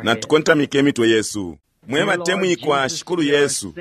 Natukontamike imitwe yesu. Mwe batemwikwa Shikulu Yesu,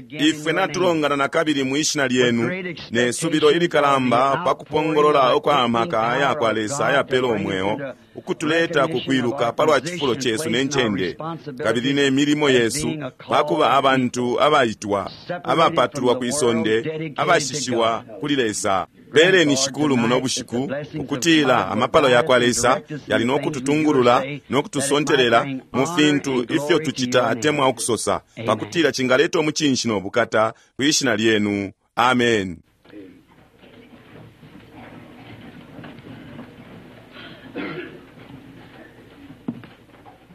ifwe natulongana na kabili mwi Shina Lyenu ne subilo ilikalamba pa kupongolola ukwa amaka aya kwa Lesa ayapela umweo ukutuleta ku kwiluka palwa cifulo cesu ne ncende kabili ne milimo yesu pa kuba abantu abaitwa, abapatulwa kwi sonde, abashishiwa kuli Lesa. Peleni, Shikulu, muno bushiku, ukutila amapalo yakwa Lesa yali no kututungulula no kutusontelela mu fintu ifyo tucita atemwa ukusosa, pakutila cingaleta umucinshi no bukata kwi Shina Lyenu. Amen.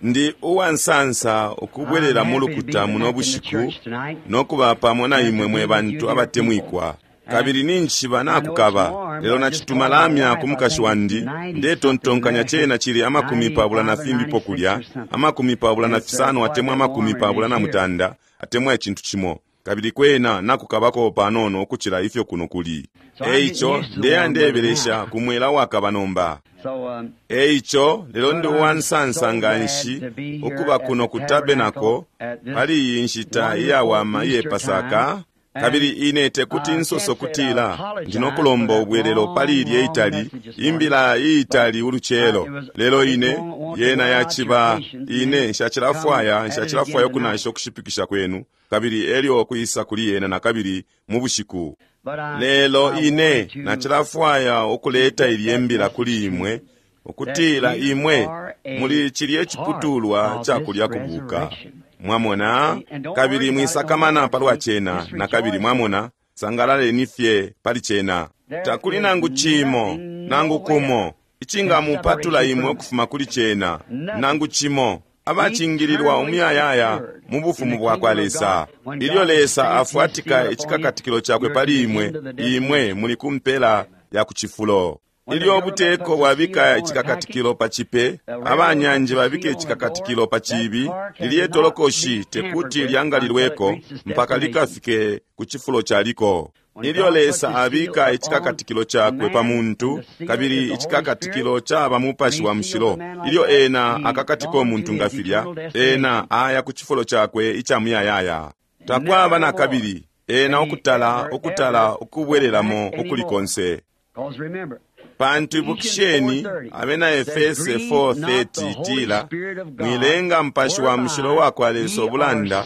Ndi uwansansa ukubwelela mu lukuta muno bushiku no kuba pamo na imwe mwe bantu abatemwikwa. Kabili ninjishiba nakukaba, lelo nacituma lamya ku mukashi wandi, ndetontonkanya cena cili 25 na fimbipo kulya, 25 atemwa 28 atemwa icintu cimo, kabili kwena nakukabako panono ukucila ifyo kuno kuli. Eico ndeya ndebelesha ku mwela wakaba nomba. Eico lelo ndi uwansansa nganshi ukuba kuno ku tabernacle pali iyi nshita iyawama iye Pasaka. Kabili ine tekuti nsoso kutila ndi no kulomba ubwelelo pali ilye itali, imbila iitali ulucelo, lelo ine, yena yaciba, ine nshacilafwaya, nshacilafwaya ukunasha ukushipikisha kwenu, kabili elyo kwisa kuli yena nakabili mu bushiku. Lelo ine nacilafwaya ukuleta ilye mbila kuli imwe, ukutila imwe muli cilye ciputulwa ca kulya kubuka. Mwamona? Kabili mwisakamana palwa cena nakabili, mwamona, sangalaleni fye pali cena. Takuli nangu cimo, nangu kumo, icingamupatula imwe ukufuma kuli cena, nangu cimo, abacingililwa umuyayaya mu bufumu bwakwa Lesa. Ilyo Lesa afwatika icikakatikilo cakwe pali imwe, imwe muli ku mpela ya ku cifulo. Ilyo ubuteko bwabika icikakatikilo pa cipe, abanyanje babika icikakatikilo pa cibi, lilye tolokoshi tekuti lyangalilweko mpaka likafike ku cifulo caliko. Ilyo Lesa abika icikakatikilo cakwe pa muntu, kabili icikakatikilo caba Mupashi wa Mushilo, ilyo ena akakatiko muntu nga filya, ena aya ku cifulo cakwe ica muyayaya. Takwaba nakabili ena ukutala, ukutala ukubwelelamo ukuli konse. Pantu ibukisheni, Abena Efese 4:30 itila, Mwilenga Mupashi wa Mushilo wakwa Lesa ubulanda,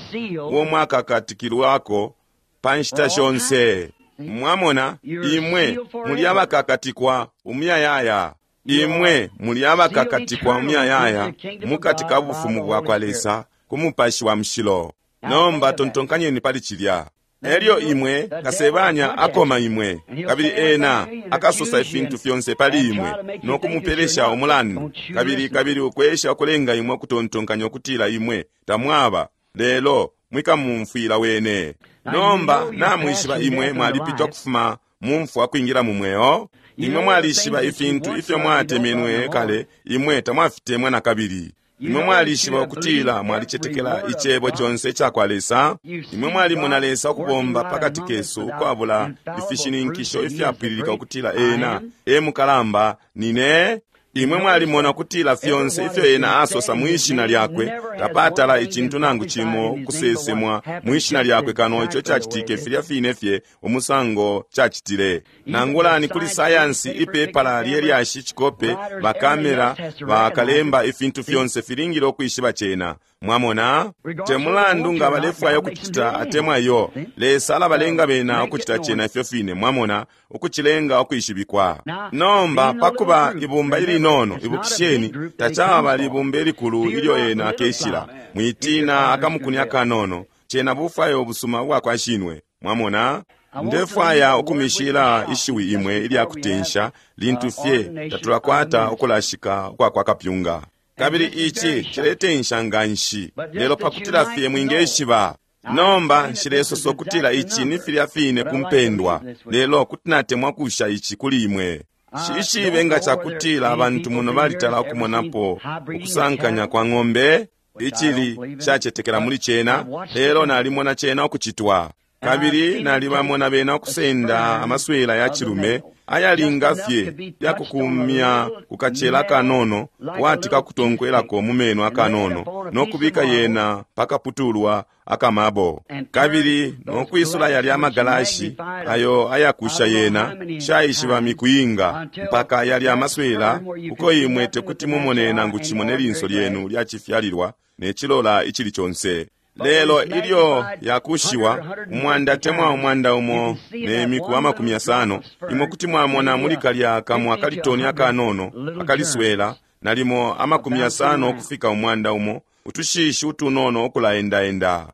uo mwakakatikilwako pa nshita shonse. Mwamona, imwe muli abakakatikwa umuyayaya. Imwe muli abakakatikwa umuyayaya mukati ka bufumu bwakwa Lesa ku Mupashi wa Mushilo. Nomba tontonkanyeni pali cilya. Elyo imwe, kasebanya akoma imwe, kabili ena akasosa ifintu fyonse pali imwe, no kumupelesha umulandu, kabili, kabili ukwesha ukulenga imwe ukutontonkanya ukutila imwe tamwaba, lelo mwikamumfwila wene. Nomba namwishiba imwe mwalipitwa kufuma mu mfwa kwingila mu mweo. Imwe mwalishiba ifintu ifyo mwatemenwe kale, imwe tamwafitemwa nakabili. Imwe mwalishiba ukutila mwalicetekela Icebo conse icakwa Lesa. Imwe mwalimona Lesa ukubomba pakati kesu ukwabula ifishininkisho ifyapwililika ukutila Ena e mukalamba nine. Imwe mwalimona ukutila fyonse ifyo Ena asosa mwi Shina Lyakwe, tapatala icintu nangu cimo ukusesemwa mwi Shina Lyakwe kano ico cacitike filya fine fye umusango cacitile. Nangula ni kuli sayansi, ipepala lye lyashi, icikope, bakamera, bakalemba, ifintu fyonse filingile ukwishiba cena. Mwamona? Te mulandu nga balefwaya ukucita atemwa iyo, Lesa alabalenga bena ukucita cena ifyo fine, mwamona, ukucilenga ukwishibikwa. Nomba, pakuba ibumba ilinono, ibukisheni, tacaba libumba ilikulu ilyo ena akeshila. Mwitina akamukuni akanono, cena bufwayo ubusuma ubwakwa Shinwe. Mwamona? Ndefwaya ukumishila ishiwi imwe ilya kutensha lintu fye tatulakwata ukulashika ukwa kwa kapyunga. Kabili ici ciletensha nganshi, lelo pakutila fye mwingeshiba. Nomba nshilesosa ukutila ici ni filya fine ku mpendwa, lelo kuti natemwa kusha ici kuli imwe. Nshishibe nga cakutila abantu muno balitala ukumonapo ukusankanya kwa ng'ombe, icili nshacetekela muli cena, lelo nalimona cena ukucitwa. Kabili nalibamona bena ukusenda amaswela ya cilume Ayalinga fye yakukumya kukacela kanono kwati kakutonkwelako mu meno akanono no kubika yena pakaputulwa akamabo, kabili no kwisula yalya amagalashi ayo ayakusha yena shaishiba miku inga mpaka yalya amaswela uko imwe tekuti mumone nangu cimo ne linso lyenu lyacifyalilwa ne cilola icili conse. Lelo ilyo yakushiwa umwanda temwa umwanda umo ne miku 50, imwe kuti mwamona muli kalya kamwa kalitoni akanono akaliswela nalimo 50 ukufika 100 utushishi utunono ukulaendaenda.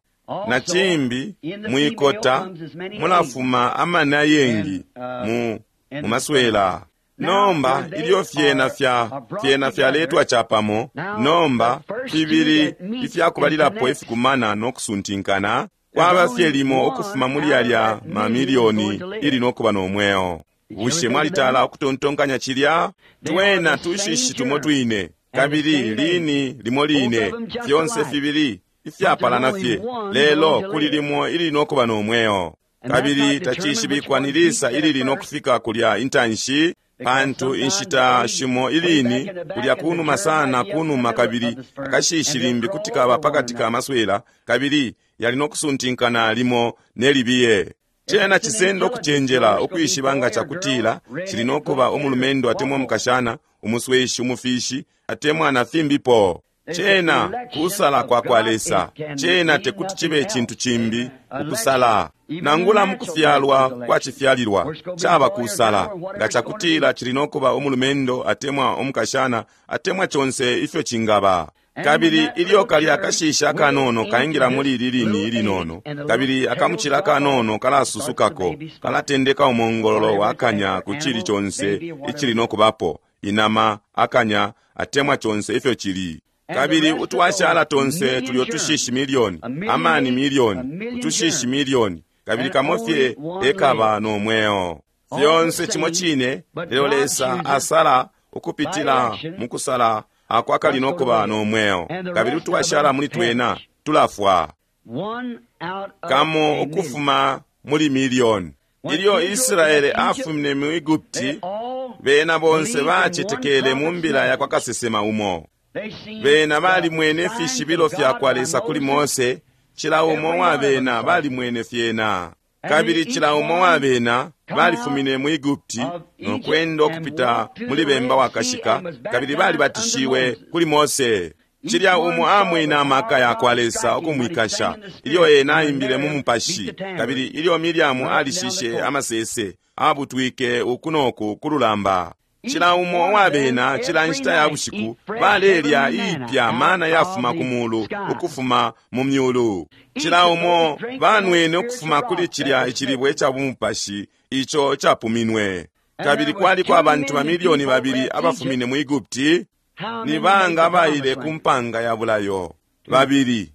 Na cimbi mwikota mulafuma amani ayengi mu maswela. Nomba ilyo fyena fyena fyaletwa capamo, nomba fibili ifyakubalilapo ifikumana no kusuntinkana kwaba fye limo ukufuma muli yalya mamilioni ili nokuba no mweo. Bushe mwalitala ukutontonkanya cilya? Twena tushishi tumo twine, kabili lini limo line, fyonse fibili ifyapalana fye, lelo kuli limo ili nokuba no mweo. Kabili tacishibikwa ni lisa ilili nokufika kulya intanshi, pantu inshita shimo ilini kulya kunuma sana kunuma, kabili akashishi limbi kuti kaba pakati ka maswela, kabili yali nokusuntinkana limo nelibiye. Cena cisenda ukucenjela ukwishiba nga cakutila cili nokuba umulumendo atemwa umukashana, umusweshi, umufishi atemwa na fimbipo. Cena kusala kwa kwa Lesa. Cena tekuti cibe icintu cimbi ukusala. Nangula mukufyalwa kwa cifyalilwa caba kusala nga cakutila cili nokuba umulumendo atemwa umukashana atemwa conse ifyo cingaba. Kabili ilyo kalya akashishi akanono kaingila muli ili lini ilinono, kabili akamucila akanono kalasusukako, kalatendeka umongololo wakanya ku cili conse icili nokubapo, inama, akanya atemwa conse ifyo cili. Kabili utwashala tonse tulyo tushishi milioni, amani milioni, utushishi milioni, kabili kamo fye ekaba no mweo. Fyonse cimo cine, lelo Lesa asala ukupitila mukusala ako akali nokuba no mweo, kabili utwashala muli twena tulafwa. Kamo ukufuma muli milioni. Ilyo Israele afumine mu Egupti, bena bonse bacetekele mu mbila ya kwa kasesema umo. Bena balimwene fishibilo fya kwa Lesa kuli Mose, cila umo wa bena balimwene fyena. Kabili cila umo wa bena balifumine mu Egupti no kwenda ukupita muli bemba wakashika, kabili balibatishiwe kuli Mose. Cilya umo amwene amaka ya kwa Lesa ukumwikasha ilyo ena aimbile mu mupashi, kabili ilyo Miriamu alishishe amasese, abutwike uku noku ku lulamba. Cila umo wa bena cila nshita ya bushiku balelya iipya mana yafuma ku mulu ukufuma mu myulu. Cila umo banwene ukufuma kuli cilya icilibwe ca bumupashi ico capuminwe. Kabili kwaliko abantu mamilioni 2 abafumine mu Egupti. Ni banga abaile ku mpanga ya bulayo? 2.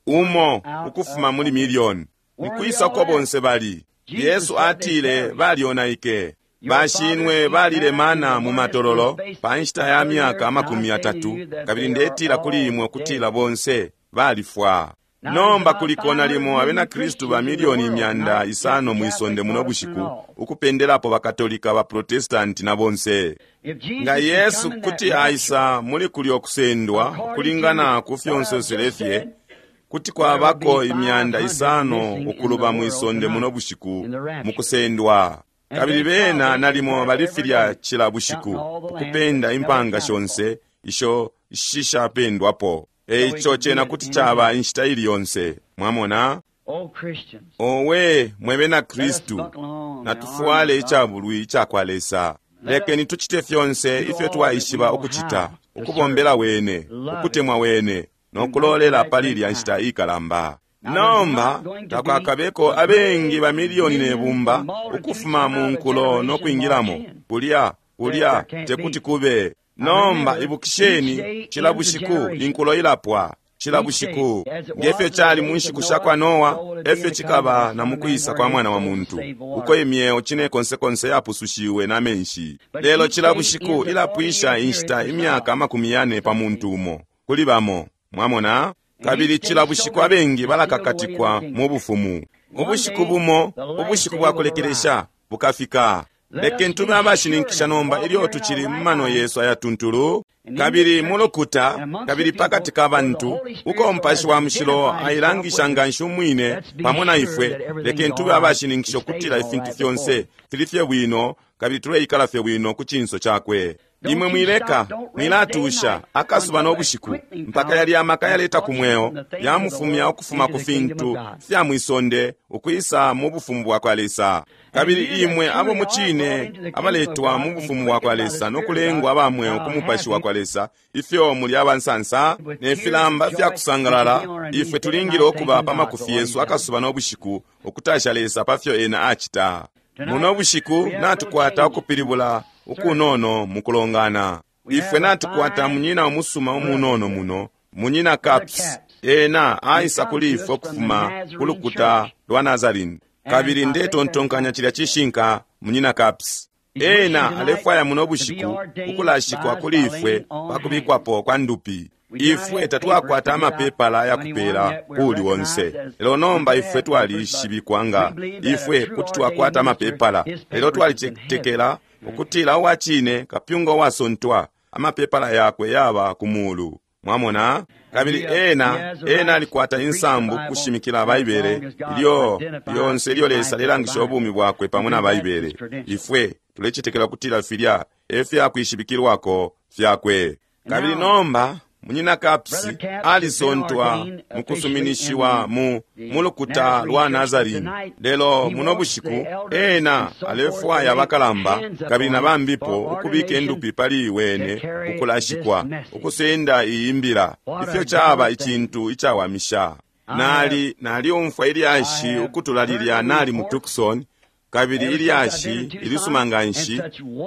Umo ukufuma muli milioni. Nikwisa uko bonse bali? Yesu atile balyonaike. Bashinwe balilemana mu matololo pa nshita ya myaka 30, kabili ndetila kuli imwe kutila bonse balifwa. Nomba kuliko nalimo abena Kristu ba milioni 500 mwisonde muno bushiku, ukupendelapo bakatolika, ba Protestanti na bonse. Nga Yesu kuti aisa muli kulyo kusendwa kulingana ku fyonsonsele fye, kuti kwabako 500 ukuluba mwisonde muno bushiku mukusendwa. Kabili bena nalimo balifilya cila bushiku ukupenda impanga shonse isho shishapendwapo. Eico cena kuti caba inshita ili yonse. Mwamona? Owe mwe bena Kristu, natufwale icabulwi ica kwa Lesa. Lekeni tucite fyonse ifyo twaishiba ukucita, ukubombela wene, ukutemwa wene, no kulolela pali ilya nshita ikalamba. Nomba takwakabeko abengi ba milioni ne bumba ukufuma mu nkulo no kwingilamo kulya kulya tekuti kube. Nomba ibukisheni, cila bushiku inkulo ilapwa, cila bushiku. Ngefyo cali mu nshiku sha kwa Noa, efyo cikaba na mukwisa kwa mwana wa muntu, uko imyeo cine konse konse yapusushiwe na menshi. Lelo cila bushiku ilapwisha inshita imyaka 40 pa muntu umo kuli bamo. Mwamona? Kabili cila bushiku abengi balakakatikwa mu bufumu. Ubushiku bumo, ubushiku bwa kulekelesha bukafika. Lekeni tube abashininkisha nomba ilyo tucili mu mano yesu ayatuntulu, kabili mu lukuta, kabili pakati ka bantu, uko Mupashi wa Mushilo ailangisha nganshi umwine pamo na ifwe. Lekeni tube abashininkisha ukutila ifintu fyonse fili fye bwino, kabili tuleikala fye bwino ku cinso cakwe. Imwe mwileka, mwilatusha akasuba no bushiku, mpaka yalya amaka yaleta ku mweo yamufumya ukufuma ku fintu fya mwisonde ukwisa mu bufumu bwa kwa Lesa. Kabili imwe abo mucine abaletwa mu bufumu bwa kwa Lesa no kulengwa aba mweo ku mupashi wa kwa Lesa, ifyo muli abansansa ne filamba fya kusangalala, ifwe tulingile ukuba pa makufi yesu akasuba no bushiku ukutasha Lesa pa fyo ena acita. Muno bushiku natukwata ukupilibula ukunono mukulongana. Ifwe natukwata munyina umusuma umunono muno, munyina Caps. Ena aisa kuli ifwe ukufuma ku lukuta lwa Nazarene. Kabili ndetontonkanya cilya cishinka, munyina Caps. Ena alefwaya muno bushiku ukulashikwa kuli ifwe pa kubikwapo kwa ndupi. Ifwe tatwakwata amapepala ayakupela kuuli onse, lelo nomba ifwe twalishibikwa nga ifwe kuti twakwata amapepala, lelo twalicetekela ukutila uwacine kapyunga uwasontwa amapepala yakwe yaba ku mulu. Mwamona? Kabili ena ena alikwata insambu kushimikila Baibele ilyo lyonse ilyo Lesa alelangisha ubumi bwakwe pamo na Baibele. Ifwe tulecetekela ukutila filya e fyakwishibikilwako fyakwe. Kabili nomba munyina Caps alisontwa mukusuminishiwa mu mulukuta lwa Nazarene, lelo muno bushiku ena alefwaya abakalamba kabili na bambipo ukubika indupi pali wene ukulashikwa ukusenda iyi mbila. Ifyo caba icintu icawamisha. Nali naliumfwa ilyashi ukutula lilya nali mu Tucson, kabili ilyashi ilisuma nganshi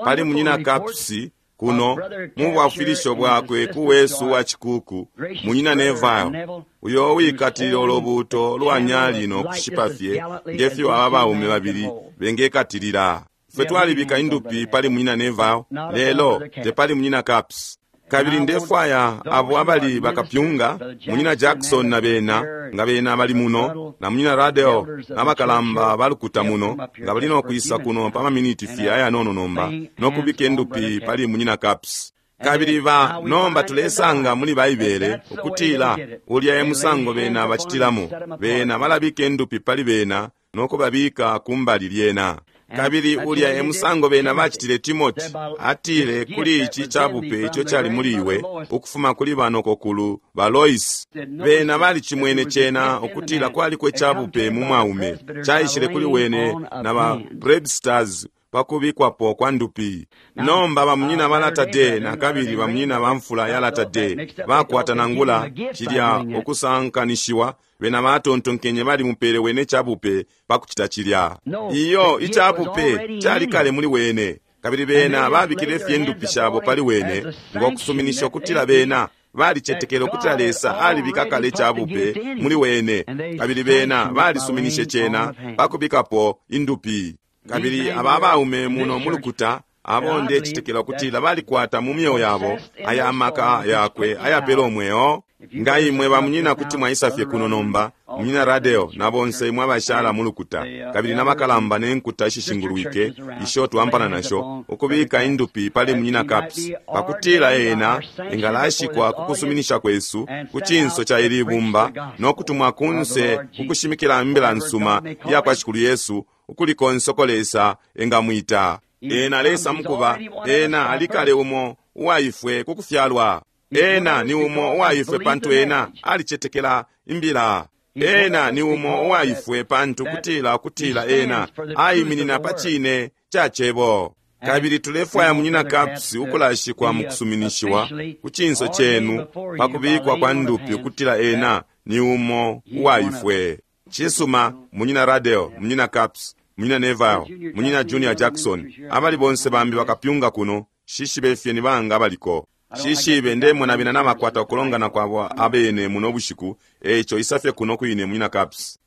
pali munyina Caps kuno mu bwafwilisho bwakwe ku wesu wa cikuku munyina Neville, uyo wikatilile ulubuuto lwa nyali no kushipa fye ngefyo aba baume babili bengekatilila. Ifwe twalibika indupi pali munyina Neville, lelo tepali munyina Caps. Kabili ndefwaya abo abali bakapyunga, munyina Jackson na bena, nga bena bali muno, na munyina Radel n'abakalamba balukuta muno, nga bali no kwisa kuno pa maminiti fye ayanono nomba, no kubika indupi pali munyina Caps. Kabili ba nomba tulesanga muli Baibele ukutila ulya e musango bena bacitilamo, bena balabika indupi pali bena no kubabika kumbali lyena. Kabili ulya e musango bena bacitile Timoti, atile kuli ici cabupe ico cali muli iwe ukufuma kuli banokokulu ba Lois. Bena balicimwene cena ukutila kwaliko icabupe mu mwaume, caishile kuli wene na ba Presbyters pakubikwapo kwa ndupi. Nomba bamunyina ba Latter-day na kabili bamunyina ba mfula ya Latter-day bakwata nangula cilya ukusankanishiwa, bena batontonkenye balimupele wene cabupe pakucita cilya. Iyo icabupe cali kale muli wene, kabili bena babikile fye ndupi shabo pali wene ngo kusuminisha ukutila bena balicetekele ukutila Lesa alibika kale icabupe muli wene, kabili bena balisuminishe cena pakubikapo indupi. Kabili aba abaume muno mulukuta abo ndecetekela ukutila balikwata mu myeo yabo aya maka yakwe ayapela umweo. Nga imwe bamunyina kuti mwaisa fye kuno nomba, munyina Radel na bonse imwe abashala mulukuta, kabili n'abakalamba ne nkuta ishishingulwike isho twampana nasho, ukubika indupi pali munyina Caps pakutila ena engalashikwa ku kusuminisha kwesu ku cinso ca ili bumba no kutumwa kunse kukushimikila imbila nsuma iya kwa Shikulu Yesu ukuli konse uko Lesa engamwita. Ena alesa mukuba, ena alikale umo uwaifwe ku kufyalwa. Ena ni umo uwaifwe pantu ena alicetekela imbila. Ena ni umo uwaifwe pantu kutila kutila ena aiminina pa cine ca cebo. Kabili tulefwaya munyina Caps ukulashikwa mukusuminishiwa ku cinso cenu pa kubikwa kwa ndupi ukutila ena ni umo uwaifwe. Cisuma, munyina Radel, munyina Caps, munyina Neville, munyina Junior Jackson, abali bonse bambi bakapyunga kuno, shishibe fye ni banga abaliko. Shishibe ndemona bena nabakwata ukulongana kwabo abene muno bushiku, eico isafye kuno kwine munyina Caps.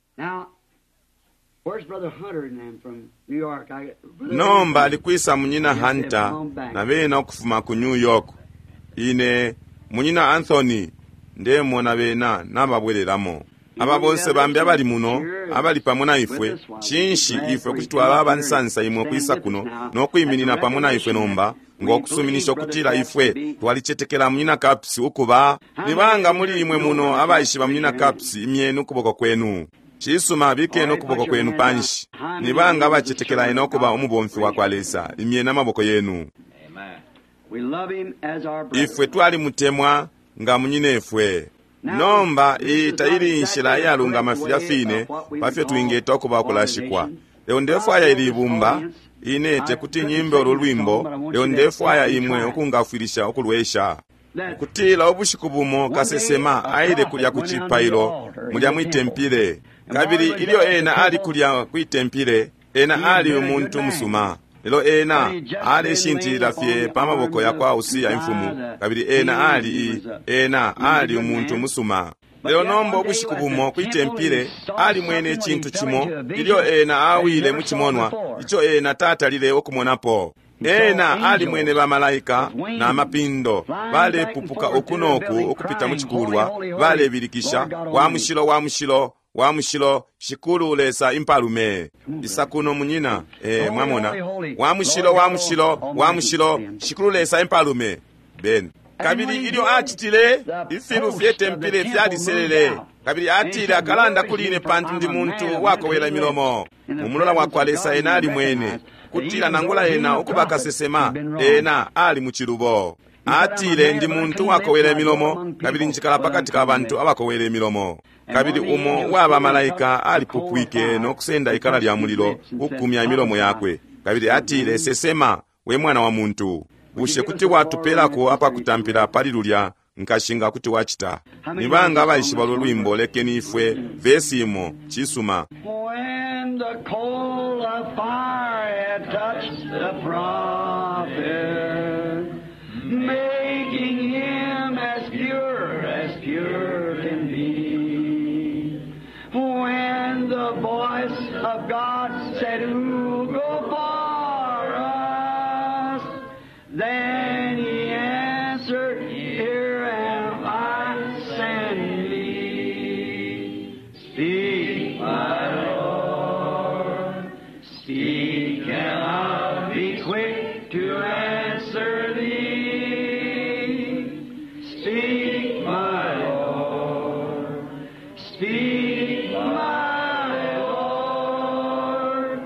Nomba alikwisa munyina Hunter na bena ukufuma ku New York. Ine munyina Anthony ndemona bena nababwelelamo. Aba bonse bambi abali muno, abali pamo na ifwe, cinshi ifwe kuti twaba abansansa imwe ukwisa kuno no kwiminina pamo na ifwe nomba, ngo kusuminisha ukutila ifwe twalicetekela Munyina Capps ukuba. Ni banga muli imwe muno abaishiba Munyina Capps? Imyeni ukuboko kwenu. Cisuma, bikeni ukuboko kwenu panshi. Ni banga abacetekela ena ukuba umubomfi wa kwa Lesa? Imyeni amaboko yenu. We love him as our brother. Ifwe twalimutemwa nga munyinefwe. Nomba iyi taili inshila iyalungama filya fine pafyo twingeta ukuba ukulashikwa. Lelo ndefwaya ili ibumba, ine tekuti nyimbe ulu lwimbo, lelo ndefwaya imwe ukungafwilisha ukulwesha. Kutila ubushiku bumo kasesema aile kulya ku cipailo mulya mwitempile, kabili ilyo ena ali kulya kwitempile, ena ali umuntu musuma. Lelo ena aleshintilila fye pa maboko ya kwa Usia imfumu, kabili ena ali ena ali umuntu musuma. Lelo nomba ubushiku bumo kwitempile alimwene icintu cimo ilyo ena awile mu cimonwa ico ena tatalile ukumonapo. Ena alimwene bamalaika na mapindo balepupuka uku noku ukupita mu cikulwa, balebilikisha, wa mushilo, wa mushilo, wa mushilo, Shikulu Lesa impalume. Isa kuno munyina, mwamona. Wa mushilo, wa mushilo, wa mushilo, Shikulu Lesa impalume. Ben. Kabili ilyo acitile, ifilu fye tempile fyaliselele. Kabili atile, akalanda kuli ine pantu ndi muntu wakowela imilomo. Mu mulola wa kwa Lesa ena alimwene kutila nangula ena ukuba kasesema, ena ali mu cilubo. Atile, ndi muntu wakowela imilomo, kabili njikala pakati ka bantu abakowela imilomo. Kabili umo waba malaika alipupwike no kusenda ikala lya mulilo kukumya imilomo yakwe. Kabili atile, sesema, we mwana wa muntu. Bushe kuti watupelako apakutampila pali lulya nkashi nga kuti wacita? Ni banga abaishiba ulu lwimbo? Lekeni ifwe vesi imo. Cisuma. When the coal of fire had touched the prophet, making him as pure as pure can be. When the voice of God said, Who'll go for us? Then he answered, Here am I, send me. Speak, my Lord, speak, and I'll be quick to answer thee. Speak, my Lord, speak, my Lord,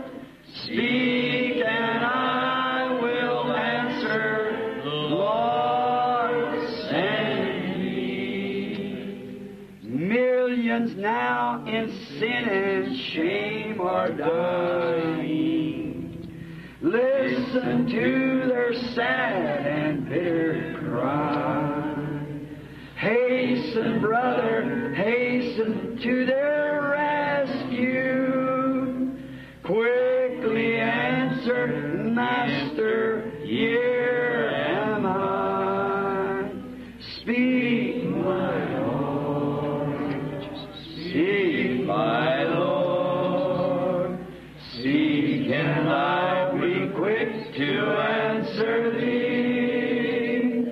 speak, and I will answer, Lord, send me. Millions now in sin and shame are dying. Listen to their sad and bitter cry. Hasten, brother, hasten to their rescue. Quickly answer, Master, here am I. Speak, my Lord. Speak, my Lord. Speak, and I'll be quick to answer thee.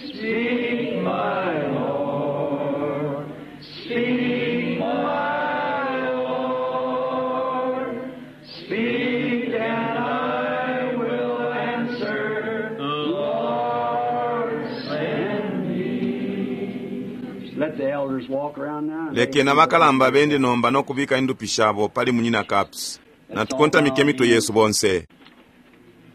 Speak, my Lord. Speak, my Lord. Speak, and I will answer, Lord, send me. Let the elders walk around now. Lekeni abakalamba bende nomba no kubika indupi shabo pali Munyina Capps. Natukontamike imitwe yesu bonse.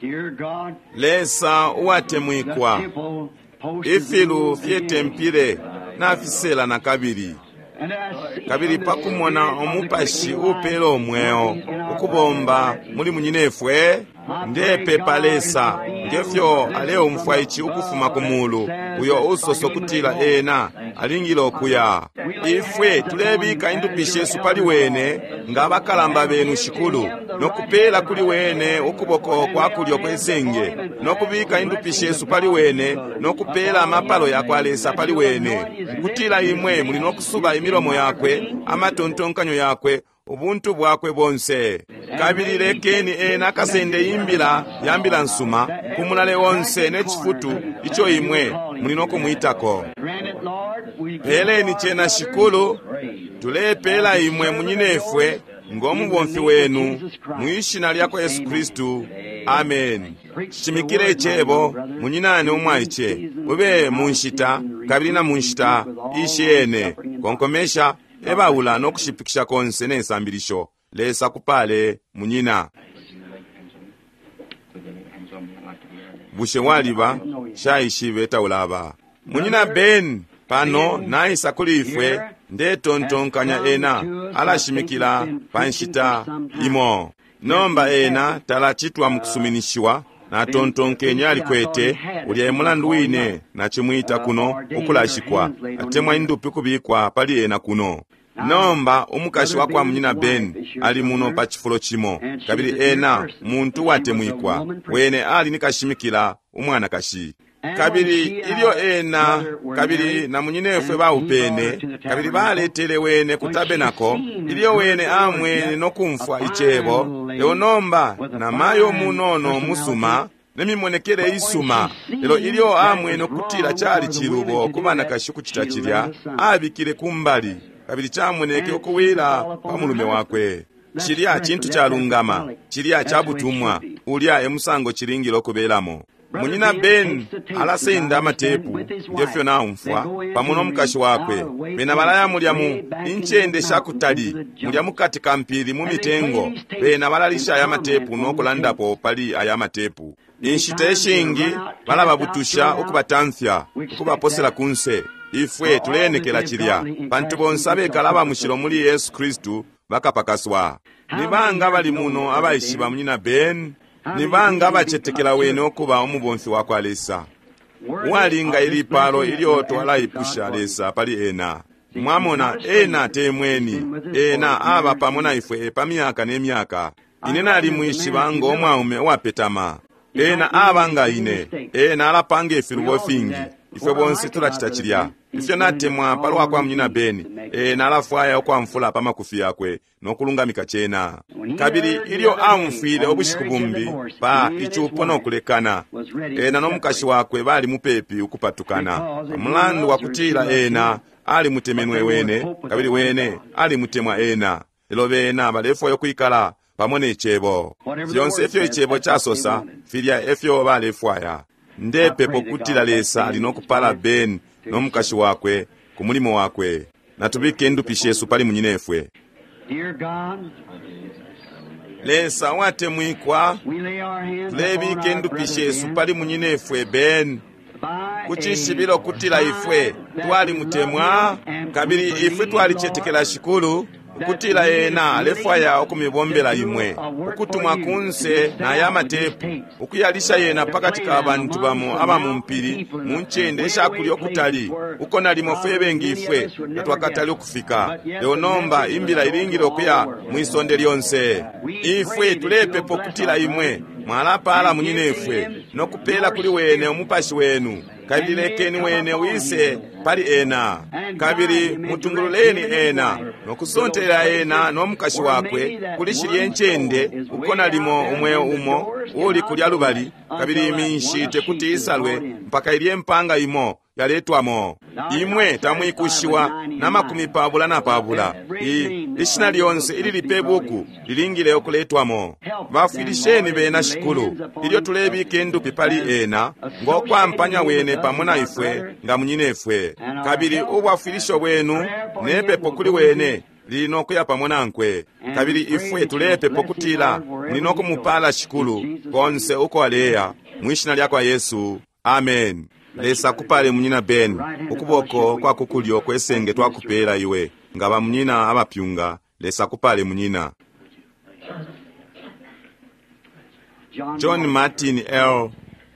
Dear God, Lesa the uwatemwikwa, temple post is ifilu moved fye again. tempile nafisela na kabili. And I see Kabili the pakumona spirit of the umupashi quickening life upela omweo working in our ukubomba muli munyinefwe, ndepepa Lesa ngefyo aleumfwa ici ukufuma ku mulu, uyo usoso kutila ena alingile okuya. Ifwe tulebika indupi shesu pali wene nga abakalamba benu Shikulu, no kupela kuli wene ukuboko kwa kulyo kwesenge, no kubika indupi shesu pali wene, no kupela amapalo ya kwa Lesa pali wene, kutila imwe muli no kusuba imilomo yakwe, amatontonkanyo yakwe, ubuntu bwakwe bonse. Kabili lekeni ena akasende imbila ya mbila nsuma ku mulale onse ne cifutu ico imwe muli no kumwitako. Grant it, Lord, we give Peleni our cena brother Shikulu, praise. Tulepela imwe munyinefwe ngo mubomfi wenu mu ishina lya kwa Yesu Kristu. Amen. Shimikile icebo munyinane umwaice, ube mu nshita kabili na mu nshita ishiyene. Konkomesha, ebaula no kushipikisha konse ne sambilisho. Lesa kupale munyina. Bushe waliba shaishibe taulaba munyina Ben pano naisa kuli ifwe. Ndetontonkanya ena alashimikila pa nshita imo. Nomba ena talachitwa mukusuminishiwa. Natontonkenye alikwete ulya emulandu wine nachimwita kuno ukulashikwa atemwa indupi kubikwa pali ena kuno. Nomba umukashi wa kwa munyina Ben ali muno pa chifulo chimo, kabili ena muntu watemwikwa. Wene ali ni kashimikila umwanakashi. Kabili ilyo ena kabili na munyinefwe baupene, kabili baletele wene ku tabenako, ilyo wene amwene no kumfwa icebo. Lelo nomba namayo munono musuma nemimonekele isuma, lelo ilyo amwene ukutila cali chilubo ku banakashi kuchita chilya, abikile kumbali, kabili chamoneke ukuwila pa mulume wakwe. Chilya chintu chalungama, chilya chabutumwa, ulya emusango chilingile okubelamo. Munyina Ben alasenda amatepu ngefyo naumfwa pamo nomukashi wakwe. Bena balaya mulya mu incende shakutali, mulya mukati ka mpili mu mitengo. Bena balalisha aya matepu nokulandapo pali aya matepu. Inshita ishingi balababutusha ukubatamfya, ukubaposela kunse. Ifwe tulenekela chilya, pantu bonse abekala abamushilo muli Yesu Kristu bakapakaswa. Ni banga bali muno abaishiba munyina Ben? Ni banga abacetekela wene okuba umubomfi wa kwa Lesa uwalinga ilipalo ilyo twalaipusha Lesa pali ena? Mwamona, ena temweni, ena aba pamo na ifwe pa myaka ne myaka. Ine nalimwishiba ngo mwaume uwapetama. Ena aba nga ine, ena alapanga ifilubo fingi. Ifwe bonse tulachita chilya. Ifyo natemwa palwa kwa munyina Ben, ena alafwaya ukwamfula pa makufi yakwe nokulungamika chena. Kabili ilyo aumfwile ubushiku bumbi pa ichupo nokulekana, ena nomukashi wakwe bali mupepi ukupatukana, pamulandu wakutila ena alimutemenwe wene, kabili wene alimutemwa ena. Lelo bena balefwaya ukwikala pamo ne cebo. Fyonse ifyo icebo chasosa, filya efyo balefwaya. Ndepepo kutila Lesa ali nokupala Ben nomukashi wakwe ku mulimo wakwe. Natubike indupi shesu pali munyinefwe. Lesa watemwikwa, tulebika indupi shesu pali munyinefwe Ben kuchishibilo kutila ifwe twalimutemwa, kabili ifwe twalicetekela Shikulu ukutila ena alefwaya ukumibombela imwe, ukutumwa kunse na aya matepu, ukuyalisha yena pakati ka bantu bamo aba mu mpili mu ncende ishakulya ukutali, uko nalimo fwe bengi ifwe tatwakatali ukufika. Lelo nomba imbila ilingile ukuya mwisonde lyonse. Ifwe tulepepa ukutila imwe mwalapala munyinefwe nokupela kuli wene umupashi wenu, kabili lekeni wene wise pali ena, kabili mutungululeni ena nokusontela ena nomukashi wakwe kuli shilye ncende uko nalimo umweo umo uli kulya lubali, kabili iminshi tekuti isalwe mpaka ilye mpanga imo yaletwamo. Imwe tamwikushiwa na 24. Ishina lyonse ilili pe buku lilingile okuletwamo. Bafwilisheni bena Shikulu ilyo tulebika indupi pali ena ngo kwampanya wene pamo na ifwe nga munyinefwe, kabili ubwafwilisho bwenu nepepo kuli wene lili nokuya pamo nankwe. Kabili ifwe tulepepo kutila muli nokumupala Shikulu konse uko aleya, mwishina lya kwa Yesu. Amen. Lesa kupale munyina Ben, ukuboko kwa kukulyo kwesenge twakupela iwe nga bamunyina abapyunga. Lesa kupale munyina John Martin L.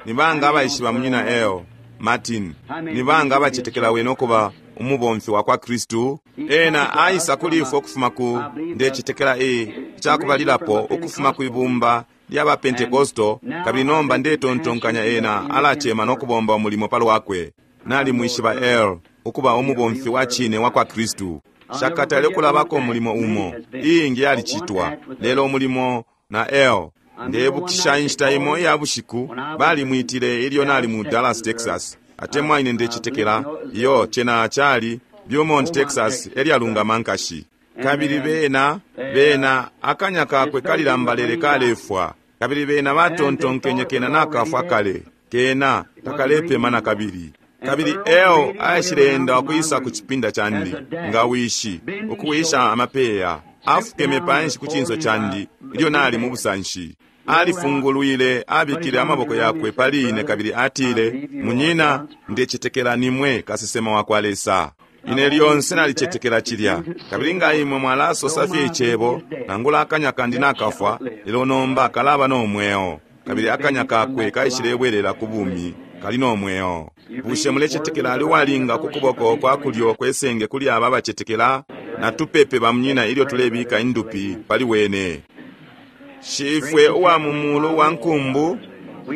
Ni banga abaishiba munyina L. Martin? Ni banga abacetekela wene okuba umubomfi wa kwa Kristu? Ena aisa kuli ifwe ukufuma ku ndecetekela icakubalilapo ukufuma ku ibumba lya ba Pentekosto, kabili nomba ndetontonkanya ena alachema nokubomba umulimo palwakwe. Nalimwishiba L ukuba umubomfi wa chine wa kwa Kristu. Shakatale kulabako umulimo umo, iingi yalicitwa, lelo umulimo na L. Ndebukisha inshita imo iya bushiku balimwitile ilyo nali mu Dallas, Texas. Atemwa ine ndecetekela iyo chena chali Beaumont, Texas, elyalungama nkashi. Kabili bena, bena, akanya kakwe kalilambalele kalefwa. Kabili bena batontonkenye kena nakafwa kale. Kena takalepema nakabili. Kabili Earl aishileenda ukwisa ku cipinda candi, nga wishi, ukuwisha amapeya. Afukeme panshi ku cinso candi, ilyo nali mu busanshi. Alifungulwile, abikile amaboko yakwe pali ine kabili atile, Munyina, ndecetekela nimwe kasesema wa kwa Lesa. Ine lyonse nalicetekela cilya. Kabili nga imwe mwalasosa fye icebo, nangula akanya kandi nakafwa, lelo nomba kalaba no mweo. Kabili akanya kakwe kaishilebwelela ku bumi, kali no mweo. Bushe mulecetekela ali uwalinga ku kuboko kwa kulyo kwesenge kuli aba abacetekela? Natupepe bamunyina ilyo tulebika indupi pali wene. Shifwe uwa mu mulu wa nkumbu,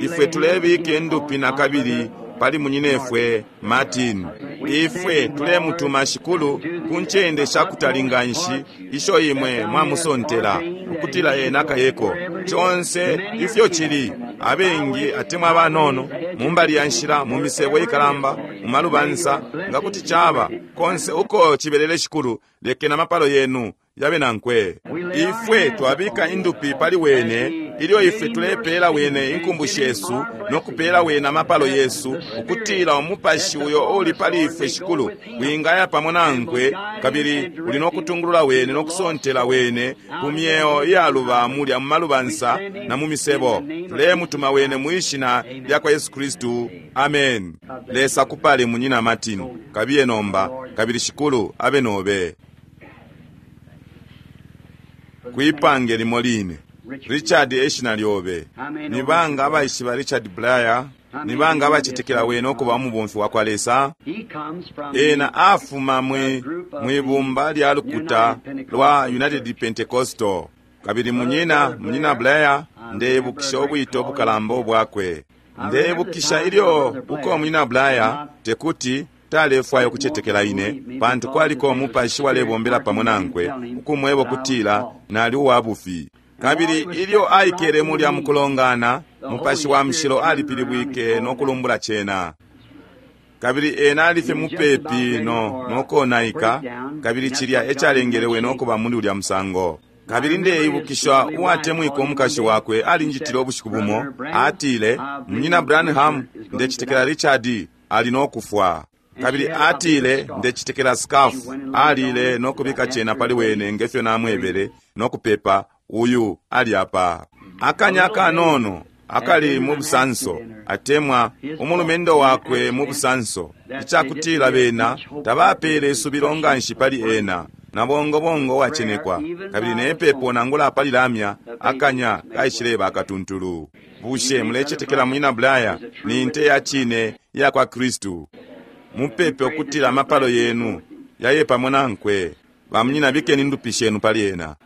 ifwe tulebika indupi nakabili pali munyinefwe Martin. Ifwe tulemutuma Shikulu ku ncende shakutali nganshi isho imwe mwamusontela ukutila ena akayeko. Conse ifyo cili, abengi atemwa abanono, mu mbali ya nshila, mu misebo ikalamba, mu malubansa, nga kuti caba konse uko cibelele Shikulu, lekeni amapalo yenu yabe nankwe. Ifwe twabika indupi pali wene ilyo ifwe tulepela wene inkumbu shesu no kupela wene amapalo yesu, ukutila umupashi uyo uli pali ifwe Shikulu wingaya pamo nankwe, kabili uli no kutungulula wene no kusontela wene ku myeo iyaluba mulya mu malubansa na mu misebo. Tulemutuma wene mwi shina lya kwa Yesu Kristu. Amen. Lesa kupale munyina Martin. Kabiye nomba, kabili Shikulu abe nobe. Kwipange limo line. Richard eshina lyobe. Ni banga abaishiba Richard Blair? Ni banga abacetekela wene ukuba umubomfi wa kwa Lesa? Ena afuma mwi bumba lya lukuta lwa United Pentecostal. Kabili munyina, munyina Blair, ndebukisha ubwito obukalamba obwakwe. Ndebukisha ilyo uko munyina Blair tekuti talefwaya ukucetekela ine, pantu kwaliko umupashi walebombela pamo nankwe ukumweba ukutila nali uwa bufi. Kabili ilyo aikele mulya mukulongana, mupashi wa mushilo alipilibwike no kulumbula cena. Kabili ena alifye mupepi no konaika, kabili cilya ecalengele wene ukuba muli ulya musango. Kabili ndeibukisha uwatemwika umukashi wakwe alinjitile ubushiku bumo, atile, Munyina Branham, ndecetekela Richard ali no kufwa. Kabili atile, ndecetekela scarf alile no kubika cena pali wene ngefyo namwebele no kupepa, uyu ali apa. Akanya kanono akali mu busanso, atemwa umulumendo wakwe mu busanso, icakutila bena tabapele isubilo nganshi pali ena, na bongobongo wacenekwa. Kabili nepepo nangula pali lamya, akanya kaishileba akatuntulu. Bushe mulecetekela munyina Blair ni nte ya cine ya kwa Kristu? Mupepe ukutila amapalo yenu yaye pamo nankwe. Bamunyina, bikeni indupi shenu pali ena.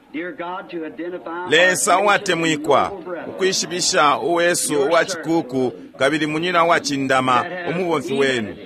Lesa uwatemwikwa, ukwishibisha uwesu uwa cikuku kabili munyina uwacindama umubomfi wenu,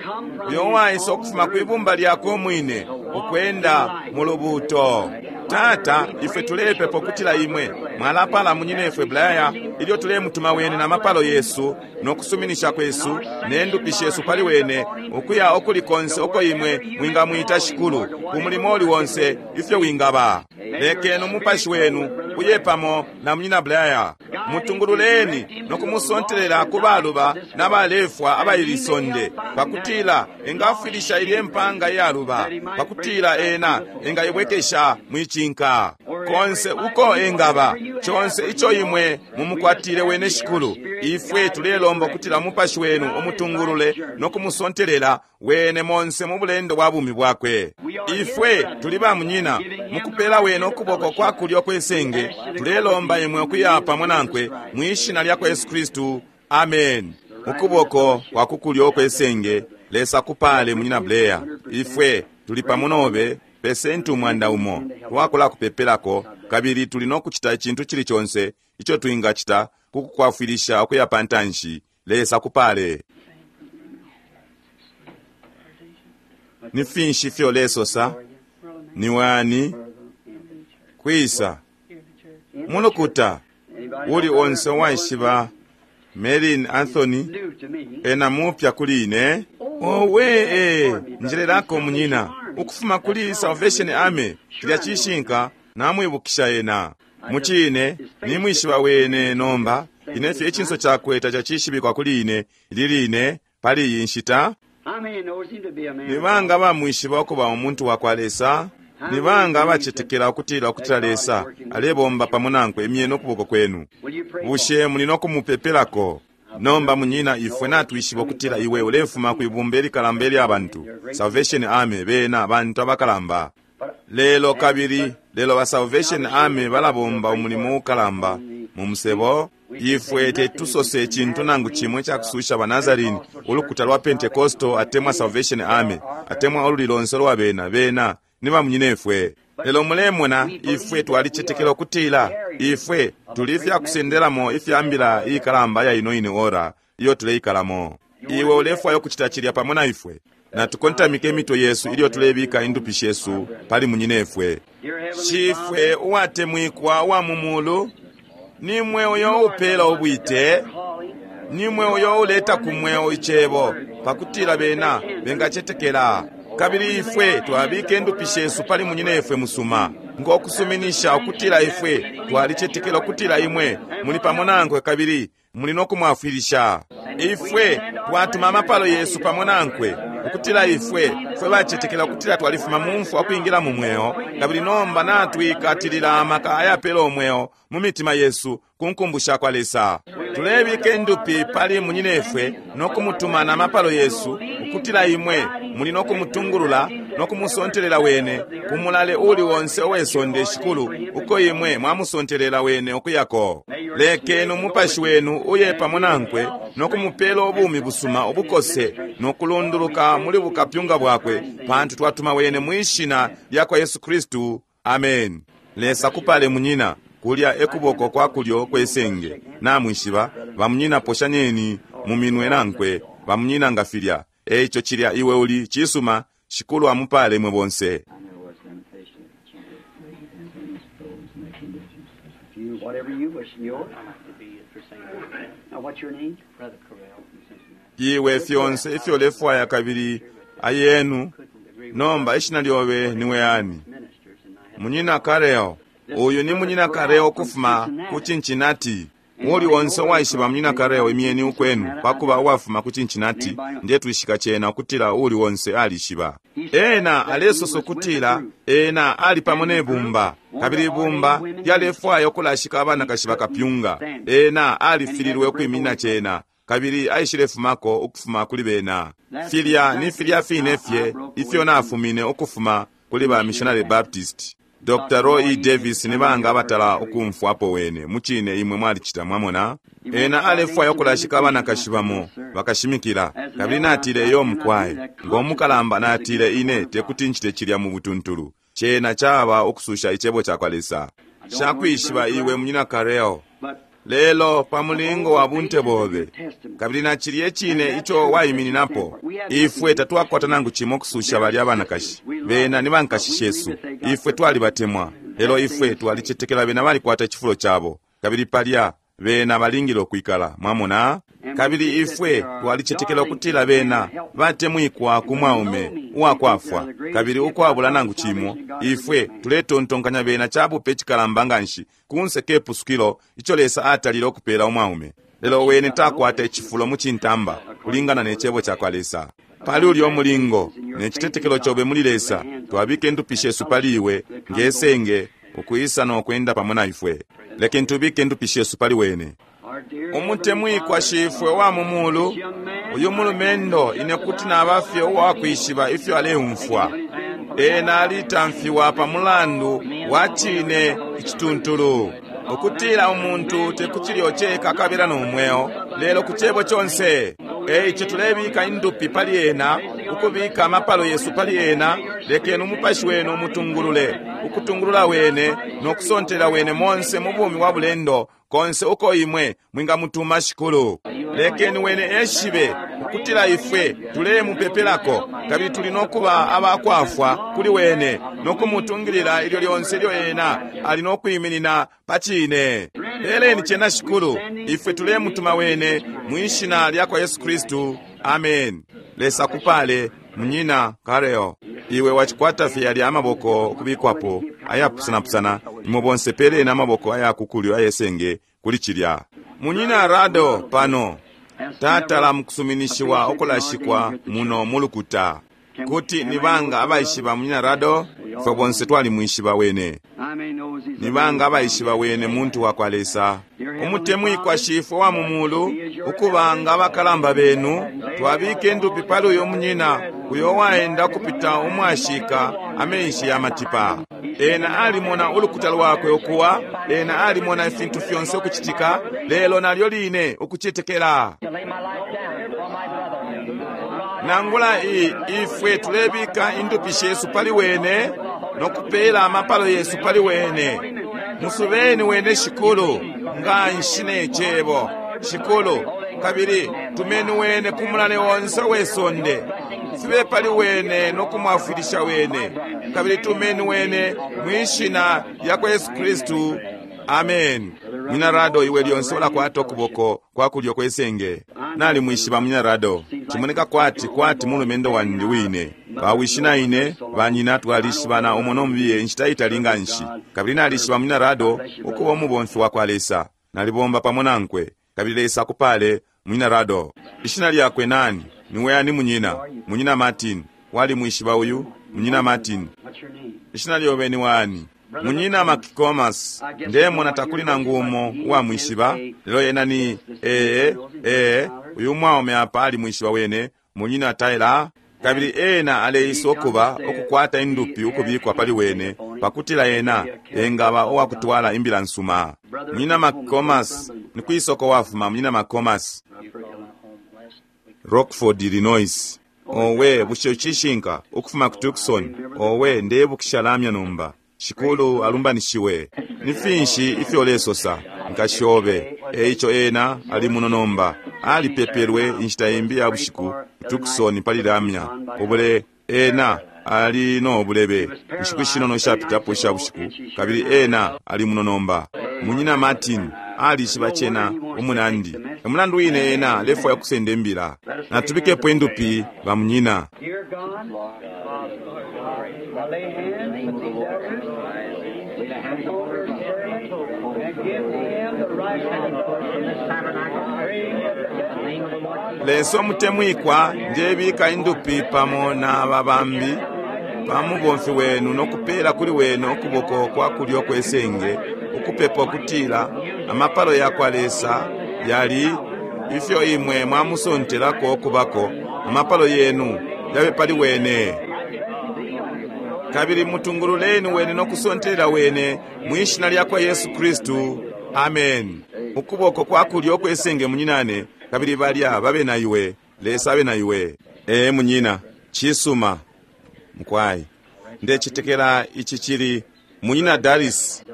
uyo uwaisa ukufuma kwibumba lyakwe umwine ukwenda mu lubuuto. Tata, ifwe tulepepa ukutila imwe mwalapala munyinefwe Blair ilyo tulemutuma wene na mapalo yesu no kusuminisha kwesu ne ndupi shesu pali wene, ukuya ukuli konse uko imwe mwingamwita Shikulu ku mulimo uli wonse ifyo wingaba. Lekeni umupashi wenu uye pamo na munyina Blair, mutungululeni no kumusontelela ku baluba na balefwa abaili sonde, pakutila engafwilisha ilye mpanga iyaluba, pakutila ena engaibwekesha mwicinka konse uko engaba. Conse ico imwe mumukwatile wene Shikulu, ifwe tulelomba ukutila umupashi wenu umutungulule no kumusontelela wene monse mu bulendo bwa bumi bwakwe. Ifwe tuli ba munyina mukupela wene ukuboko kwa kulyo kwesenge, tulelomba imwe ukuya pamo nankwe mwi shina lya kwa Yesu Kristu. Amen. Ukuboko kwa kukulyo kwesenge, Lesa kupale munyina Blair. Ifwe tuli pamo nobe pesenti 100 twakula kupepelako, kabili tuli no kucita icintu cili conse ico twingacita ku kukwafwilisha ukuya pantanshi. Lesa kupale. Ni finshi ifyo lesosa? Ni wani kwisa mulukuta uli onse waishiba Merlin Anthony ena mupya kuli ine? Owe, njelelako munyina. Ukufuma kuli Salvation Army, cilya cishinka, namwibukisha ena. Mucine, nimwishiba wene nomba, ine fye icinso cakwe tacacishibikwa kuli ine, ili line, pali iyi nshita. Ni banga bamwishiba ukuba umuntu wakwa Lesa? Ni banga abacetekela ukutila ukutila Lesa alebomba pamo nankwe? Imyeni ukuboko kwenu. Bushe muli no kumupepelako? Nomba munyina, ifwe natwishiba ukutila iwe ulefuma kwibumba ilikalamba ilya bantu, Salvation Army, bena bantu abakalamba. Lelo kabili, lelo ba Salvation Army balabomba umulimo ukalamba mu musebo. Ifwe tetusose icintu nangu cimwe icakususha ba Nazarene, ulukuta lwa Pentecostal, atemwa Salvation Army, atemwa ululi lonse lwa bena. Bena ni bamunyinefwe. Lelo mulemona, ifwe twalicetekela ukutila ifwe tuli ifyakusendelamo ifya mbila iikalamba ya ino ine ora iyo tuleikalamo. Iwe ulefwaya ukucita cilya pamo na ifwe? Natukontamike imitwe yesu ilyo tulebika indupi shesu pali munyinefwe. Shifwe uwatemwikwa uwa mu mulu, nimwe uyo upela ubwite, nimwe uyo uleta ku mweo icebo, pakutila bena bengacetekela. Kabili ifwe twabika indupi shesu pali munyinefwe musuma, ngokusuminisha ukutila ifwe twalicetekela ukutila imwe muli pamo nankwe kabili muli no kumwafwilisha. Ifwe twatuma amapalo yesu pamo nankwe, ukutila ifwe fwe bacetekela ukutila twalifuma mu mfwa ukwingila mu mweo, kabili nomba natwikatilila amaka ayapela umweo mu mitima yesu ku nkumbu sha kwa Lesa. Tulebika indupi pali munyinefwe no kumutuma na mapalo yesu, ukutila imwe muli no kumutungulula no kumusontelela wene ku mulale uli onse uwesonde, Shikulu, uko imwe mwamusontelela wene ukuyako. Lekeni umupashi wenu uye pamo nankwe no kumupela ubumi busuma ubukose no kulunduluka muli bukapyunga bwakwe, pantu twatuma wene mwishina lya kwa Yesu Kristu. Amen. Lesa kupale munyina, kulya ekuboko kwa kulyo kwesenge. Namwishiba bamunyina, poshanyeni mu minwe nankwe bamunyina nga filya. Eico cilya iwe uli cisuma. Shikulu amupale mwe bonse. Iwe fyonse ifyo ulefwaya kabili ayenu. Nomba ishina lyobe niwe ani? Munyina Kareo. Uyu ni munyina Kareo kufuma ku Cincinnati. Uli onse uwaishiba munyina Kareo, imyeni ukwenu, pakuba uwafuma ku Cincinnati. Ndetwishika cena ukutila uli onse alishiba. Ena alesosa ukutila ena ali pamo ne bumba, kabili ibumba lyalefwaya ukulashika abanakashi bakapyunga. Ena alifililwe ukwiminina cena, kabili aishilefumako ukufuma kuli bena. Filya ni filya fine fye ifyo nafumine ukufuma kuli ba Missionary Baptist. Dr. Roy E. Davis ni banga abatala ukumfwapo wene? Mucine imwe mwalicita, mwamona. Ena alefwaya ukulashika abanakashi bamo bakashimikila, kabili natile iyo mukwaye ngo mukalamba, natile ine tekuti ncite cilya mu butuntulu. Cena caba ukususha icebo cakwa Lesa. Shakwishiba iwe munyina Kareo, lelo pa mulingo wa bunte bobe kabili na cilye cine ico waimininapo, ifwe tatwakwata nangu cimo kususha balya abanakashi. Bena ni bankashi shesu, ifwe twalibatemwa, lelo ifwe twalicetekela bena balikwata icifulo cabo, kabili palya bena balingile ukwikala, mwamona. Kabili ifwe twalicetekela ukutila bena batemwikwa ku mwaume uwakwafwa, kabili ukwabula nangu cimo ifwe tuletontonkanya bena cabupe cikalamba nganshi kunse ke pusukilo ico Lesa atalile ukupela umwaume. Lelo wene takwata icifulo mu cintamba kulingana ne cebo cakwa Lesa. Pali ulyo mulingo ne citetekelo cobe muli Lesa, twabika indupi shesu pali iwe ngesenge ukwisa no kwenda pamo na ifwe. Lekeni tubike indupi shesu pali wene. Umutemwikwa Shifwe wa mu mulu, uyu mulumendo ine kuti nabafye uwakwishiba ifyo aleumfwa. Ena alitamfiwa pa mulandu wa cine icituntulu, ukutila umuntu tekucilyo ceka kabila no mweo, lelo ku cebo conse. Eico tulebika indupi pali ena, ukubika amapalo yesu pali ena. Lekeni umupashi wenu umutungulule, ukutungulula wene no kusontela wene monse mu bumi wa bulendo konse uko imwe mwingamutuma, Shikulu. Lekeni wene eshibe ukutila ifwe tulemupepelako, kabili tuli no kuba abakwafwa kuli wene no kumutungilila ilyo lyonse ilyo ena ali no kwiminina pa cine. Peleni cena, Shikulu. Ifwe tulemutuma wene mwishina lya kwa Yesu Kristu. Amen. Lesa kupale. Munyina Careo, iwe wacikwata fye yalya amaboko ukubikwapo ayapusanapusana. Imwe bonse peleni amaboko aya kukulyo ayesenge kuli cilya. Munyina Rado pano tatala mukusuminishiwa ukulashikwa muno mulukuta. Kuti nibanga abaishiba Munyina Rado? Fwe bonse twalimwishiba wene. Nibanga abaishiba wene muntu wakwa Lesa. Umutemwikwa Shifwe wa mu mulu, ukubanga abakalamba benu, twabika indupi pali uyo munyina uyo waenda kupita umwashika amenshi ya matipa. Ena alimona ulukuta lwakwe ukuwa, ena alimona ifintu fyonse ukucitika, lelo nalyo line ukucetekela. Nangula ifwe tulebika indupi shesu pali wene nokupela amapalo yesu pali wene. Musubeni wene Shikulu nganshi ne cebo Shikulu, kabili tumeni wene ku mulale onse we sonde. Fibe pali wene nokumwafwilisha wene, kabili tumeni wene mwishina lya kwa Yesu Kristu. Amen. Munyina Rado, iwe lyonse ulakwata ukuboko kwa kulyo kwesenge. Nalimwishiba Munyina Rado. Cimoneka kwati kwati mulumendo wandi wine. Bawishi na ine banyina twalishibana umo nomubiye inshita itali nganshi. Kabili nalishiba Munyina Rado ukuba umubomfi wa kwa Lesa. Nalibomba pamo nankwe. Kabili Lesa akupale Munyina Rado. Ishina lyakwe nani? Niwe ani munyina? Munyina Martin. Walimwishiba uyu? Munyina Martin. Ishina lyobe ni wani? Munyina Makikomas. Ndemona takuli nangu umo uwamwishiba, lelo yena ni ee uyu mwaume apa alimwishiba wene, Munyina Tyler. Kabili ena aleisa ukuba ukukwata indupi ukubikwa pali wene pakutila ena engaba uwakutwala imbila nsuma. Munyina Makikomas, ni kwisoko wafuma Munyina Makikomas? Rockford, Illinois. Owe, bushe cishinka ukufuma ku Tucson? Owe, ndebukisha lamya nomba. Shikulu alumbanishiwe. Ni finshi ifyo ulesosa nkashi obe? Eico ena ali muno nomba. Alipepelwe inshita imbi ya bushiku Tucson pali lamya. Ubule ena ali no bulebe inshiku shinono ishapitapo isha bushiku, kabili ena ali muno nomba. Munyina Martin alishiba cena umunandi. Emulandu wine ena alefwaya kusenda imbila. Natubikepo indupi ba munyina. Dear God, I lay hands on these elders, upon her servant, and give him the right hand praying that the blessing of the Lord Lesa omutemwikwa ndebika indupi pamo na babambi pamubomfi wenu nokupela kuli wene ukuboko kwa kulyo kwesenge, ukupepa ukutila amapalo yakwa Lesa yali ifyo imwe mwamusontelako okubako, amapalo yenu yabe pali wene. Kabili mutungululeni wene nokusontelela wene mwishina lyakwa Yesu Kristu. Amen. Ukuboko kwa kulyo kwesenge munyinane, kabili balya babe na iwe. Lesa abe na iwe. Ee munyina, cisuma mukwai. Ndecitekela ici cili munyina Daris.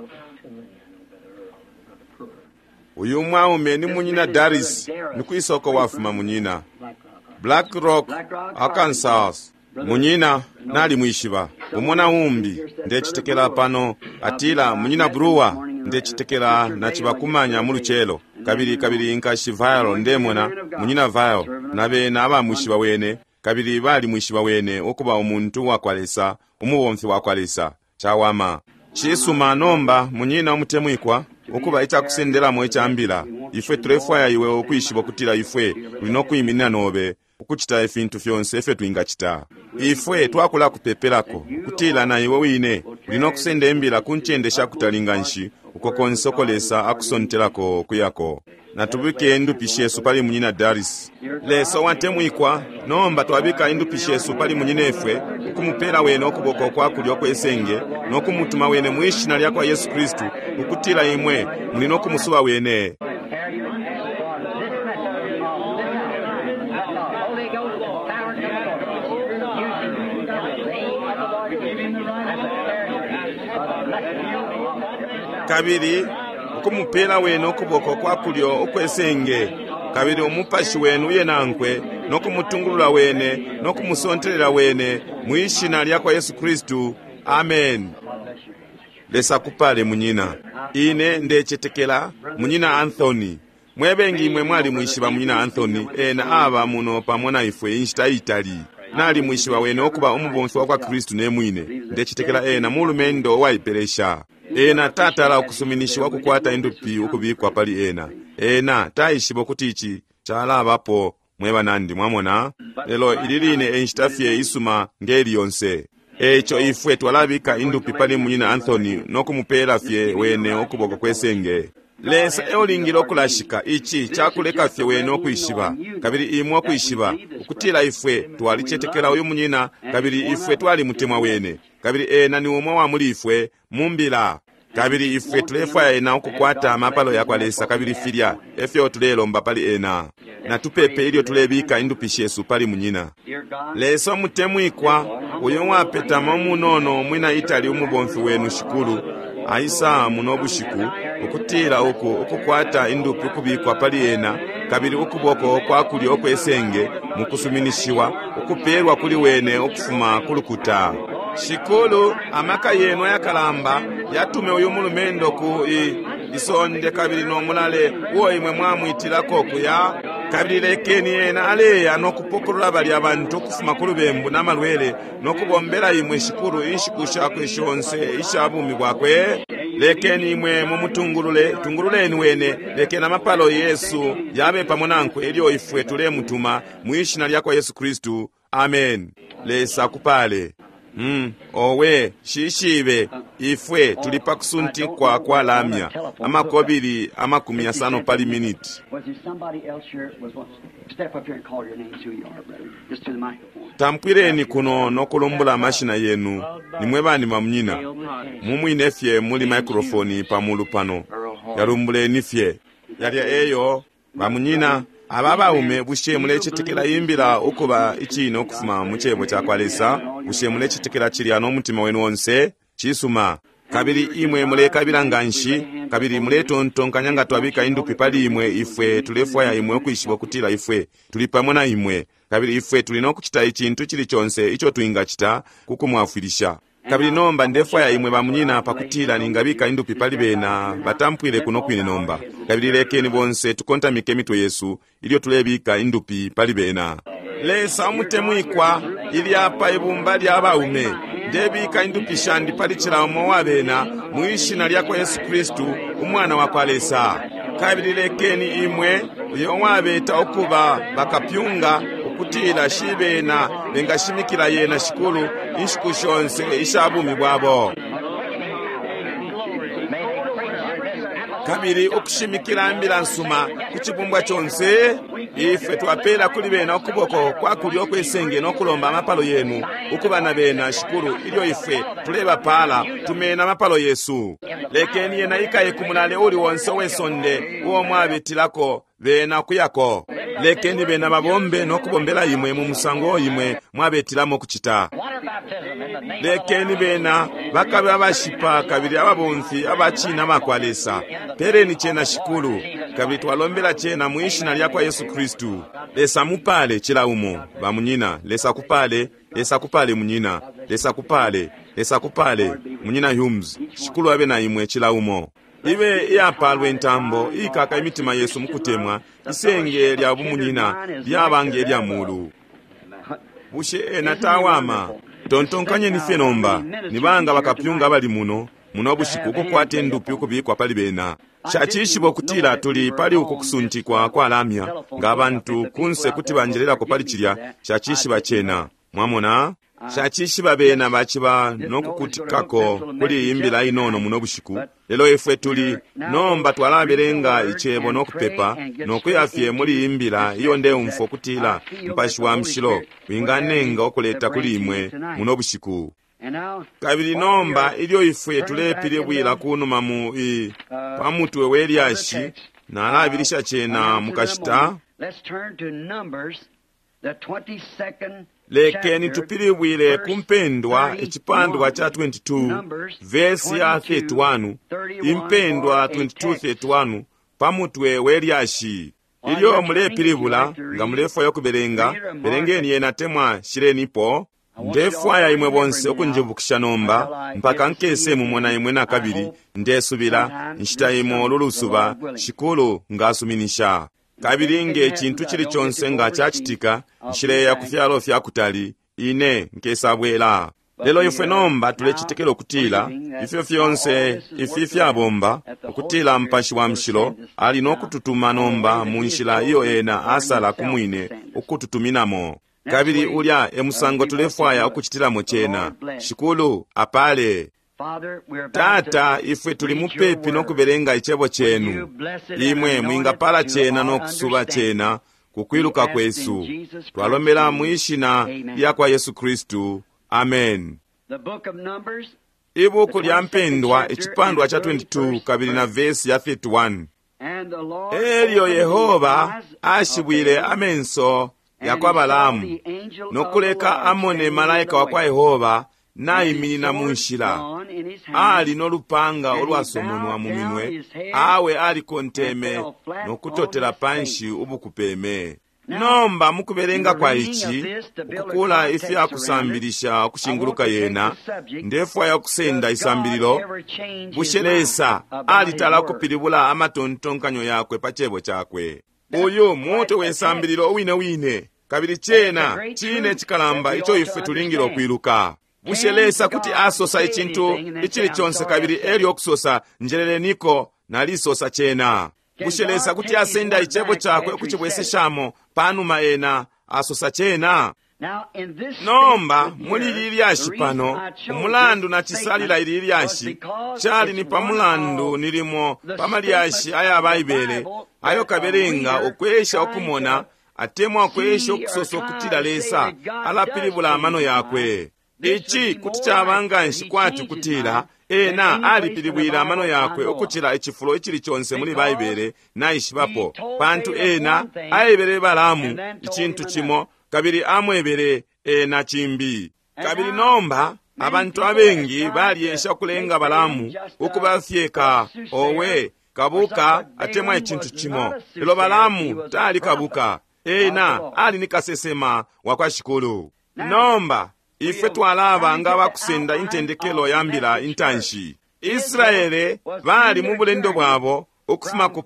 Uyu mwaume ni munyina Daris, ni kwisoko wafuma munyina Black Rock, Arkansas. Munyina nalimwishiba umona umbi ndecitekela pano atila munyina Brewer, ndecitekela nacibakumanya mu lucelo. Kabili kabili nkashi Vile, ndemona munyina Vile na bena abamwishiba wene, kabili balimwishiba wene ukuba umuntu wakwa Lesa, umubomfi wakwa Lesa. Cawama cisuma. Nomba munyina umutemwikwa, ukuba icakusendelamo icambila, ifwe tulefwaya iwe ukwishiba ukutila ifwe tuli nokwiminina nobe ukucita ifintu fyonse ifyo twingacita. Ifwe twakula kupepelako ukutila na iwe wine uli nokusenda imbila ku ncende shakutali nganshi uko konse uko Lesa akusontelako kuyako. Natubike indupi shesu pali munyina Daris. Lesa watemwikwa, nomba twabika indupi shesu pali munyinefwe, ukumupela wene ukuboko kwa kulyo kwesenge nokumutuma wene mwishina lyakwa Yesu Kristu, ukutila imwe muli nokumusuba wene. for this message of this hour, that the Holy Ghost and power come forth, using in the name of the Lord Jesus as a carrier for the message of this hour. Kabili ukumupela wene ukuboko kwa kulyo ukwesenge, kabili umupashi wenu uye nankwe nokumutungulula wene nokumusontelela wene mwishina lyakwa Yesu Kristu. Amen. Lesa kupale munyina. Ine ndecetekela munyina Anthony. Mwebengi imwe mwalimwishiba munyina Anthony, ena aba muno pamo na ifwe inshita itali. Nalimwishiba wene ukuba umubomfi wakwa Kristu ne mwine. Ndecetekela ena mulumendo uwaipelesha. Ena tatala ukusuminishiwa kukwata indupi ukubikwa pali ena. Ena taishiba ukuti ici calabapo mwe banandi, mwamona. Lelo ili line e nshita fye isuma ngeli yonse. Eico ifwe twalabika indupi pali munyina Anthony no kumupela fye wene ukuboko kwesenge. Lesa eulingile ukulashika ici cakuleka fye wene ukwishiba, kabili imwe ukwishiba ukutila ifwe twalicetekela uyu munyina, kabili ifwe twalimutemwa wene, kabili ena ni umwe wa muli ifwe mu mbila. Kabili ifwe tulefwaya ena ukukwata amapalo yakwa Lesa, kabili filya efyo tulelomba pali ena. Natupepe ilyo tulebika indupi shesu pali munyina. Lesa umutemwikwa, uyo wapetama umunono umwina Itali umubomfi wenu Shikulu, aisa muno bushiku ukutila uku ukukwata indupi ukubikwa pali ena, kabili ukuboko kwa kulyo okwesenge mukusuminishiwa ukupelwa kuli wene ukufuma kulukuta. Shikulu, amaka yenu ayakalamba yatume uyu mulumendo ku isonde kabili no mulale uo imwe mwamwitilako kuya, kabili lekeni ena aleya no kupokolola balya abantu ukufuma ku lubembu na malwele no kubombela imwe Shikulu inshiku shakwe shonse isha bumi bwakwe. Lekeni imwe mumutungulule, tungululeni wene, lekeni amapalo Yesu yabe pamo nankwe ilyo ifwe tulemutuma mwi shina lyakwa Yesu Kristu. Amen. Lesa akupale. Owe shishibe ifwe tuli pa kusuntikwa kwa lamya amakobili 50 pali miniti. Tampwileni kuno nokulumbula amashina yenu nimwe bani bamunyina mumwine fye muli microphone pamulu pano yalumbuleni fye yalya eyo bamunyina. Aba baume, bushe mulecetekela imbila ukuba icine ukufuma mu cebo cakwa Lesa? Bushe mulecetekela cilya no mutima wenu onse? Cisuma. Kabili imwe mulekabila nganshi, kabili muletontonkanya nga twabika indupi pali imwe, ifwe tulefwaya imwe ukwishiba ukutila ifwe tuli pamo na imwe, kabili ifwe tuli no kucita icintu cili conse ico twingacita ku kumwafwilisha. Kabili nomba ndefwaya imwe bamunyina pakutila ningabika indupi pali bena batampwile kuno kwine nomba. Kabili lekeni bonse tukontamike imitwe yesu ilyo tulebika indupi pali bena. Lesa umutemwikwa, ili apa ibumba lya baume, ndebika indupi shandi pali cila umo wa bena mwi shina lyakwa Yesu Kristu umwana wakwa Lesa. Kabili lekeni imwe uyo wabeta ukuba bakapyunga ukutila shibena bengashimikila yena Shikulu inshiku shonse isha bumi bwabo. Kabili ukushimikila mbila nsuma ku cibumbwa conse, ifwe twapela kuli bena ukuboko kwa kulyo kwesenge no kulomba amapalo yenu ukuba na bena Shikulu ilyo ifwe tulebapala tumena amapalo yesu. Lekeni yena ikaye ku mulale uli wonse wesonde uo mwabitilako bena kuyako. Lekeni bena babombe no kubombela imwe mu musango imwe mwabetilamo kucita. Lekeni bena bakabe abashipa kabili ababomfi abacina bakwa Lesa. Peleni cena Shikulu, kabili twalombela cena mwi shina lyakwa Yesu Kristu. Lesa mupale cila umo bamunyina. Lesa kupale, Lesa kupale munyina. Lesa kupale, Lesa kupale munyina Humes. Shikulu abe na imwe cila umo. Ibe iyapalwe intambo ikaka imitima yesu mukutemwa, isenge lya bumunyina lyabange lya mulu. Bushe ena tawama? Tontonkanyeni fye nomba, nibanga bakapyunga abali muno muno bushiku ukukwata indupi ukubikwa pali bena. Shacishiba ukutila tuli pali uku kusuntikwa kwa lamya nga abantu kunse kuti banjelelako pali cilya. Shacishiba cena, mwamona. Shacishiba bena baciba nokukutikako kuli imbila inono muno bushiku. Lelo ifwe tuli nomba twalabelenga icebo nokupepa nokuya fye muli imbila iyo ndeumfwa ukutila Mupashi wa Mushilo winganenga ukuleta kuli imwe muno bushiku. Kabili nomba ilyo ifwe tulepilibwila kunuma mu pa mutwe we lyashi, nalabilisha cena mukashita. Lekeni tupilibwile ku mpendwa icipandwa cha 22 vesi ya 31, impendwa 22:31 pa mutwe we lyashi. Ilyo mulepilibula nga mulefwaya ukubelenga, belengeni yena temwa shilenipo. Ndefwaya imwe bonse ukunjibukisha nomba mpaka nkese mumona imwe nakabili. Ndesubila nshita imo lulusuba Shikulu ngasuminisha. Kabili nge cintu cili conse nga cacitika, nshileya ku fyalo fya kutali. Ine nkesabwela. Lelo ifwe nomba tulecetekela ukutila ifyo fyonse ifi fyabomba, ukutila Mupashi wa Mushilo ali no kututuma nomba mu nshila iyo ena asala ku mwine ukututuminamo. Kabili ulya e musango tulefwaya ukucitilamo cena. Shikulu apale. Tata, ifwe tuli mupepi no kubelenga icebo cenu. Imwe mwingapala cena no kusuba cena kukwiluka kwesu. Twalombela mwi shina lya kwa Yesu Kristu. Amen. Ibuku lya Mpendwa, icipandwa cha 22 kabili na vesi ya 31. Elyo Yehova ashibwile amenso ya kwa Balaamu no kuleka amone malaika wa kwa Yehova naiminina mu nshila, ali no lupanga ulwasomonwa mu minwe, awe alikonteme no kutotela panshi ubukupeme. Nomba mukubelenga kwa ici, ukukula ifya kusambilisha ukushinguluka yena, ndefwaya ukusenda isambililo, bushe Lesa alitala ukupilibula amatontonkanyo yakwe pa cebo cakwe? Uyu mutwe we sambililo uwine wine, kabili cena cine cikalamba ico ifwe tulingile ukwiluka. Bushe Lesa kuti asosa icintu icili conse kabili elyo okusosa, njeleleniko, nalisosa cena? Bushe Lesa kuti asenda icebo cakwe ukucibweseshamo panuma ena asosa cena? Nomba muli ili lyashi pano, umulandu nacisalila ili lyashi cali ni pamulandu nilimo pa malyashi aya Baibele ayo kabelenga ukwesha ukumona atemwa ukwesha ukusosa ukutila Lesa alapilibula amano yakwe. Ici kuti caba nganshi kwati kutila ena alipilibwile amano yakwe ukucila icifulo icili conse muli Baibele naishibapo, pantu ena aebele Balaamu icintu cimo kabili amwebele ena cimbi. Kabili nomba abantu abengi balyesha ukulenga Balaamu ukuba fye ka owe kabuka atemwa icintu cimo, lelo Balaamu tali kabuka, ena ali ni kasesema wa kwa Shikulu. Nomba ifwe twalaba nga bakusenda intendekelo ya mbila intanshi. Israele bali mu bulendo bwabo ukufuma ku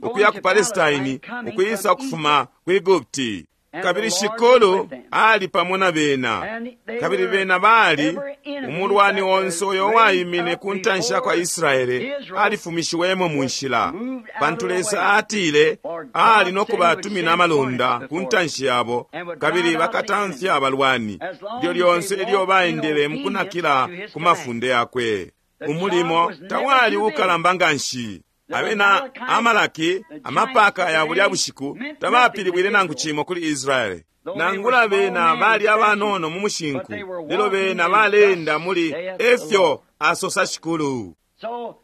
ukuya ku Palestine, ukwisa ukufuma ku Egupti. Kabili Shikulu ali pamo na bena, kabili bena bali umulwani onse uyo waimine ku ntanshi ya kwa Israele alifumishiwemo mu nshila, pantu Lesa atile ali no kubatumina amalonda ku ntanshi yabo, kabili bakatamfya abalwani lyo lyonse ilyo baendele mukunakila ku mafunde yakwe. Umulimo tawali ukalamba nganshi. Abena Amalaki, amapaka ya bulya bushiku, tabapilibwile nangu cimo kuli Israele. Nangula bena bali abanono mu mushinku, lelo bena baleenda muli efyo asosa Shikulu.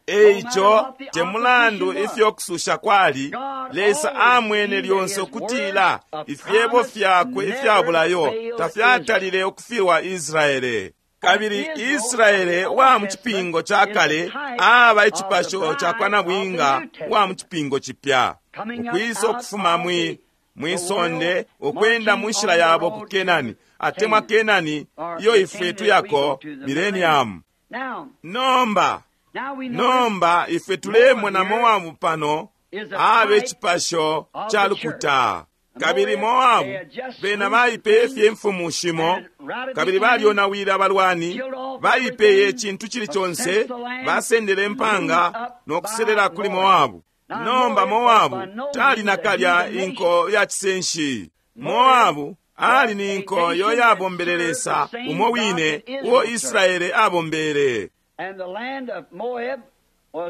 Eico te mulandu ifyo kususha kwali, Lesa amwene lyonse ukutila ifyebo fyakwe ifya bulayo tafyatalile ukufilwa Israele. Kabili Israele wa mu cipingo ca kale aba icipasho ca kwa nabwinga wa mu cipingo cipya, ukwisa ukufuma mwi sonde ukwenda mu nshila yabo ku Kenani, atemwa Kenani iyo ifwe tuyako millennium. Nomba ifwe tulemona Moabu pano abe icipasho ca lukuta. Kabili Moabu bena baipeye fye imfumu shimo, kabili balyonawile abalwani, baipeye icintu cili conse, basendele impanga no kuselela kuli Moabu. Nomba Moabu tali nakalya inko ya cisenshi. Moabu ali ni nko yo yabombele Lesa umo wine uo Israele abombele.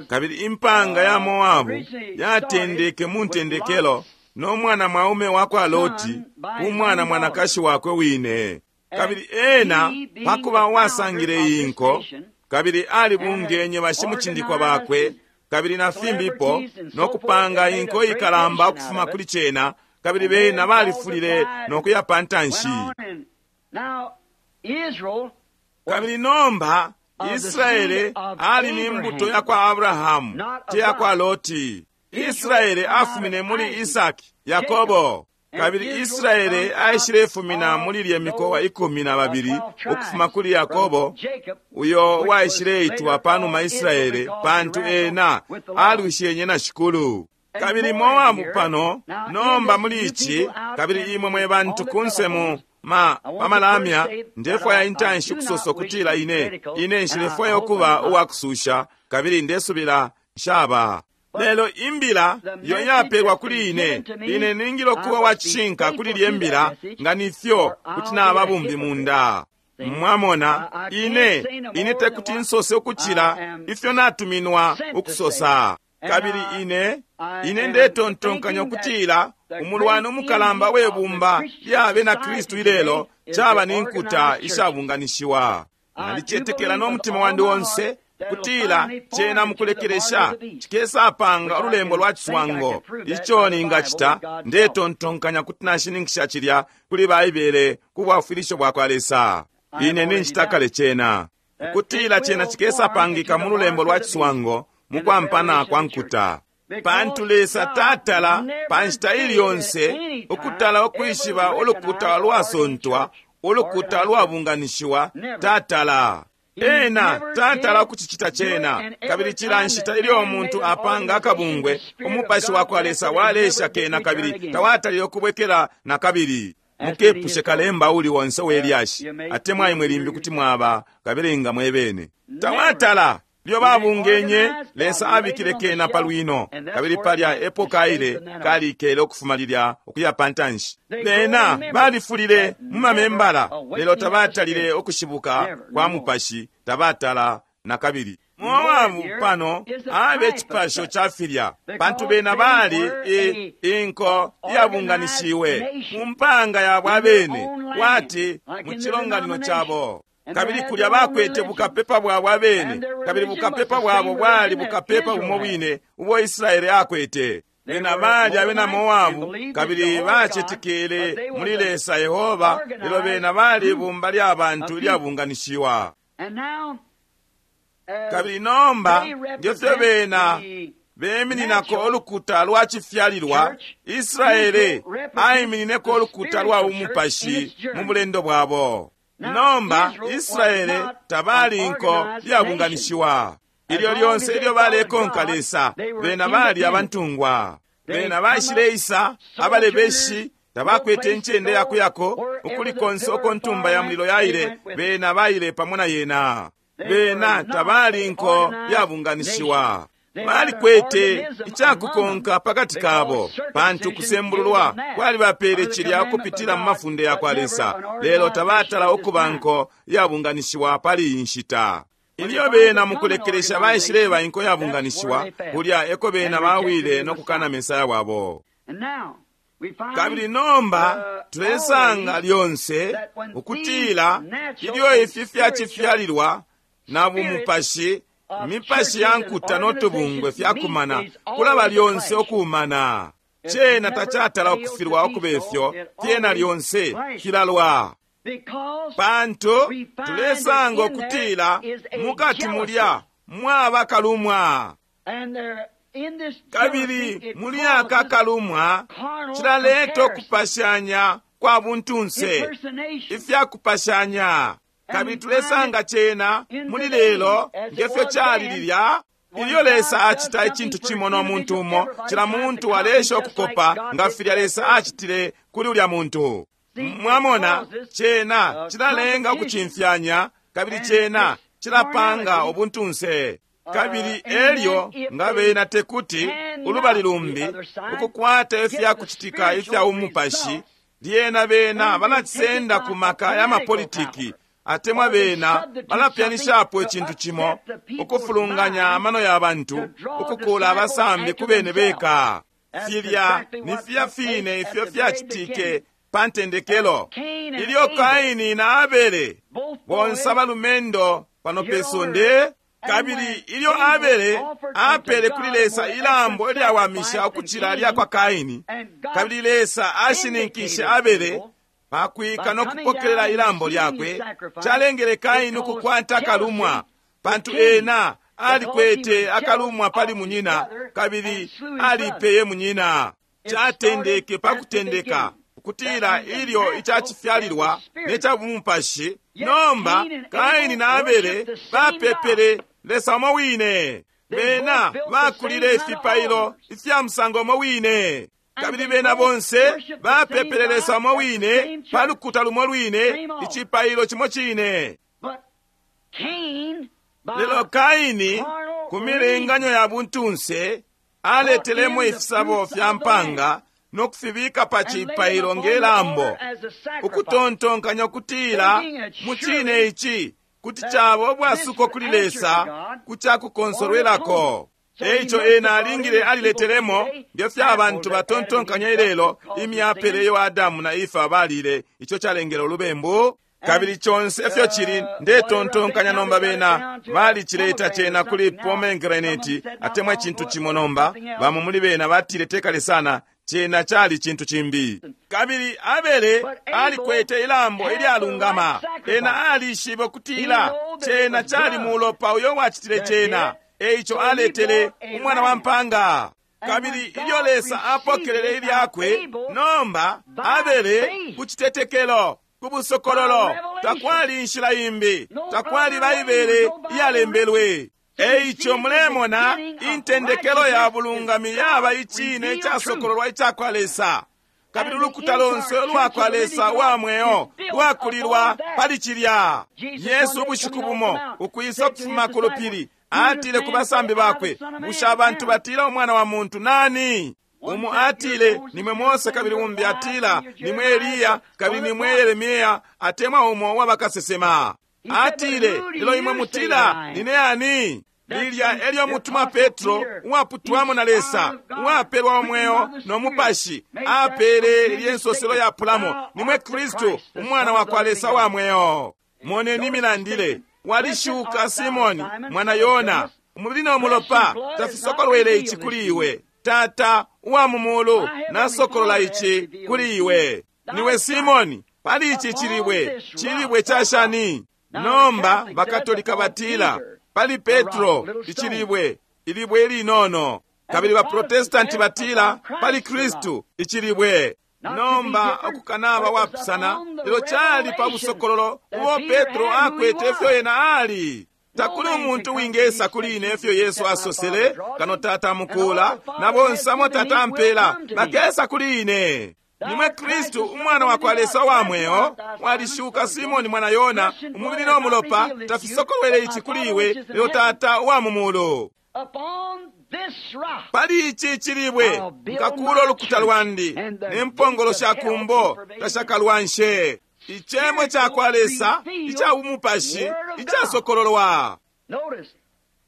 Kabili impanga ya Moabu yatendeke mu ntendekelo no mwana mwaume wa kwa Loti, umwana mwanakashi wakwe wine. Kabili ena pakuba wasangile iyi nko, kabili alibungenye bashimucindikwa bakwe kabili na fimbipo, no kupanga inko ikalamba ukufuma kuli cena, kabili bena balifulile no kuya pantanshi. Kabili nomba Israele ali ni mbuto ya kwa Abrahamu, te ya kwa Loti. Israele afumine muli Isaki, Yakobo. Kabili Israele aishilefumina muli lye mikowa 12 ukufuma kuli Yakobo, uyo waishileitwa panuma Israele, pantu ena alwishenye na Shikulu. Kabili Moabu pano nomba muli ici, kabili imwe mwe bantu kunse mu ma pa malamya, ndefwaya intanshi ukusosa ukutila ine ine nshilefwaya ukuba uwakususha, kabili ndesubila nshaba. Lelo imbila iyo yapelwa kuli ine, ine ningile ukuba wa cishinka kuli lye mbila, nga nifyo kuti naba bumbi munda. Mwamona, ine ine tekuti nsose ukucila ifyo natuminwa ukusosa. Kabili ine ine ndetontonkanya ukutila umulwani umukalamba we bumba lya bena Kristu ilelo caba ni nkuta ishabunganishiwa. Nalicetekela no mutima wandi onse kutila cena mukulekelesha cikesapanga ululembo lwa ciswango. Ico ningacita, ndetontonkanya kuti nashininkisha cilya kuli Baibele ku bwafwilisho bwa kwa Lesa. Ine ninjita kale cena kutila cena cikesapangika mu lulembo lwa ciswango mukwampana kwa nkuta. Pantu Lesa tatala pa nshita ili yonse ukutala ukwishiba ulukuta lwasontwa, ulukuta lwabunganishiwa, tatala. Ena tatala ukucicita cena. Kabili cila nshita ilyo umuntu apanga akabungwe, umupashi wa kwa Lesa walesha kena kabili tawatalile ukubwekela na kabili. Mukepushe kalemba uli onse we lyashi, atemwa imwe limbi kuti mwaba kabelenga mwebene. Tawatala lyo babungenye, Lesa abikile kena pa lwino, kabili palya epo kaile kalikele ukufuma lilya ukuya pantanshi. Bena balifulile mu mamembala, lelo tabatalile ukushibuka kwa mupashi, tabatala na kabili. Moabu pano abe cipasho ca filya, pantu bena bali inko iyabunganishiwe mu mpanga yabo abene, kwati mu cilonganino cabo. Kabili kulya bakwete bukapepa bwabo abene, kabili bukapepa bwabo bwali bukapepa bumo bwine ubo Israeli akwete. Bena bali abena Moabu, kabili bacetekele muli Lesa Yehova, lelo bena bali ibumba lya bantu ilyabunganishiwa. Kabili nomba ngefyo bena bemininako ulukuta lwa cifyalilwa, Israeli aiminineko ulukuta lwa umupashi mu bulendo bwabo. Nomba Israele tabali inko iyabunganishiwa. Ilyo lyonse ilyo balekonka Lesa, bena bali abantungwa. Bena baishileisa abalebeshi, tabakwete incende yakuyako ukuli konse uko ntumba ya mulilo yaile, bena baile pamo na yena. Bena tabali inko iyabunganishiwa. Balikwete icakukonka pakati kabo, pantu kusembululwa kwalibapele cilya ukupitila mu mafunde ya kwa Lesa, lelo tabatala ukuba nko iyabunganishiwa pali iyi nshita. Ilyo bena mukulekelesha baishileba inko yabunganishiwa, kulya eko bena bawile no kukana Mesaya wabo. Kabili nomba tulesanga lyonse ukutila ilyo ifi fyacifyalilwa na bumupashi, mipashi ya nkuta no tubungwe fyakumana kulaba lyonse okuumana. Cena tacatala ukufilwa ukubefyo, fyena lyonse filalwa. Pantu tulesanga ukutila mukati mulya mwaba kalumwa, kabili muli aka kalumwa cilaleta ukupashanya kwa buntunse, ifyakupashanya. Kabili tulesanga cena muli lelo ngefyo cali lilya. Ilyo Lesa acita icintu cimo no muntu umo, cila muntu alesha ukukopa nga filya Lesa acitile kuli ulya muntu. Mwamona, cena cilalenga ukucimfyanya, kabili cena cilapanga ubuntunse. Kabili elyo nga bena tekuti ulubali lumbi ukukwata ifyakucitika ifya umupashi, lyena bena balacisenda ku maka ya mapolitiki, atemwa bena balapyanishapo icintu cimo ukufulunganya amano ya bantu, ukukula abasambi ku bene beka. Filya ni filya fine ifyo fyacitike pa ntendekelo ilyo Kaini na Abele bonse abalumendo pano pe sonde. Kabili ilyo Abele apele kuli Lesa ilambo ilyawamisha ukucila lya kwa Kaini, kabili Lesa ashininkishe Abele pakwika no kupokelela ilambo lyakwe, calengele Kaini ukukwata akalumwa, pantu ena alikwete akalumwa pali munyina, kabili alipeye munyina. Catendeke pa kutendeka ukutila ilyo icacifyalilwa ne ca bumupashi. Nomba Kaini na Abele bapepele Lesa umo wine. Bena bakulile ifipailo ifya musango umo wine. Kabili bena bonse bapepele Lesa umo wine pa lukuta lumo lwine, icipailo cimo cine. Lelo Kaini, ku milenganyo ya buntunse, aletelemo ifisabo fya mpanga no kufibika pa cipailo nge lambo, ukutontonkanya ukutila mu cine ici kuti caba ubwasuko kuli Lesa ku cakukonsolwelako. Eico ena alingile aliletelemo nge fyo abantu batontonkanya ilelo imyapele iyo Adamu na Efa balile, ico calengele ulubembu. Kabili conse ifyo cili, ndetontonkanya nomba bena balicileta cena kuli pomegranate atemwa icintu cimo. Nomba bamo muli bena batile tekale sana, cena cali cintu cimbi. Kabili Abele alikwete ilambo ilyalungama. Ena alishibe ukutila cena cali mulopa uyo wacitile cena, eico aletele umwana wa mpanga. Kabili ilyo Lesa apokelele ilyakwe, nomba Abele ku citetekelo, ku busokololo, takwali inshila imbi, takwali Baibele iyalembelwe. Eico mulemona intendekelo ya bulungami yaba icine icasokololwa icakwa Lesa, kabili ulukuta lonse ulwakwa Lesa wa mweo lwakulilwa pali cilya. Yesu ubushiku bumo ukwisa ukufuma ku lupili atile ku basambi bakwe, bushe abantu batila umwana wa muntu nani? Umu atile nimwe Mose, kabili umbi atila nimwe Eliya, kabili nimwe Yeremia, atemwa umo wabakasesema. Atile, lelo imwe mutila nine ani? Lilya elyo mutuma Petro, uwaputwamo na Lesa, uwapelwa umweo no mupashi, apele ilye nsoselo yapulamo, nimwe Kristu, umwana wa kwa Lesa wa mweo. Moneni milandile, walishuka Simoni mwana Yona, umubili no mulopa tafisokolwele ici kuli iwe. Tata uwa mu mulu nasokolola ici kuli iwe. Niwe Simoni, pali ici cilibwe, cilibwe cashani? Nomba bakatolika batila pali Petro icilibwe, ilibwe ilinono. Kabili baprotestanti batila pali Kristu icilibwe. Nomba okukanaba wapusana, lelo cali pa busokololo ubo Petro akwete ifyo ena ali. Takuli umuntu wingesa kuli ine ifyo Yesu asosele, kano Tata mukula na bonse amo Tata ampela bakesa kuli ine. Nimwe Kristu umwana wa kwa Lesa wa mweo. Walishuka Simoni mwana Yona, umubili no mulopa tafisokolwele ici kuli iwe, lelo Tata wa mu mulu. Pali ici cilibwe nkakula ulukuta lwandi, ne mpongolo sha kumbo tashakalwanshe. Icemo ca kwa Lesa ica bumupashi icasokololwa.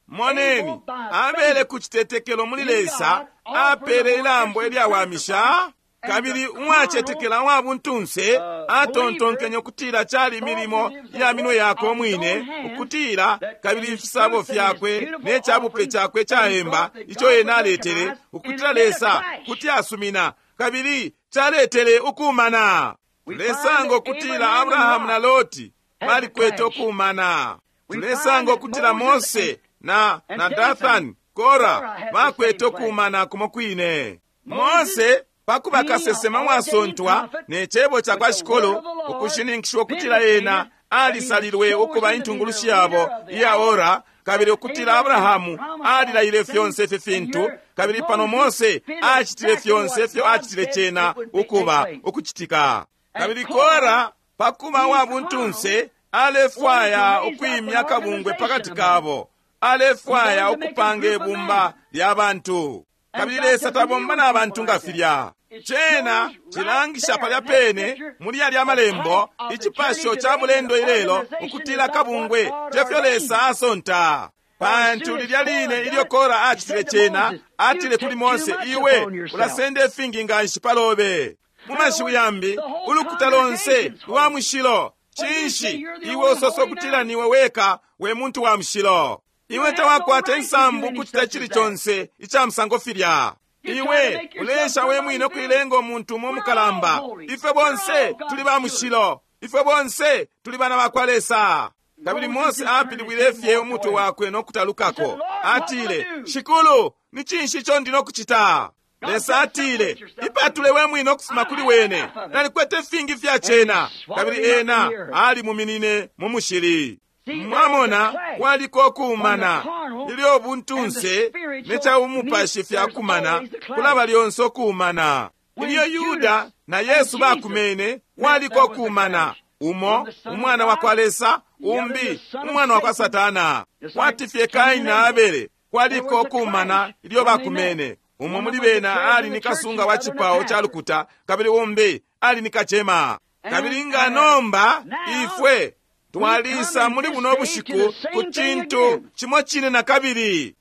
Moneni, abele ku citetekelo muli Lesa apele ilambo ilyawamisha, kabili uwacetekela wa buntunse atontonkenye ukutila cali milimo ya minwe yakwe umwine, ukutila kabili ifisabo fyakwe ne cabupe cakwe caemba ico ena aletele, ukutila Lesa kuti asumina, kabili caletele ukumana. Tulesanga ukutila Abrahamu na Loti balikwete ukumana. Tulesanga ukutila Mose na Dathani, Kora bakwete ukumana kumo kwine. Mose pakuba kasesema wasontwa ne cebo ca kwa Shikolo, ukushininkishwa ukutila ena alisalilwe ukuba intungulushi yabo iya ora, kabili ukutila Abrahamu alilaile fyonse ifi fintu, kabili pano Mose acitile fyonse ifyo acitile cena ukuba ukucitika. Kabili Kora pakuba wa buntunse alefwaya ukwimya kabungwe pakati kabo, alefwaya ukupanga ibumba lya bantu. Kabili Lesa tabomba na bantu nga filya. Cena cilangisha palya pene muli yalya malembo icipasho ca bulendo ilelo, ukutila kabungwe tefyo Lesa asonta. Pantu lilya line ilyo Kora acitile cena, atile kuli Mose, iwe ulasenda ifingi nganshi palobe. Mu mashiwi yambi, ulukuta lonse lwa mushilo. Cinshi iwe usosa ukutila niwe weka we muntu wa mushilo? Iwe tawakwata insambu kucita cili conse ica musango filya. Iwe ulesha we mwine ukuilenga umuntu umo mukalamba. Ifwe bonse tuli ba mushilo, ifwe bonse tuli bana ba kwa Lesa. Kabili Mose apilibwile fye umutwe wakwe no kutalukako. Atile, Shikulu, ni cinshi ico ndi no kucita? Lesa atile, ipatule we mwine ukufuma kuli wene, nalikwete fingi fya cena. Kabili ena alimuminine mu mushili. Mwamona, kwaliko ukumana. Ilyo buntunse ne ca umupashi fyakumana, kulaba lyonse ukumana. Ilyo Yuda na Yesu bakumene, kwaliko kumana. Umo umwana wa kwa Lesa, umbi umwana wa kwa Satana. Kwati fye Kaini na Abele, kwaliko kumana ilyo bakumene. Umo muli bena ali ni kasunga wa cipao ca lukuta, kabili umbi ali ni kacema. Kabili nga nomba ifwe twalisa muli buno bushiku ku cintu cimo cine na kabili.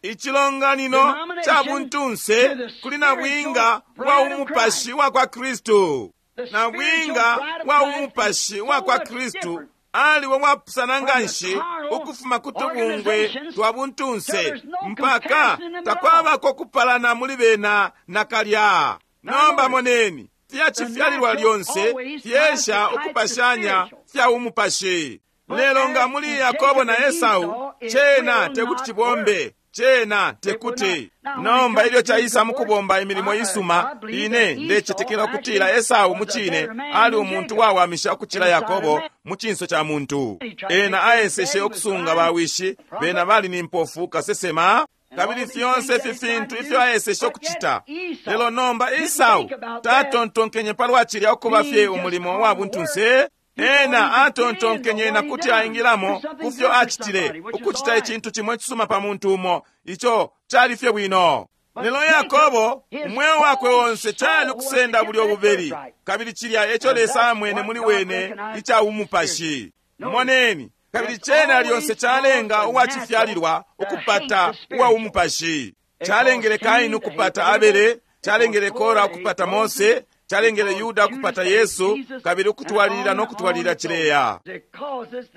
Icilonganino ca buntunse kuli nabwinga wa umupashi wa kwa Kristu. Nabwinga wa umupashi wa kwa Kristu aliwo wapusana nganshi ukufuma ku tubungwe twa buntunse mpaka takwabako kupalana muli bena nakalya. Nomba moneni, fya cifyalilwa lyonse fyesha ukupashanya fya umupashi. Lelo nga muli Yakobo na Esau, cena tekuti cibombe, cena tekuti. Nomba ilyo caisa mukubomba imilimo isuma, ine ndecetekela ukutila Esau mucine ali umuntu wawamisha ukucila Yakobo mu cinso ca muntu. Ena aeseshe ukusunga bawishi, bena bali ni mpofu kasesema, kabili fyonse ifi fintu ifyo aeseshe ukucita. Lelo nomba Esau tatontonkenye palwa cilya ukuba fye umulimo wa buntunse. Ena atontonkenye na kuti aingilamo ku fyo acitile, ukucita icintu cimo icisuma pa muntu umo, ico cali fye bwino. Lelo Yakobo umweo wakwe onse cali ukusenda bulyo bubeli, kabili cilya eco Lesa amwene muli wene ica umupashi. Moneni, kabili cena lyonse calenga uwacifyalilwa ukupata uwa umupashi. Calengele Kaini ukupata Abele, calengele Kora ukupata Mose, calengele Yuda ukupata Yesu, kabili ukutwalilila no kutwalilila cileya.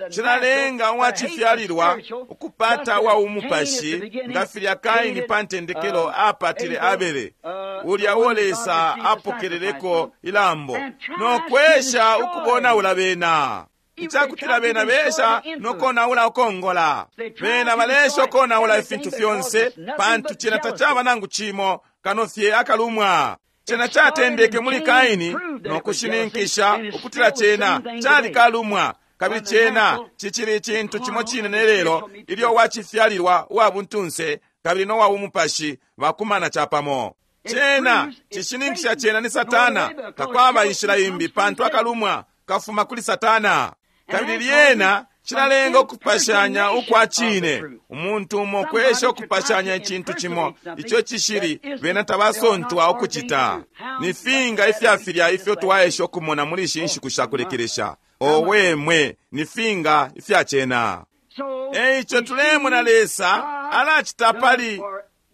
Cilalenga uwacifyalilwa ukupata uwa umupashi, nga filya Kaini pa ntendekelo apatile Abele, ulya uo Lesa apokeleleko ilambo, no kwesha ukubonaula bena. Icakutila bena besha nokonaula ukongola. Bena balesha ukonaula ifintu fyonse, pantu cena tacaba nangu cimo kano fye akalumwa. Cena catendeke muli Kaini no kushininkisha ukutila cena cali kalumwa, kabili cena cicili icintu cimo cine ne lelo ilyo wacifyalilwa uwa buntunse kabili no wa umupashi bakumana capamo. Cena cishininkisha cena ni Satana, takwaba inshila imbi, pantu akalumwa kafuma kuli Satana. Kabili lyena cilalenga ukupashanya ukwa cine. Umuntu umo kwesha ukupashanya icintu cimo ico cishili, bena tabasontwa ukucita. Ni finga ifya filya ifyo twaesha ukumona muli ishi nshiku sha kulekelesha. Owe mwe, ni finga ifya cena. Eico tulemona Lesa alacita pali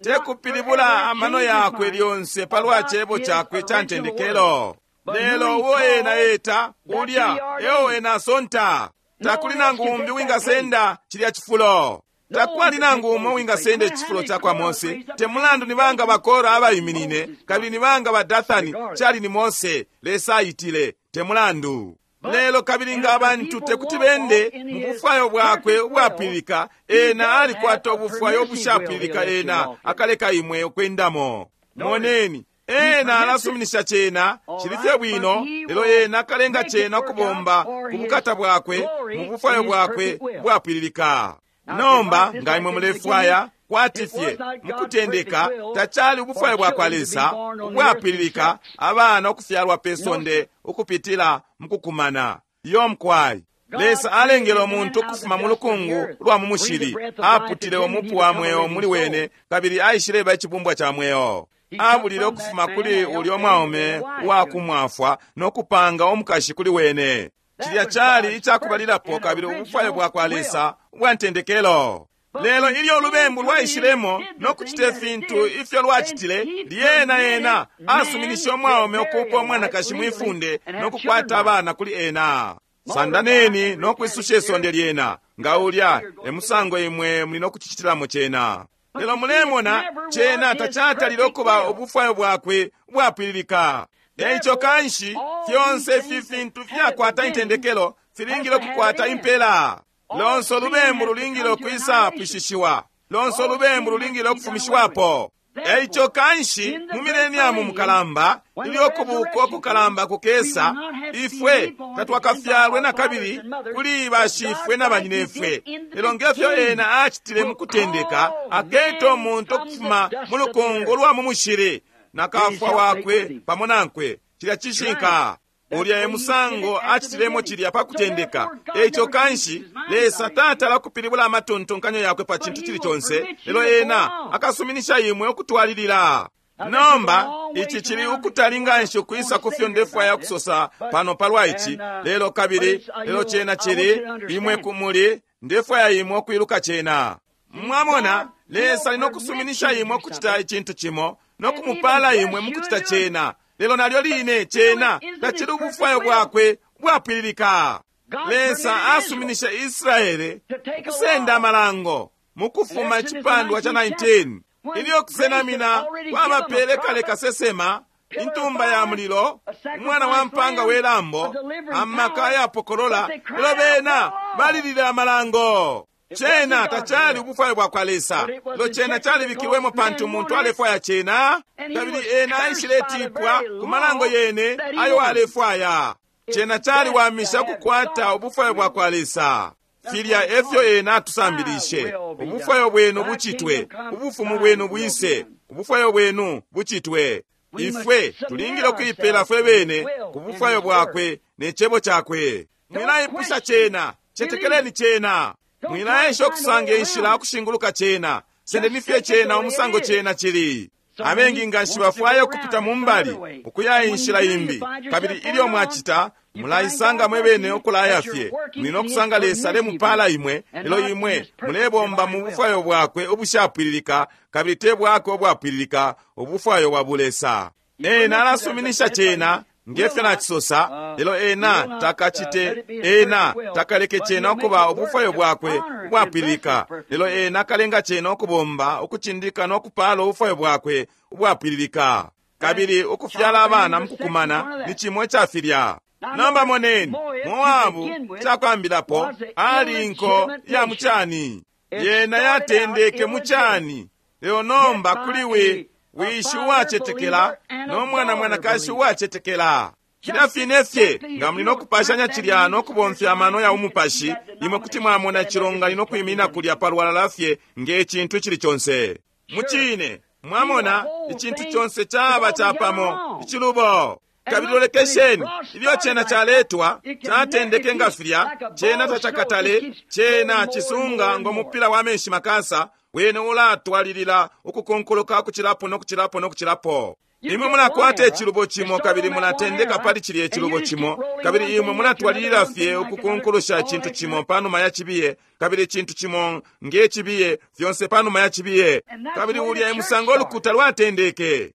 tekupilibula amano yakwe lyonse palwa cebo cakwe ca ntendekelo. Lelo uo ena eta, ulya eo ena asonta. Takuli nangu umbi wingasenda cilya cifulo. Takwali nangu umo wingasenda icifulo ca kwa Mose. Te mulandu ni banga bakora abaiminine, kabili ni banga ba Dathani, cali ni Mose Lesa aitile, te mulandu. Lelo kabili nga abantu tekuti bende mu bufwayo bwakwe ubwapwililika, ena alikwata ubufwayo obushapwililika, ena akaleka imwe ukwendamo. Moneni, ena alasuminisha cena cili fye bwino, lelo ena akalenga cena ukubomba ku bukata bwakwe mu bufwayo bwakwe bwapwililika. Nomba nga imwe mulefwaya kwati fye mukutendeka tacali ubufwayo bwa kwa Lesa ubwapwililika abana ukufyalwa pe sonde ukupitila mukukumana. Iyo mkwai Lesa alengele umuntu ukufuma mu lukungu lwa mu mushili, aputile umupu wa mweo muli wene, kabili aishileba icibumbwa ca mweo. Abulile ukufuma kuli ulyo mwaume uwakumwafwa no kupanga umukashi kuli wene. Cilya cali icakubalilapo kabili ubufwayo bwa kwa Lesa ubwa ntendekelo. Lelo ilyo ulubembu lwaishilemo no kucita ifintu ifyo lwacitile, lyena ena asuminishe umwaume ukuupa umwanakashi mwifunde no kukwata abana kuli ena. Sandaneni no kwisusha isonde lyena, nga ulya e musango imwe muli no kucicitilamo cena. Lelo mulemona cena tacatalile ukuba ubufwayo bwakwe ubwapwililika. Eico kanshi fyonse ifi fintu fyakwata intendekelo filingile ukukwata impela. Lonse ulubembu lulingile ukwisa pwishishiwa. Lonse ulubembu lulingile ukufumishiwapo. Eico kanshi mu mileniamu mukalamba, ilyo kubuka ukukalamba kukesa, ifwe tatwakafyalwe na kabili kuli bashifwe na banyinefwe. Lelo ngefyo ena acitile mu kutendeka, aketa umuntu ukufuma mu lukungu lwa mu mushili. na kafwa wakwe pamo nankwe. Cilya cishinka. Ulya e musango acitilemo cilya pa kutendeka. Eico kanshi Lesa tatala kupilibula amatontonkanyo yakwe pa cintu cili conse, lelo ena akasuminisha imwe ukutwalilila. Nomba ici cili ukutali nganshi ukwisa kufyo ndefwaya kusosa pano palwa ici lelo, kabili lelo cena cili imwe kumuli, ndefwaya imwe ukwiluka cena. Mwamona, Lesa ali nokusuminisha imwe ukucita icintu cimo nokumupala imwe mukucita cena, lelo nalyo line cena tacili ubufwayo bwakwe bwapwililika. Lesa asuminisha Israele ukusenda amalango mukufuma icipandwa ca 19, ilyo kusenamina kwabapele kale kasesema, intumba ya mulilo, umwana wa mpanga we lambo, amaka ayapokolola, lelo bena balilile amalango. Cena tacali ubufwayo bwa kwa Lesa, lelo cena calibikilwemo pantu umuntu alefwaya cena, kabili ena aishiletipwa ku malango yene ayo alefwaya. Cena caliwamisha ukukwata ubufwayo bwa kwa Lesa. Filya efyo ena atusambilishe: ubufwayo bwenu bucitwe, ubufumu bwenu bwise, ubufwayo bwenu bucitwe. Ifwe tulingile ukuipela fwe bene ku bufwayo bwakwe ne cebo cakwe. Mwilaipusha cena, cetekeleni cena. Mwilaesha ukusanga inshila ukushinguluka cena, sendeni fye cena umusango cena cili. Abengi nganshi bafwaya ukupita mu mbali ukuya inshila imbi, kabili ilyo mwacita mulaisanga mwe bene ukulaya fye. Muli nokusanga Lesa alemupala imwe, lelo imwe mulebomba mu bufwayo bwakwe ubushapwililika, kabili te bwakwe ubwapwililika, ubufwayo bwa bulesa. Ena alasuminisha cena ngefyo nacisosa, lelo ena takacite, ena takaleke cena ukuba ubufwayo bwakwe ubwapwililika, lelo ena akalenga cena ukubomba ukucindika no kupala ubufwayo bwakwe ubwapwililika. Kabili ukufyala abana mukukumana ni cimo ica filya. Nomba moneni, Moabu cakwambilapo ali inko ya mucani, yena yatendeke mucani, lelo nomba kuli we wishi uwacetekela no mwana mwanakashi uwacetekela. Filya fine fye nga muli nokupashanya cilya no kubomfya amano ya umupashi, imwe kuti mwamona icilonganino kwiminina kulya palwalala fye nge cintu icili conse. Mucine, mwamona icintu conse caba capamo icilubo. Kabili lolekesheni ilyo cena caletwa, catendeke nga filya, cena tacakatale, cena cisunga ngo mupila wa menshi makasa, wene ulatwalilila ukukonkoloka ukucilapo no kucilapo no kucilapo. Imwe mulakwata icilubo cimo kabili mulatendeka pali cilya icilubo cimo, kabili imwe mulatwalilila fye ukukonkolosha icintu cimo panuma ya cibiye, kabili icintu cimo nge cibiye, fyonse panuma ya cibiye. Kabili ulya e musango ulukuta lwatendeke.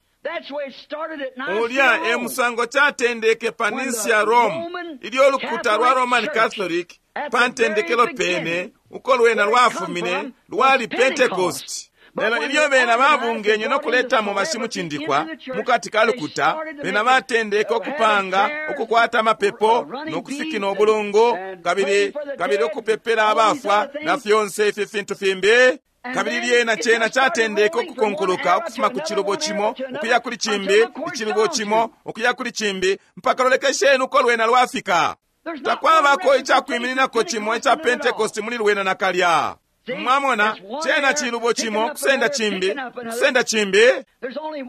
Ulya e musango catendeke pa Nicea Rome, ilyo ulukuta lwa Roman Catholic pa ntendekelo pene uko lwena lwafumine lwali Pentecost. Lelo ilyo bena babungenye no kuletamo bashimucindikwa mukati ka lukuta, bena batendeke ukupanga ukukwata amapepo no kufikina ubulungu, kabili kabili ukupepela abafwa na fyonse ifi fintu fimbi. Kabili lyena cena catendeke ukukonkoloka ukufuma ku cilubo cimo ukuya kuli cimbi, icilubo cimo ukuya kuli cimbi, mpaka lolekesheni uko lwena lwafika. Takwabako icakwimininako cimo ica Pentecost muli lwena nakalya. Mwamona, cena cilubo cimo kusenda cimbi, kusenda cimbi.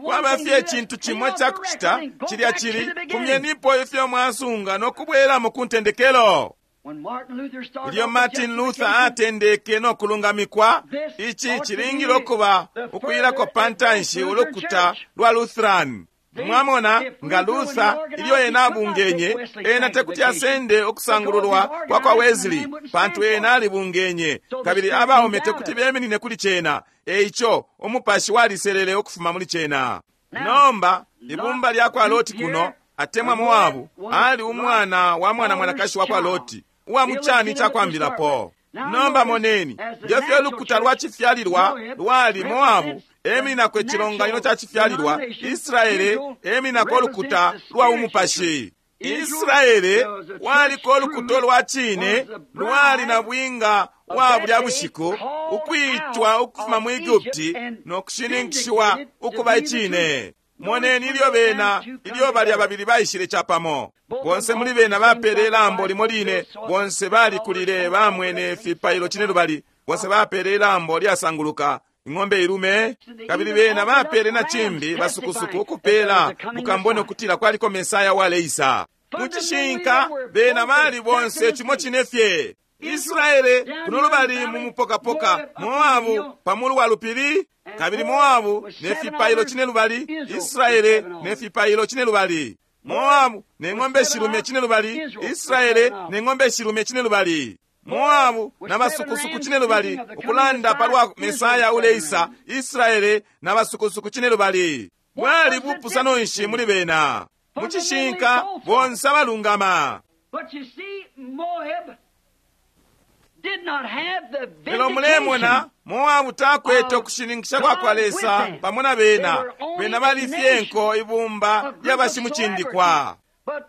Kwaba fye icintu cimo icakucita, cilya cili fumyenipo ifyo mwasunga no kubwelamo ku ntendekelo. Ilyo Martin Luther atendeke no kulungamikwa, ici cilingile ukuba ukuyilako pa ntanshi ulukuta lwa Lutheran. Mwamona, nga Luther ilyo ena abungenye, ena tekuti asende ukusangululwa kwa kwa Wesley, pantu ena alibungenye, kabili abaume tekuti beminine kuli cena. Eico umupashi waliselele ukufuma muli cena. Nomba ibumba lya kwa Loti kuno, atemwa Moabu, ali umwana wa mwana mwanakashi wa kwa Loti, uwa mucani cakwambilapo. Nomba moneni ngefyo ulukuta lwa cifyalilwa lwali Moabu emininako icilonganino ca cifyalilwa, Israele emininako ulukuta lwa umupashi. Israele waliko ulukuta lwa cine lwali na bwinga wa bulya bushiku, ukwitwa ukufuma mu Egupti no kushininkishiwa ukuba icine. Moneni ilyo bena, ilyo balya babili baishile capamo, bonse muli bena bapele ilambo limo line, bonse balikulile bamwene fipailo cine lubali, bonse bapele ilambo lyasanguluka. Ing'ombe ilume. Kabili bena bapele na cimbi basukusuku ukupela mukambone ukutila kwaliko Mesaya waleisa. Mucishinka bena bali bonse cimo cine fye. Israele kuno lubali mu mupokapoka, Moabu pamulu wa lupili, kabili Moabu ne fipailo cine lubali, Israele ne fipailo cine lubali. Moabu ne ng'ombe shilume cine lubali, Israele ne ng'ombe shilume cine lubali. Moabu na basukusuku cine lubali, ukulanda palwa Mesaya uleisa, Israele na basukusuku cine lubali. Bwali bupusano nshi muli bena? Mucishinka bonse abalungama. But you see, Moab did not have the Lelo mulemona vindication Moabu takwete ukushininkisha kwa kwa Lesa pamo na bena. Bena bali fye nko ibumba lyabashimucindikwa. But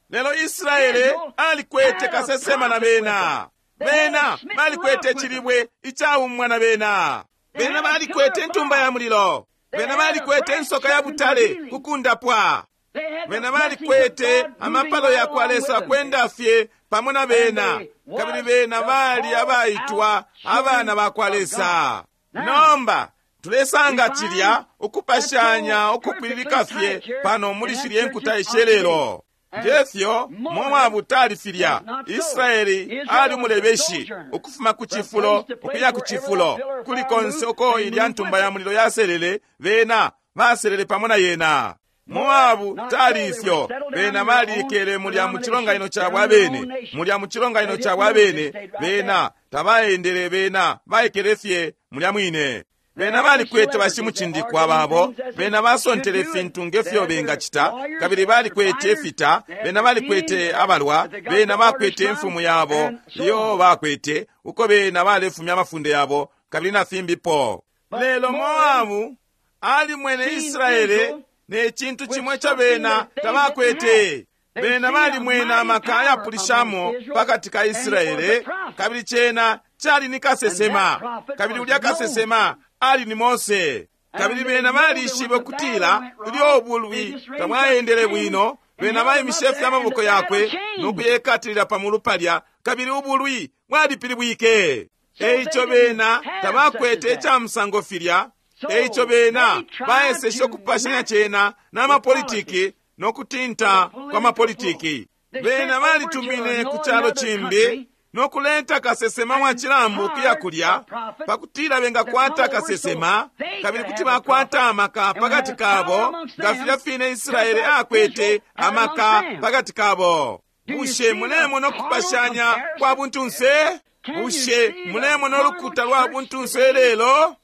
Lelo Israele alikwete kasesema na bena. Bena balikwete cilibwe icaumwa na bena. Bena balikwete intumba ya mulilo. Bena balikwete insoka ya butale kukundapwa. they had the Bena blessings of balikwete God moving amapalo ya kwa along Lesa with them. kwenda fye pamo na bena. Kabili bena bali abaitwa abana ba kwa Lesa. Nomba tulesanga cilya ukupashanya ukupwililika fye pano muli shilye nkuta ishelelo. Ngefyo Moabu tali filya. Israeli ali umulebeshi ukufuma ku cifulo ukuya ku cifulo, kuli konse uko ilya ntumba ya mulilo yaselele, bena baselele pamo na yena. Moabu tali ifyo, bena balikele mulya mu cilonganino cabo abene, mulya mu cilonganino cabo abene, bena tabaendele, bena baikele fye mulya mwine. Bena balikwete bashimucindikwa babo, bena basontele ifintu ngefyo bengacita, kabili balikwete ifita, bena balikwete abalwa, bena bakwete imfumu yabo iyo bakwete, uko bena balefumya amafunde yabo, kabili na fimbipo. Lelo Moabu alimwene Israele ne cintu cimwe ico bena tabakwete. Bena balimwene amaka ayapulishamo pakati ka Israele, kabili cena cali ni kasesema, kabili ulya kasesema ali ni Mose. Kabili bena balishibe ukutila ilyo ubulwi tabwaendele bwino, bena baimishe fye amaboko yakwe no kuyekatilila pamulu palya, kabili ubulwi bwalipilibwike. Eico bena tabakwete ica musango filya. Eico bena baeseshe ukupashanya cena n'amapolitiki no kutinta kwa mapolitiki. Bena balitumine ku calo cimbi no kuleta kasesema wa cilambu kuya kulya, pakutila bengakwata kasesema, kabili kuti bakwata amaka pakati kabo, nga filya fine Israele akwete amaka pakati kabo. Bushe mulemona ukupashanya kwa buntunse? Bushe mulemona ulukuta lwa buntunse lelo?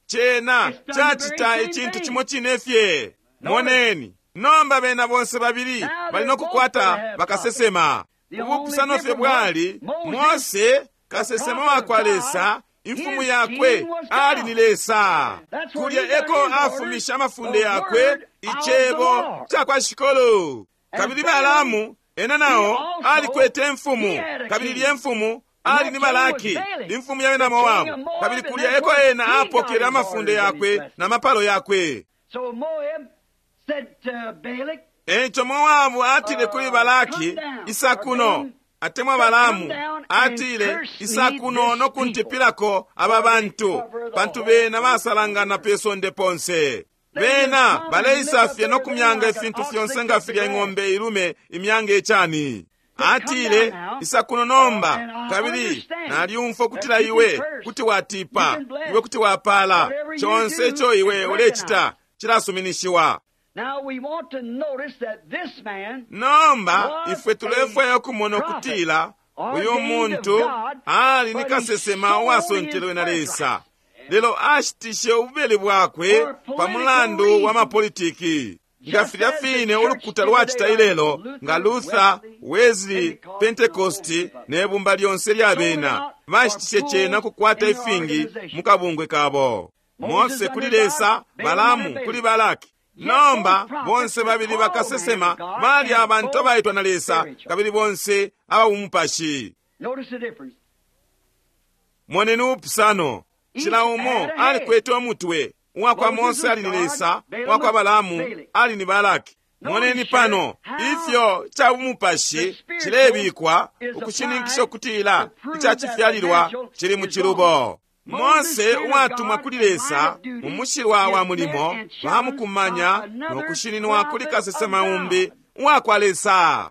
Cena cacita icintu cimo cine fye. Moneni, nomba bena bonse babili bali no kukwata bakasesema. Ubupusano fye bwali Mose kasesema wa kwa Lesa, imfumu yakwe ali ni Lesa. Kulya eko afumisha amafunde yakwe, icebo ca kwa Shikolo. Kabili Balaamu ena nao alikwete imfumu, kabili lye mfumu ali ni Balaki, imfumu ya bena Moabu. Kabili kulya eko ena apokele amafunde yakwe na mapalo yakwe. So Moab said to Balak, Eico Moabu atile kuli Balaki, isa kuno, atemwa Balaamu atile, isa kuno no kuntipilako aba bantu, pantu bena basalangana pe sonde ponse. Bena baleisa fye no kumyanga ifintu fyonse nga filya ing'ombe ilume imyanga icani. Atile, isa kuno nomba, kabili nalyumfwa kutila iwe kuti watipa, iwe kuti wapala, conse ico iwe ulecita cilasuminishiwa. Now we want to notice that this man Nomba ifwe tulefwaya ukumona ukutila uyu muntu ali ni kasesema uwasontelwe na Lesa, lelo ashitishe ububeli bwakwe pa mulandu wa mapolitiki. Nga filya fine ulukuta lwacita ilelo, nga Luther, Wesley, Pentecost ne bumba lyonse lya bena bashitishe cena kukwata ifingi mu kabungwe kabo. Mose kuli Lesa, Balaamu kuli Balaki. Nomba bonse babili bakasesema bali abantu abaitwa na Lesa, kabili bonse ababumupashi. Notice the difference. Moneni ubupusano. Cila umo alikwete umutwe. Uwakwa Mose ali ni Lesa, uwakwa Balaamu ali ni Balaki. Moneni pano ifyo ca bumupashi cilebikwa ukushininkisha ukutila ica cifyalilwa cili mu cilubo. Mose uwatumwa kuli Lesa mu mushilwa wa mulimo bamukumanya no kushininwa kuli kasesema umbi uwakwa Lesa.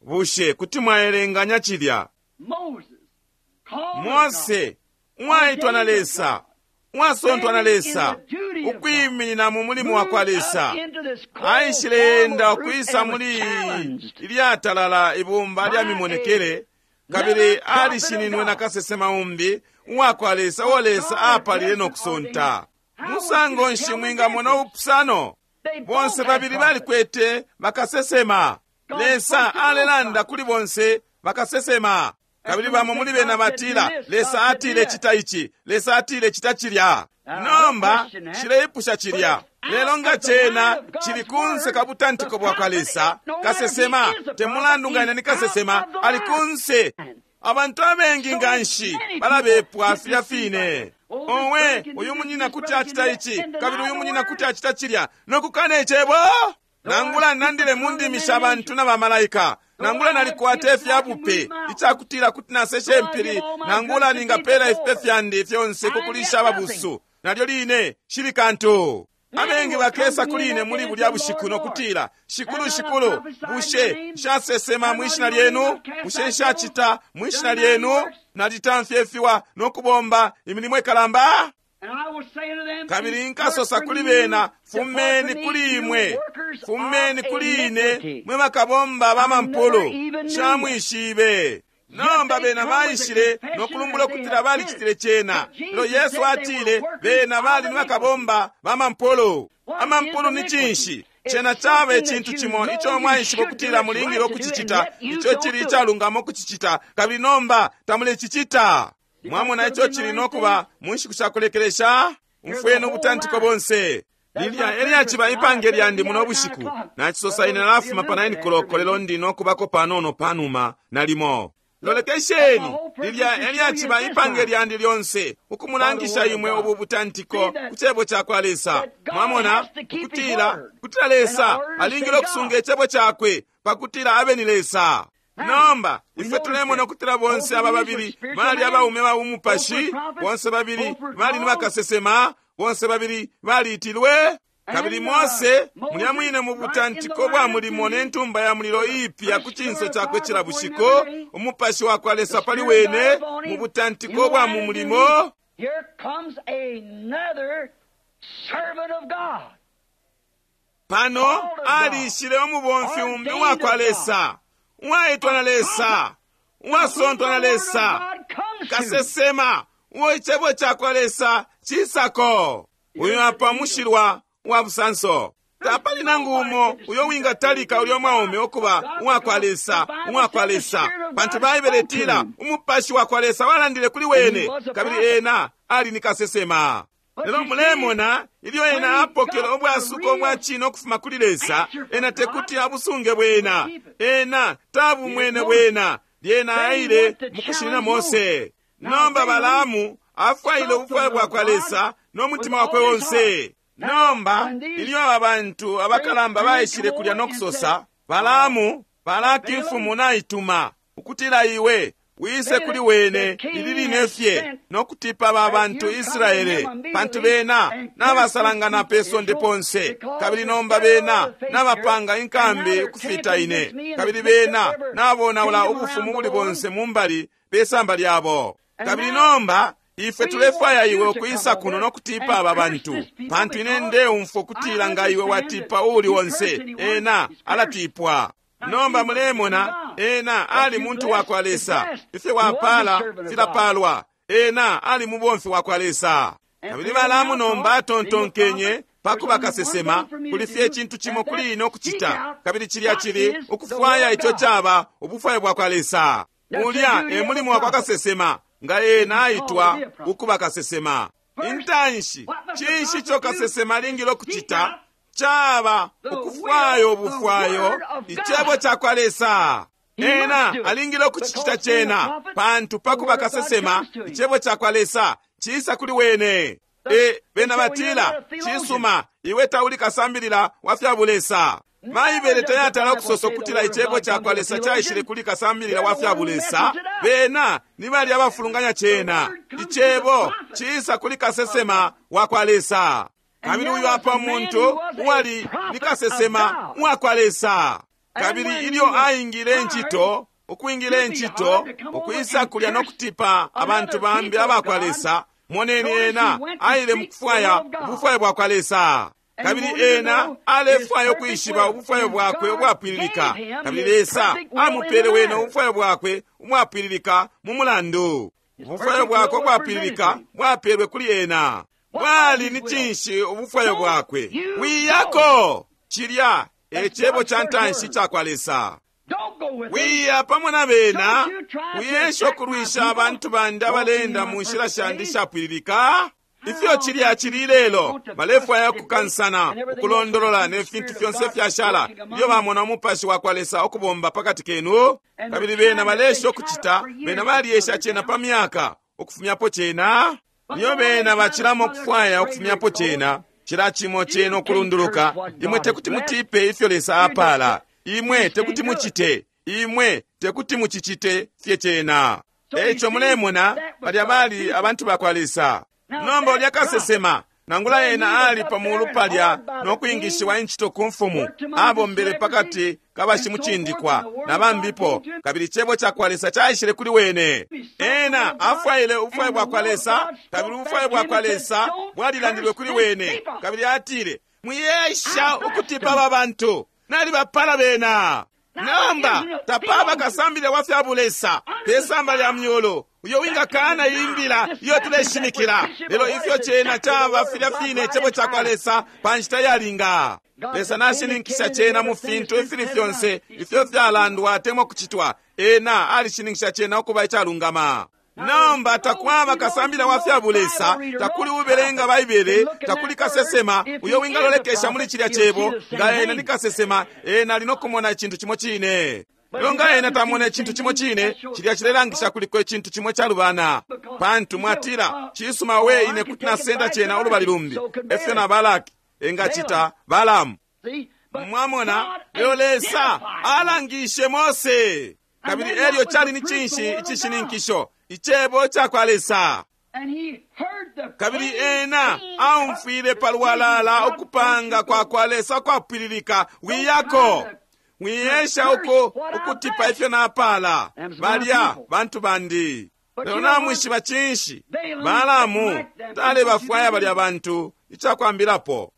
Bushe kuti mwaelenganya cilya? Mose uwaitwa na Lesa, uwasontwa na Lesa, ukwiminina mu mulimo wa kwa Lesa, aishile-enda ukwisa muli ilyatalala ibumba lya mimonekele, kabili alishininwe na kasesema umbi uwakwa Lesa uo Lesa apalile no kusonta. Musango nshi mwingamona ubupusano? Bonse babili balikwete bakasesema. Lesa alelanda kuli bonse bakasesema. Kabili bamo muli bena batila, Lesa atile cita ici, Lesa atile cita cilya. Nomba shileipusha cilya. Lelo nga cena cili kunse ka butantiko bwa kwa Lesa, kasesema te mulandu nga ena ni kasesema, ali kunse. Abantu abengi nganshi balabepwa filya fine. Owe, uyu munyina kuti acita ici, kabili uyu munyina kuti acita cilya, nokukana icebo. Nangula nandile mu ndimi sha bantu na bamalaika, nangula nalikwata ifyabupe icakutila kuti naseshe mpili, nangula ningapela ifipe fyandi fyonse kukulisha ababusu, nalyo line shili kantu. Abengi bakesa kuli ine muli bulya bushiku nokutila, Shikulu, Shikulu, bushe nshasesema mwishina lyenu? Bushe nshacita mwishina lyenu? Nalitamfya ifiwa nokubomba imilimo ikalamba? Kabili nkasosa kuli bena, fumeni kuli imwe, fumeni kuli ine, mwe bakabomba ba mampulu, shamwishibe. Nomba bena baishile nokulumbula ukutila balicitile cena. Lelo Yesu atile bena bali ni bakabomba ba mampulu. Amampulu ni cinshi? Cena caba icintu cimo ico mwaishiba ukutila mulingile ukucicita, ico cili icalungama ukucicita, kabili nomba tamulecicita. Mwamona ico cili nokuba mu nshiku sha kulekelesha? Umfweni ubutantiko bonse. Lilya elyaciba ipange lyandi muno bushiku. Nacisosa ine nalafuma pa 9 koloko, lelo ndi nokubako panono panuma nalimo. Lolekesheni, lilya elyaciba ipange lyandi lyonse, ukumulangisha imwe ubu butantiko ku cebo ca kwa Lesa. Mwamona ukutila kutila Lesa alingile ukusunga icebo cakwe pakutila abe ni Lesa. Nomba ifwe tulemona ukutila bonse aba babili bali abaume ba umupashi, bonse babili bali ni bakasesema, bonse babili baliitilwe. Kabili Mose mulya mwine mu butantiko bwa mulimo ne ntumba ya mulilo iipya ku cinso cakwe cila bushiku, umupashi wa kwa Lesa pali wene mu butantiko bwa mu mulimo. Pano alishile umubomfi umbi uwa kwa Lesa, uwaitwa na Lesa, uwasontwa na Lesa, kasesema uo icebo ca kwa Lesa cisako. Uyu apa mushilwa wa busanso. Tapali nangu umo uyo wingatalika ulyo mwaume ukuba uwakwa Lesa, uwakwa Lesa, pantu Baibele itila umupashi wa kwa Lesa walandile kuli wene, kabili ena ali ni kasesema. Lelo mulemona ilyo ena apokele ubwasuko bwa cine ukufuma kuli Lesa, ena tekuti abusunge bwena, ena tabumwene bwena, lyena aile mukushinina Mose. Nomba Balaamu afwaile ubufwayo bwa kwa Lesa no mutima wakwe wonse. Nomba ilyo aba bantu abakalamba baishile kulya no kusosa, Balaamu, Balaki mfumu naituma ukutila iwe wise kuli wene ili line fye no kutipa ba bantu Israele, pantu bena nabasalangana pe sonde ponse, kabili nomba bena nabapanga inkambi ukufita ine, kabili bena nabonaula ubufumu buli bonse mumbali pe samba lyabo. Kabili nomba ifwe tulefwaya iwe ukwisa kuno no kutipa aba bantu, pantu ine ndeumfwa ukutila nga iwe watipa uuli onse, ena alatipwa. Nomba mulemona ena ali muntu wa kwa Lesa. Ifyo wapala filapalwa. Ena ali mubomfi wa kwa Lesa. Kabili Balaamu nomba atontonkenye pakuba kasesema, kuli fye icintu cimo kuli ine ukucita, kabili cilya cili ukufwaya ico caba ubufwayo bwa kwa Lesa. Ulya e mulimo wa kwa kasesema, nga ena aitwa ukuba kasesema. Intanshi, cinshi ico kasesema alingile ukucita? Caba ukufwayo ubufwayo icebo ca kwa Lesa. Ena alingile ukucicita cena, pantu pakuba kasesema icebo ca kwa Lesa cisa kuli wene. E bena batila, cisuma, iwe tauli kasambilila wa fya bulesa. Baibele tayatala ukusosa ukutila icebo cakwa Lesa caishile kuli kasambilila wa fya bulesa. Bena ni balya abafulunganya cena. Icebo ciisa kuli kasesema wa kwa Lesa. Kabili uyu apa muntu uwali ni kasesema wa kwa Lesa. Kabili ilyo aingile incito, ukwingila incito, ukwisa kulya no kutipa abantu bambi abakwa Lesa, moneni ena aile mukufwaya ubufwayo bwakwa Lesa. Kabili ena alefwaya ukwishiba ubufwayo bwakwe ubwapwililika. Kabili Lesa amupele wene ubufwayo bwakwe umwapwililika mu mulandu. Ubufwayo bwakwe ubwapwililika bwapelwe kuli ena. Bwali ni cinshi ubufwayo bwakwe? Wiyako! Cilya e cebo ca ntanshi cakwa Lesa. Wiya pamo na bena, wiyesha ukulwisha abantu bandi abalenda mu nshila shandi shapwililika. Ifyo cilya cili lelo, balefwaya ukukansana, ukulondolola ne fintu fyonse fyashala ilyo bamona umupashi wa kwa Lesa ukubomba pakati kenu. Kabili bena balesha ukucita, bena balyesha cena pa myaka ukufumyapo cena. Iyo bena bacilamo ukufwaya ukufumyapo cena, cila cimo cena ukulunduluka. Imwe tekuti mutipe ifyo Lesa apala. Imwe tekuti mucite, imwe tekuti mucicite fye cena. Eico mulemona balya bali abantu bakwa Lesa. Nomba ulya kasesema, nangula ena ali pa mulu palya no kwingishiwa incito ku mfumu, abombele pakati kabashimucindikwa na bambipo, kabili icebo cakwa Lesa caishile kuli wene. Ena afwaile ubufwayo bwakwa Lesa, kabili ubufwayo bwakwa Lesa bwalilandilwe kuli wene. Kabili atile, mwiyesha ukutipa aba bantu, nalibapala bena. Nomba tapaba kasambilila wa fya bulesa pe samba lya myulu uyo wingakana imbila iyo tuleshimikila. Lelo ifyo cena caba filya fine icebo cakwa Lesa pa nshita yalinga. Lesa nashininkisha cena mu fintu ifili fyonse ifyo fyalandwa atemwa kucitwa. Ena alishininkisha cena ukuba icalungama. Nomba takwaba kasambila wa fya bulesa, takuli ubelenga Baibele, takuli kasesema uyo wingalolekesha muli cilya cebo. Nga ena ni kasesema, ena ali no kumona icintu cimo cine. Lelo nga ena tamona icintu cimo cine, cilya cilelangisha kuliko icintu cimo calubana. Pantu mwatila, cisuma we ine kuti nasenda cena ulubali lumbi. Efyo na Balaki engacita Balamu. Mwamona, lelo Lesa alangishe Mose. Kabili elyo cali ni cinshi icishininkisho? Icebo cakwa Lesa. Kabili ena aumfwile palwalala ukupanga kwa kwa Lesa kwapwililika. Wiyako, wiyesha uko ukutipa ifyo napala balya bantu bandi. Lelo namwishiba cinshi? Balamu talebafwaya balya bantu icakwambilapo.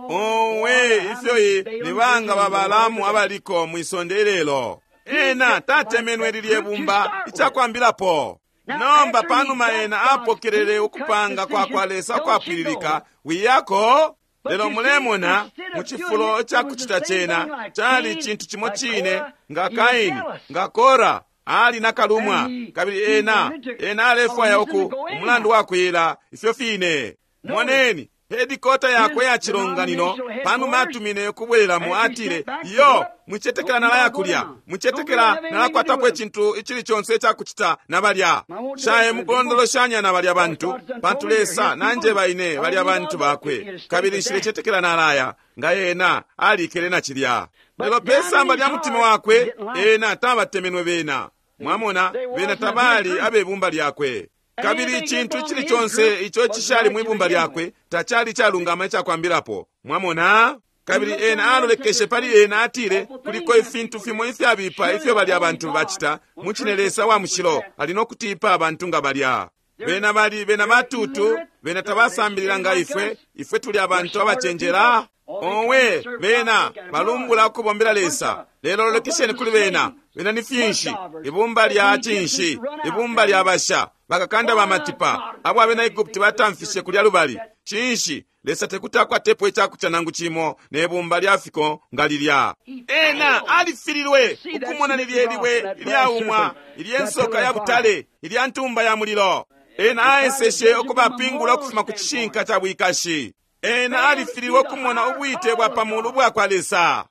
Owe, ifyo ni banga ba Balamu abaliko mwisonde ilelo. Ena tatemenwe lilye bumba icakwambilapo. Nomba panuma ena apokelele ukupanga kwa kwa Lesa kwapwililika, wiyako. Lelo mulemona mu cifulo ca kucita cena cali cintu cimo cine nga Kaini, nga Kora ali na kalumwa, kabili ena ena alefwaya uku umulandu wa kuyila ifyo fine. Moneni hedikota yakwe ya cilonganino panuma atumine ukubwelelamo, atile, yo mwicetekela nalaya kulya, mwicetekela nalakwatapo icintu icili conse icakucita na balya. Shaye mukulondoloshanya na balya bantu, pantu Lesa nanjeba ine balya bantu bakwe, kabili nshilecetekela nalaya. Nga ena alikele na cilya. Lelo pe samba lya mutima wakwe ena tabatemenwe bena. Mwamona, bena tabali abebumba lyakwe. Kabili icintu icili conse ico cishali mwibumba lyakwe tacali calungama icakwambilapo. Mwamona? Kabili ena alolekeshe pali ena atile, kuliko ifintu fimo ifyabipa ifyo balya abantu bacita. Mucine Lesa wa mushilo ali no kutipa abantu nga balya. Bena bali bena batutu, bena tabasambilila nga ifwe, ifwe tuli abantu abacenjela. Owe, bena balumbula ukubombela Lesa. Lelo lolekesheni kuli bena, bena ni finshi? Ibumba lya cinshi? Ibumba lya basha, bakakanda ba matipa abo abena Egupti batamfishe kulya lubali. Cinshi? Lesa tekuti akwatepo icakuca nangu cimo ne bumba lya fiko nga lilya. Ena alifililwe ukumona lilye libwe ilyaumwa, ilye nsoka ya butale, ilya ntumba ya mulilo. Ena aeseshe ukubapingula ukufuma ku cishinka ca bwikashi. Ena alifililwe ukumona ubwite bwa pamulu bwa kwa Lesa.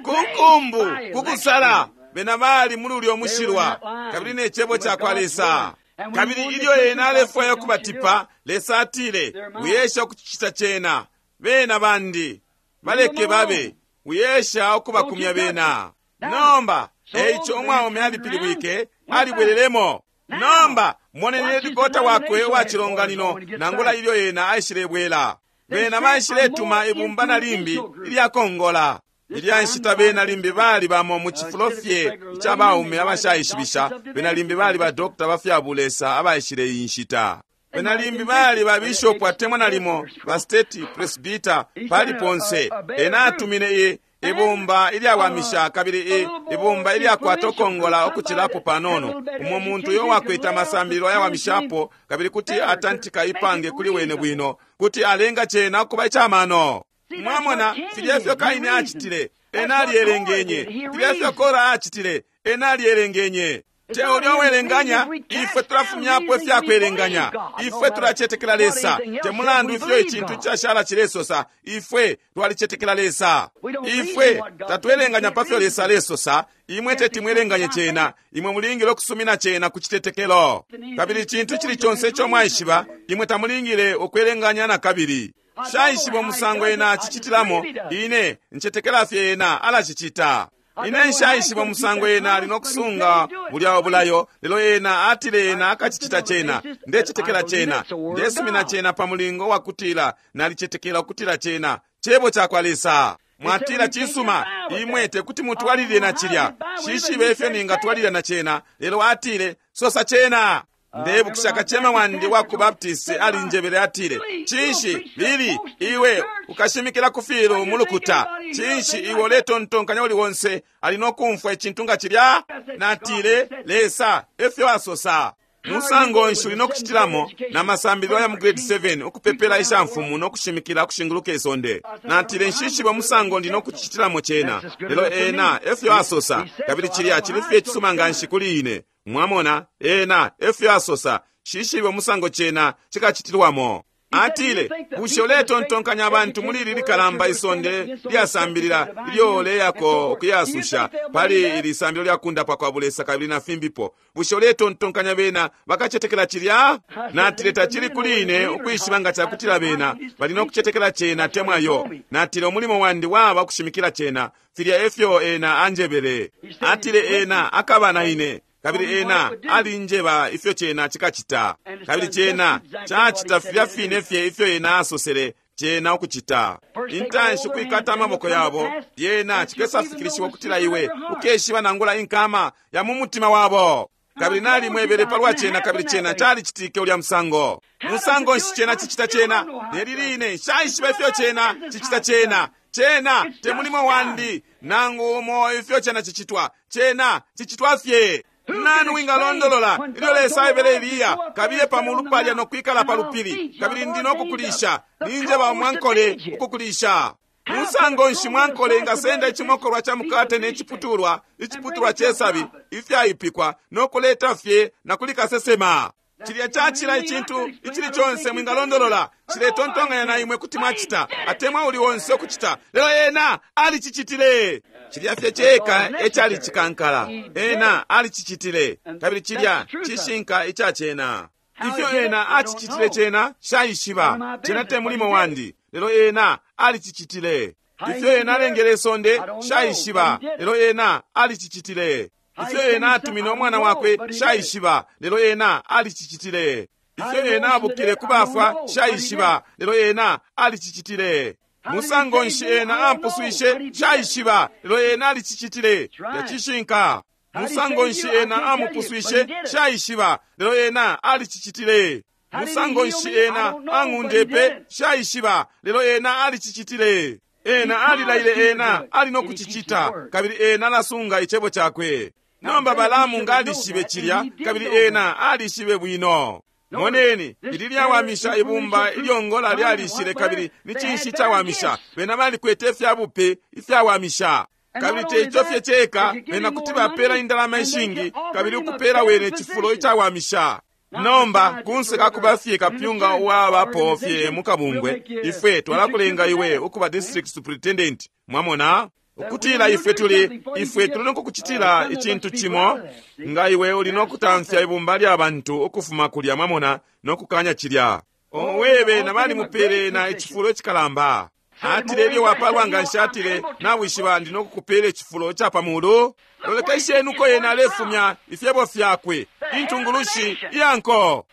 Ku nkumbu, ku kusala, bena bali muli ulyo mushilwa, kabili ne cebo ca kwa Lesa. Kabili ilyo ena alefwaya ukubatipa, Lesa atile, wiyesha ukucita cena. Bena bandi, baleke babe. Wiesha ukubakumya bena. Nomba, eico umwaume alipilibwike, alibwelelemo. Nomba, moneni hedikota wakwe uwa cilonganino, nangula ilyo ena aishilebwela. Bena baishiletuma ibumba na limbi ilyakongola. Ilya nshita bena limbi bali bamo mu cifulo fye ica baume abashaishibisha, bena limbi bali ba dokota ba fya bulesa abaishile iyi nshita. Bena limbi bali ba bishopu atemwa nalimo ba state presbyter pali ponse. Ena atumine i ibumba ilyawamisha kabili ibumba ilyakwata ukongola ukucilapo panono, umo muntu uyo wakwete amasambililo ayawamishapo kabili kuti atantika ipange kuli wene bwino, kuti alenga cena ukuba icamano. Mwamona filya ifyo Kaini acitile, ena alyelengenye. Filya ifyo Kora acitile, ena alyelengenye. Te ulya uwelenganya, ifwe tulafumyapo ifyakwelenganya. Ifwe tulacetekela Lesa. Te mulandu ifyo icintu cashala cilesosa, ifwe twalicetekela Lesa. Ifwe tatwelenganya pa fyo Lesa alesosa, imwe teti mwelenganye cena, imwe mulingile ukusumina cena ku citetekelo. Kabili icintu cili conse ico mwaishiba, imwe tamulingile ukwelenganya na kabili. Shaishiba umusango ena acicitilamo, ine ncetekela fye ena alacicita. Ine nshaishiba umusango ena ali nokusunga bulya ubulayo, lelo ena atile ena akacicita cena. Ndecetekela cena, ndesumina cena pa mulingo wa kutila nalicetekela ukutila cena cebo cakwa Lesa. Mwatila cisuma, imwe tekuti mutwalilile na cilya. Shishibe ifyo ningatwalilila na cena, lelo atile sosa cena. Ndebukisha kacema wandi wa ku Baptist alinjebele atile, cinshi Bili, iwe ukashimikila ku filu mu lukuta, cinshi iwe uletontonkanya uli wonse ali nokumfwa icintu nga cilya? Natile, Lesa efyo asosa. Musango nshi uli nokucitilamo na masambililo ya mu grade 7 ukupepela ishamfumu nokushimikila ukushinguluka isonde? Natile, nshishibe musango ndi nokucitilamo cena, lelo ena efyo asosa, kabili cilya cili fye icisuma nganshi kuli ine. Mwamona, ena efyo asosa, shishibe musango cena cikacitilwamo. Atile, bushe uletontonkanya abantu muli ili likalamba isonde lyasambilila ilyo uleyako ukuyasusha pali ili sambililo lya kundapwa kwa bulesa kabili na fimbipo, bushe uletontonkanya bena bakacetekela cilya? Natile, tacili kuli ine ukwishiba nga cakutila bena bali nokucetekela cena temwa yo. Natile, umulimo wandi waba kushimikila cena, filya efyo ena anjebele. Atile, ena akaba na ine. Kabili ena alinjeba ifyo cena cikacita, kabili cena cacita filya fine fye ifyo ena asosele cena ukucita. Intanshi ukwikata amaboko yabo, lyena cikesafikilishiwa ukutila iwe ukeshiba nangula inkama ya mu mutima wabo. Kabili nalimwebele palwa cena, kabili cena calicitike ulya musango. Musango nshi cena cicita cena? Neli line nshaishiba ifyo cena cicita cena. Cena te mulimo wandi nangu umo ifyo cena cicitwa. Cena cicitwa fye. Nani wingalondolola ilyo Lesa aebele Eliya, kabiye pa mulu palya no kwikala pa lupili, kabili ndi no kukulisha, ninjeba umwankole ukukulisha. Musango nshi mwankole ingasenda icimokolwa ca mukate ne ciputulwa, iciputulwa cesabi ifyaipikwa, no kuleta fye na kuli kasesema? Cilya cacila icintu icili conse mwingalondolola, ciletontonkanya na imwe kuti mwacita, atemwa uli wonse ukucita, lelo ena alicicitile. Cilya fye ceka ecali cikankala, ena alicicitile, kabili cilya cishinka ica cena. Ifyo ena acicitile cena shaishiba, cena te mulimo wandi, lelo ena alicicitile. Ifyo ena alengele isonde shaishiba, lelo ena alicicitile. Ifyo ena atumine umwana wakwe shaishiba, lelo ena alicicitile. Ifyo ena abukile ku bafwa shaishiba, lelo ena alicicitile. Musango nshi ena ampuswishe shaishiba, lelo ena alicicitile. Yacishinka. Musango nshi ena amupuswishe shaishiba, lelo ena alicicitile. Musango nshi ena ang'undepe shaishiba, lelo ena alicicitile. Ena alilaile ena ali nokucicita, kabili ena alasunga icebo cakwe. Nomba Balaamu nga alishibe cilya, kabili ena alishibe bwino. Moneni, ili lyawamisha ibumba ilyongola lyalishile, kabili ni cinshi cawamisha? Bena balikwete ifyabupe ifyawamisha. Kabili teico fye ceka, bena kuti bapela indalama ishingi, kabili ukupela wene cifulo icawamisha. Nomba kunse kakuba fye kapyunga uwabapo fye mukabungwe, ifwe twalakulenga iwe ukuba district superintendent. Mwamona? Ukutila ifwe tuli, ifwe tuli nokukucitila icintu cimo, nga iwe uli nokutamfya ibumba lya bantu ukufuma kulya, mwamona, nokukanya cilya. Owe, bena balimupele na icifulo icikalamba. Atile ilyo wapalwa nganshi, atile, nawishiba ndi nokukupela icifulo ca pa mulu. Lolekesheni uko yena alefumya ifyebo fyakwe, intungulushi iya nko.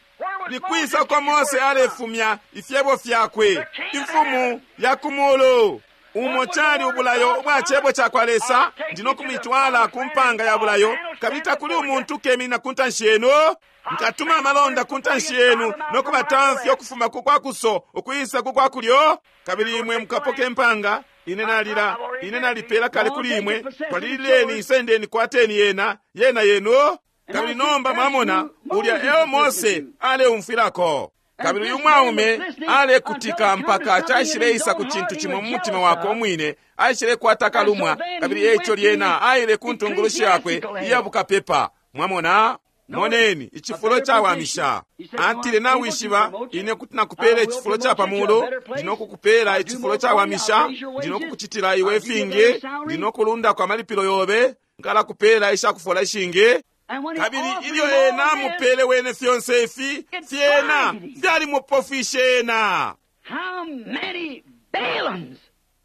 Nikwisa uko Mose alefumya ifyebo fyakwe, imfumu ya ku mulu. Umo cali ubulayo ubwa cebo cakwa Lesa, ndi nokumitwala ku mpanga ya bulayo, kabili takuli umuntu ukeminina ku ntanshi yenu. Nkatuma amalonda ku ntanshi yenu nokubatamfya ukufuma ku kwa kuso ukwisa ku kwa kulyo, kabili imwe mukapoka impanga. Ine nalila, ine nalipela kale kuli imwe, twalilileni, isendeni, kwateni yena, yena yenu. Kabili nomba mwamona ulya eo Mose aleumfwilako. Kabili uyu mwaume alekutika mpaka caishileisa ku cintu cimo mu mutima wakwe umwine, aishilekwata kalumwa, kabili eico lyena aile ku ntungulushi yakwe iya bukapepa. Mwamona? Moneni icifulo cawamisha. Atile, nawishiba ine kuti nakupela icifulo ca pa mulu, ndi nokukupela icifulo cawamisha, ndi nokukucitila iwe ifingi, ndi nokulundako amalipilo yobe, nkalakupela ishakufola ishingi. Kabili ilyo ena amupele wene fyonse ifi, fyena fyalimupofwishe ena.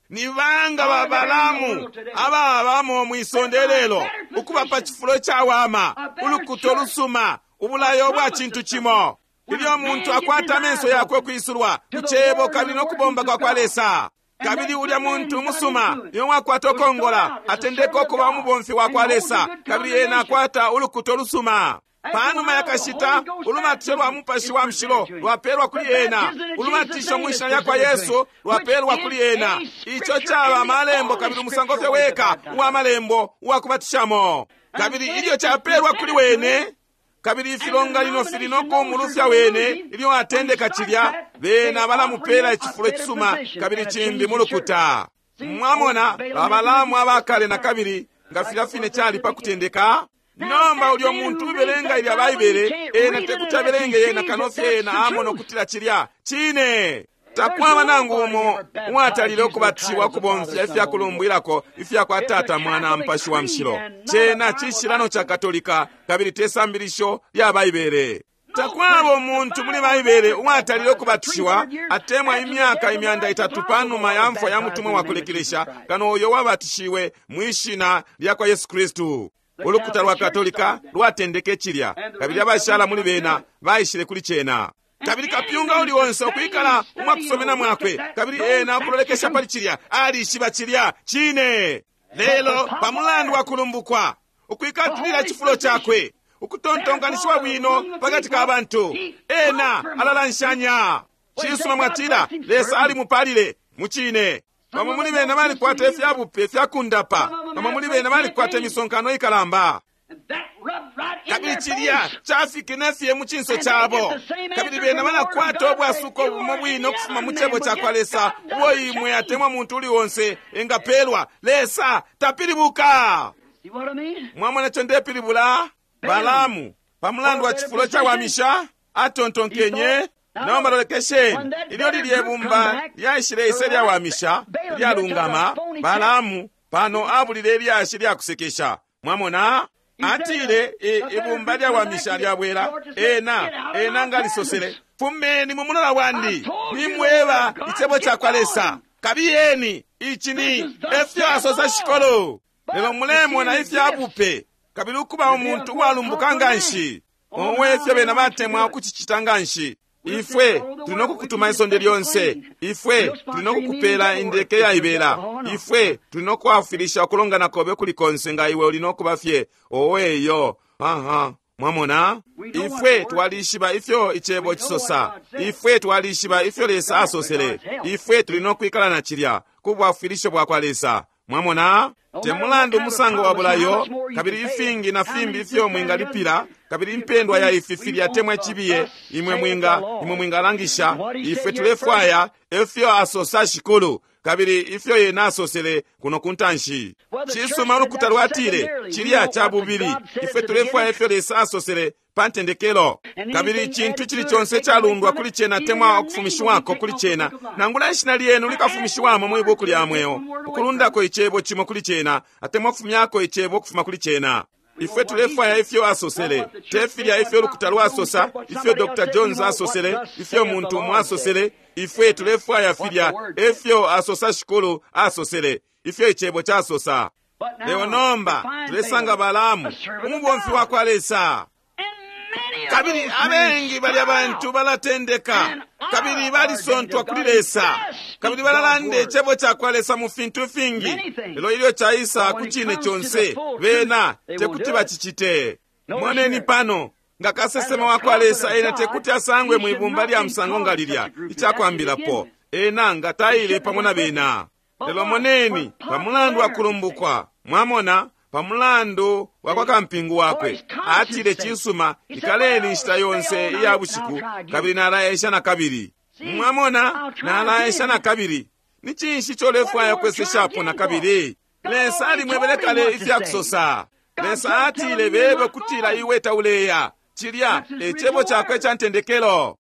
Ni banga ba Balamu ababamo mwisonde lelo, ukuba pa cifulo cawama, ulukuto lusuma, ubulayo bwa cintu cimo. Ilyo muntu akwata amenso yakwe kwisulwa ku cebo kabili nokubomba kwa kwa Lesa, kabili ulya muntu umusuma iyo wakwata ukongola atendeka ukuba umubomfi wa kwa Lesa, kabili ena akwata ulukuto lusuma. Panuma yakashita ulubatisho lwa mupashi wa mushilo lwapelwa kuli ena, ulubatisho mu shina lya kwa Yesu lwapelwa kuli ena. Ico caba amalembo kabili umusango fye weka uwa malembo uwa kubatishamo. Kabili ilyo capelwa kuli wene, kabili ifilonganino fili no kumulufya wene ilyo atendeka cilya, bena balamupela icifulo icisuma kabili cimbi mu lukuta. Mwamona Babalamu abakale na kabili nga filya fine cali pa kutendeka. Nomba ulyo muntu ubelenga ilya Baibele, ena tekuti abelenge yena kano fye ena amona ukutila cilya cine. Takwaba nangu umo uwatalile ukubatishiwa ukubomfya ifyakulumbwilako ifya kwa Tata, Mwana, Mupashi wa Mushilo. Cena cishilano ca Katolika kabili te sambilisho lya Baibele. Takwaba umuntu muli Baibele uwatalile ukubatishiwa atemwa imyaka 300 panuma ya mfwa ya mutumwa wa kulekelesha kano uyo wabatishiwe mwi shina lya kwa Yesu Kristu. Ulukuta lwa Katolika lwatendeke cilya, kabili abashala muli bena baishile kuli cena. Kabili kapyunga uli onse ukwikala umwakusomena mwakwe, kabili ena ukulolekesha pali cilya, alishiba cilya cine. Lelo pamulandu wa kulumbukwa, ukwikatilila cifulo cakwe, ukutontonkanishiwa bwino pakati ka bantu, ena alalanshanya. Cisuma mwatila, Lesa alimupalile mucine. Bamo muli bena balikwata ifyabupe fyakundapa, bamo muli bena balikwata imisonkano ikalamba. Kabili cilya cafikine fye mu cinso cabo, kabili bena balakwata ubwasuko bumo bwine ukufuma mu cebo ca kwa Lesa ubo imwe atemwa muntu uli onse engapelwa. Lesa tapilibuka. Mwamona ico ndepilibula? Balamu pamulandu wa cifulo cawamisha atontonkenye. Nomba lolekesheni ilyo lilye bumba lyaishile ise lyawamisha lyalungama, Balamu pano abulile ilyashi lyakusekesha. Mwamona? Atile ibumba lyawamisha lyabwela, ena ena ngalisosele, fumeni mu mulola wandi, nimweba icebo ca kwa Lesa, kabiyeni, ici ni efyo asosa shikolo. Lelo mulemona ifyabupe kabili ukuba umuntu uwalumbuka nganshi, owe ifyo bena batemwa ukucicita nganshi. Ifwe tuli nokukutuma isonde lyonse, ifwe tuli nokukupela indeke yaibela, ifwe tuli nokwafwilisha ukulongana kobe kuli konse nga iwe uli nokuba fye owe iyo. Aha, mwamona? Ifwe twalishiba ifyo icebo cisosa, ifwe twalishiba ifyo Lesa asosele, ifwe tuli nokwikala na cilya ku bwafwilisho bwa kwa Lesa. Mwamona? Te mulandu umusango wa bulayo, kabili ifingi na fimbi ifyo mwingalipila, kabili impendwa ya ifi filya temwa cibiye, imwe mwinga imwe mwingalangisha, ifwe tulefwaya efyo asosa shikulu, kabili ifyo yena asosele kuno kuntanshi. Cisuma ulukuta lwatile cilya ca bubili, ifwe tulefwaya ifyo Lesa asosele pa ntendekelo, kabili icintu cili conse calundwa kuli cena temwa ukufumishiwako kuli cena, nangula ishina lyenu likafumishiwamo mwi buku lya mweo, ukulundako icebo cimo kuli cena atemwa ukufumyako icebo ukufuma kuli cena. Ifwe tulefwaya ifyo asosele, te filya ifyo lukuta lwasosa, ifyo Dr. Jones asosele, ifyo muntu umo asosele. Ifwe tulefwaya filya efyo asosa Shikulu asosele, ifyo icebo casosa. Lelo nomba tulesanga Balaamu, umubomfi wa kwa Lesa. Kabili abengi balya bantu balatendeka, kabili balisontwa kuli Lesa, kabili balalanda icebo ca kwa Lesa mu fintu fingi, lelo ilyo caisa ku cine conse, bena tekuti bacicite. Moneni pano, nga kasesema wa kwa Lesa, ena tekuti asangwe mwibumba lya musango nga lilya, icakwambilapo ena nga taile pamo na bena. Lelo moneni, pamulandu wa kulumbukwa, mwamona, pamulandu wa kwa kampingu wakwe, atile, cisuma, ikaleni inshita yonse iya bushiku, kabili nalaesha na kabili. Mwamona, nalaesha na kabili. Ni cinshi ico ulefwaya kweseshapo na kabili? Lesa alimwebele kale ifya kusosa. Lesa atile bebe kutila iwe tauleya. Cilya e cebo cakwe ca ntendekelo.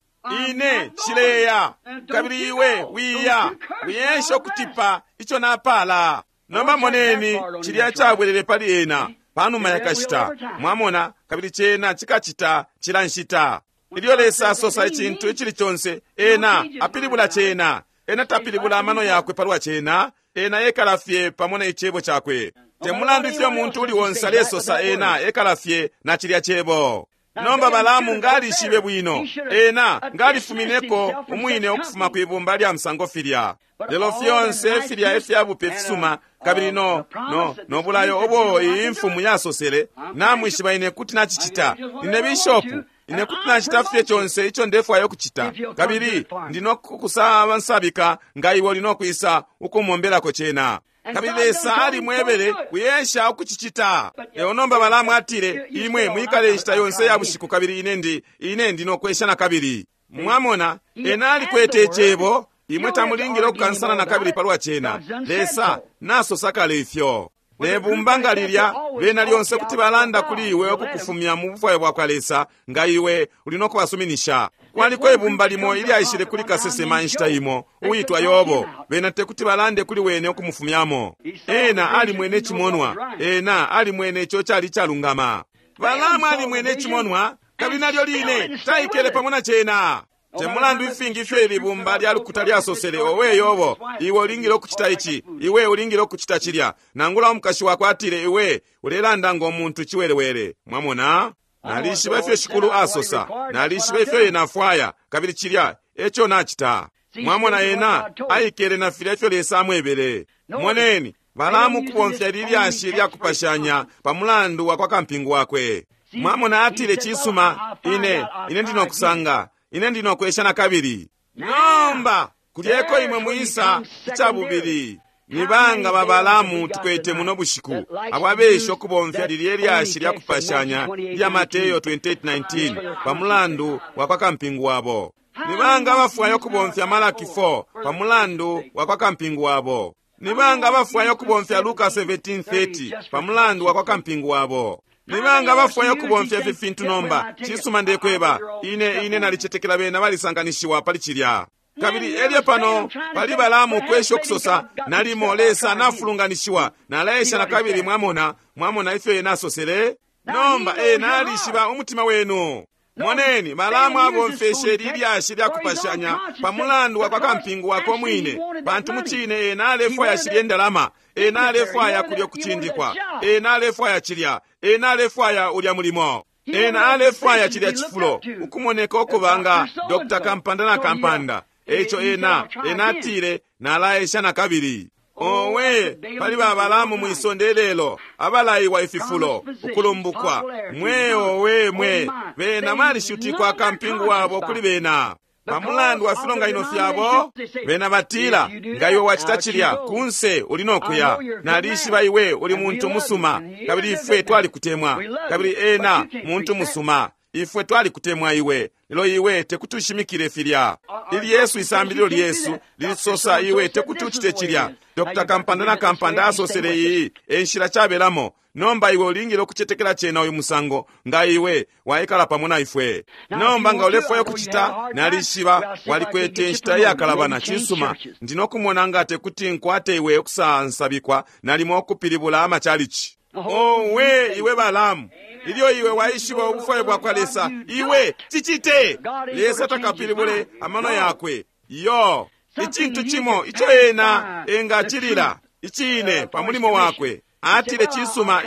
Ine nshileya, kabili iwe wiya, wiyesha ukutipa ico napala. Nomba moneni, cilya cabwelele pali ena panuma yakashita, mwamona, kabili cena cikacita cila nshita. Ilyo Lesa asosa icintu icili conse, ena apilibula cena. Ena tapilibula amano yakwe palwa cena, ena ekala fye pamo ne cebo cakwe. Te mulandu ifyo muntu uli onse alesosa, ena ekala fye na cilya cebo. Nomba Balaamu ngalishibe bwino, ena ngalifumineko umwine ukufuma kwibumba lya musango filya. Lelo fyonse filya ifyabupe fisuma, kabili no no no bulayo obo iyi mfumu yasosele, namwishiba ine kuti nacicita. Nine bishopu, ine kuti nacita fye conse ico ndefwaya ukucita, kabili ndino kukusansabika nga iwe uli nokwisa ukumombelako cena. Kabili Lesa alimwebele kuyesha ukucicita. Lelo nomba Balaamu atile, imwe mwikale inshita yonse ya bushiku, kabili ine ndi ine ndi nokwesha na kabili. Mwamona, ena alikwete icebo, imwe tamulingile ukukansana na kabili palwa cena. Lesa nasosa kale ifyo. Nebumba nga lilya, bena lyonse kuti balanda kuli iwe ukukufumya mu bufwayo bwa kwa Lesa, nga iwe uli no kubasuminisha. Kwaliko ibumba limo ilyaishile kuli kasesema inshita imo, uwitwa Yobo. Bena tekuti balande kuli wene ukumufumyamo. Ena alimwene cimonwa, ena alimwene ico cali calungama. Balaamu alimwene cimonwa, kabili nalyo line taikele pamo na cena. Te mulandu ifingi ifyo ilibumba lya lukuta lyasosele, owe Yobo, iwe ulingile ukucita ici, iwe ulingile ukucita cilya. Nangula umukashi wakwe atile, iwe ulelanda ngo muntu ciwelewele. Mwamona? Nalishiba ifyo Shikulu asosa, nalishiba ifyo ena afwaya, kabili cilya eco nacita. Mwamona, ena aikele na filya ifyo Lesa amwebele. Moneni, Balaamu kubomfya lilyashi lya kupashanya pa mulandu wa kwa kampingu wakwe. Mwamona, atile, cisuma, ine ine ndi nokusanga, ine ndi nokwesha na kabili. Nomba kulyeko imwe mwisa icabubili. Ni banga ba Balaamu tukwete muno bushiku abo abesha ukubomfya lilye lyashi lya kupashanya lya Mateyo 28:19 pa mulandu wa kwa kampingu wabo. Ni banga abafwaya ukubomfya Malaki 4 pa mulandu wa kwa kampingu wabo. Ni banga abafwaya ukubomfya Luka 17:30 pa mulandu wa kwa kampingu wabo. Ni banga abafwaya ukubomfya ifi fintu nomba. Cisuma, ndekweba, ine ine nalicetekela bena balisanganishiwa pali cilya. Kabili elyo pano pali Balaamu ukwesha ukusosa, nalimo Lesa nafulunganishiwa, nalaesha na kabili. Mwamona, mwamona ifyo ena asosele. Nomba ena alishiba umutima wenu. Moneni, Balaamu abomfeshe lilyashi lya kupashanya pa mulandu wa kwa kampingu wakwe mwine, pantu mucine ena alefwaya shilye ndalama, ena alefwaya kulya kucindikwa, ena alefwaya cilya, ena alefwaya ulya mulimo, ena alefwaya cilya cifulo, ukumoneka ukuba nga Dr. Kampanda na Kampanda. Eco ena ena atile, nalaesha na kabili. Owe, pali ba Balaamu mwisonde lelo, abalaiwa ififulo, ukulumbukwa. Mwe owe mwe, bena balishutikwa kampingu wabo kuli bena. Pa mulandu wa filonganino fyabo, bena batila, nga iwe wacita cilya, kunse uli nokuya. Nalishiba iwe uli muntu musuma, kabili ifwe twalikutemwa. Kabili ena muntu musuma, ifwe twalikutemwa iwe, lelo iwe tekuti ushimikile filya. Ili Yesu isambililo lyesu lilisosa iwe tekuti ucite cilya. Dr. Kampanda na Kampanda asosele iyi e nshila cabelamo. Nomba iwe ulingile ukucetekela cena uyu musango, nga iwe waikala pamo na ifwe. Nomba nga ulefwaya ukucita, nalishiba walikwete inshita iyakalabana. Cisuma, ndi nokumona nga tekuti nkwate iwe ukusansabikwa nalimo ukupilibula amachalichi. Owe iwe Balaamu, ilyo iwe waishiba ubufwayo bwakwa Lesa, iwe cicite. Lesa takapilibule amano yakwe. Iyo, icintu cimo ico ena engacilila icine pa mulimo wakwe. Atile, cisuma,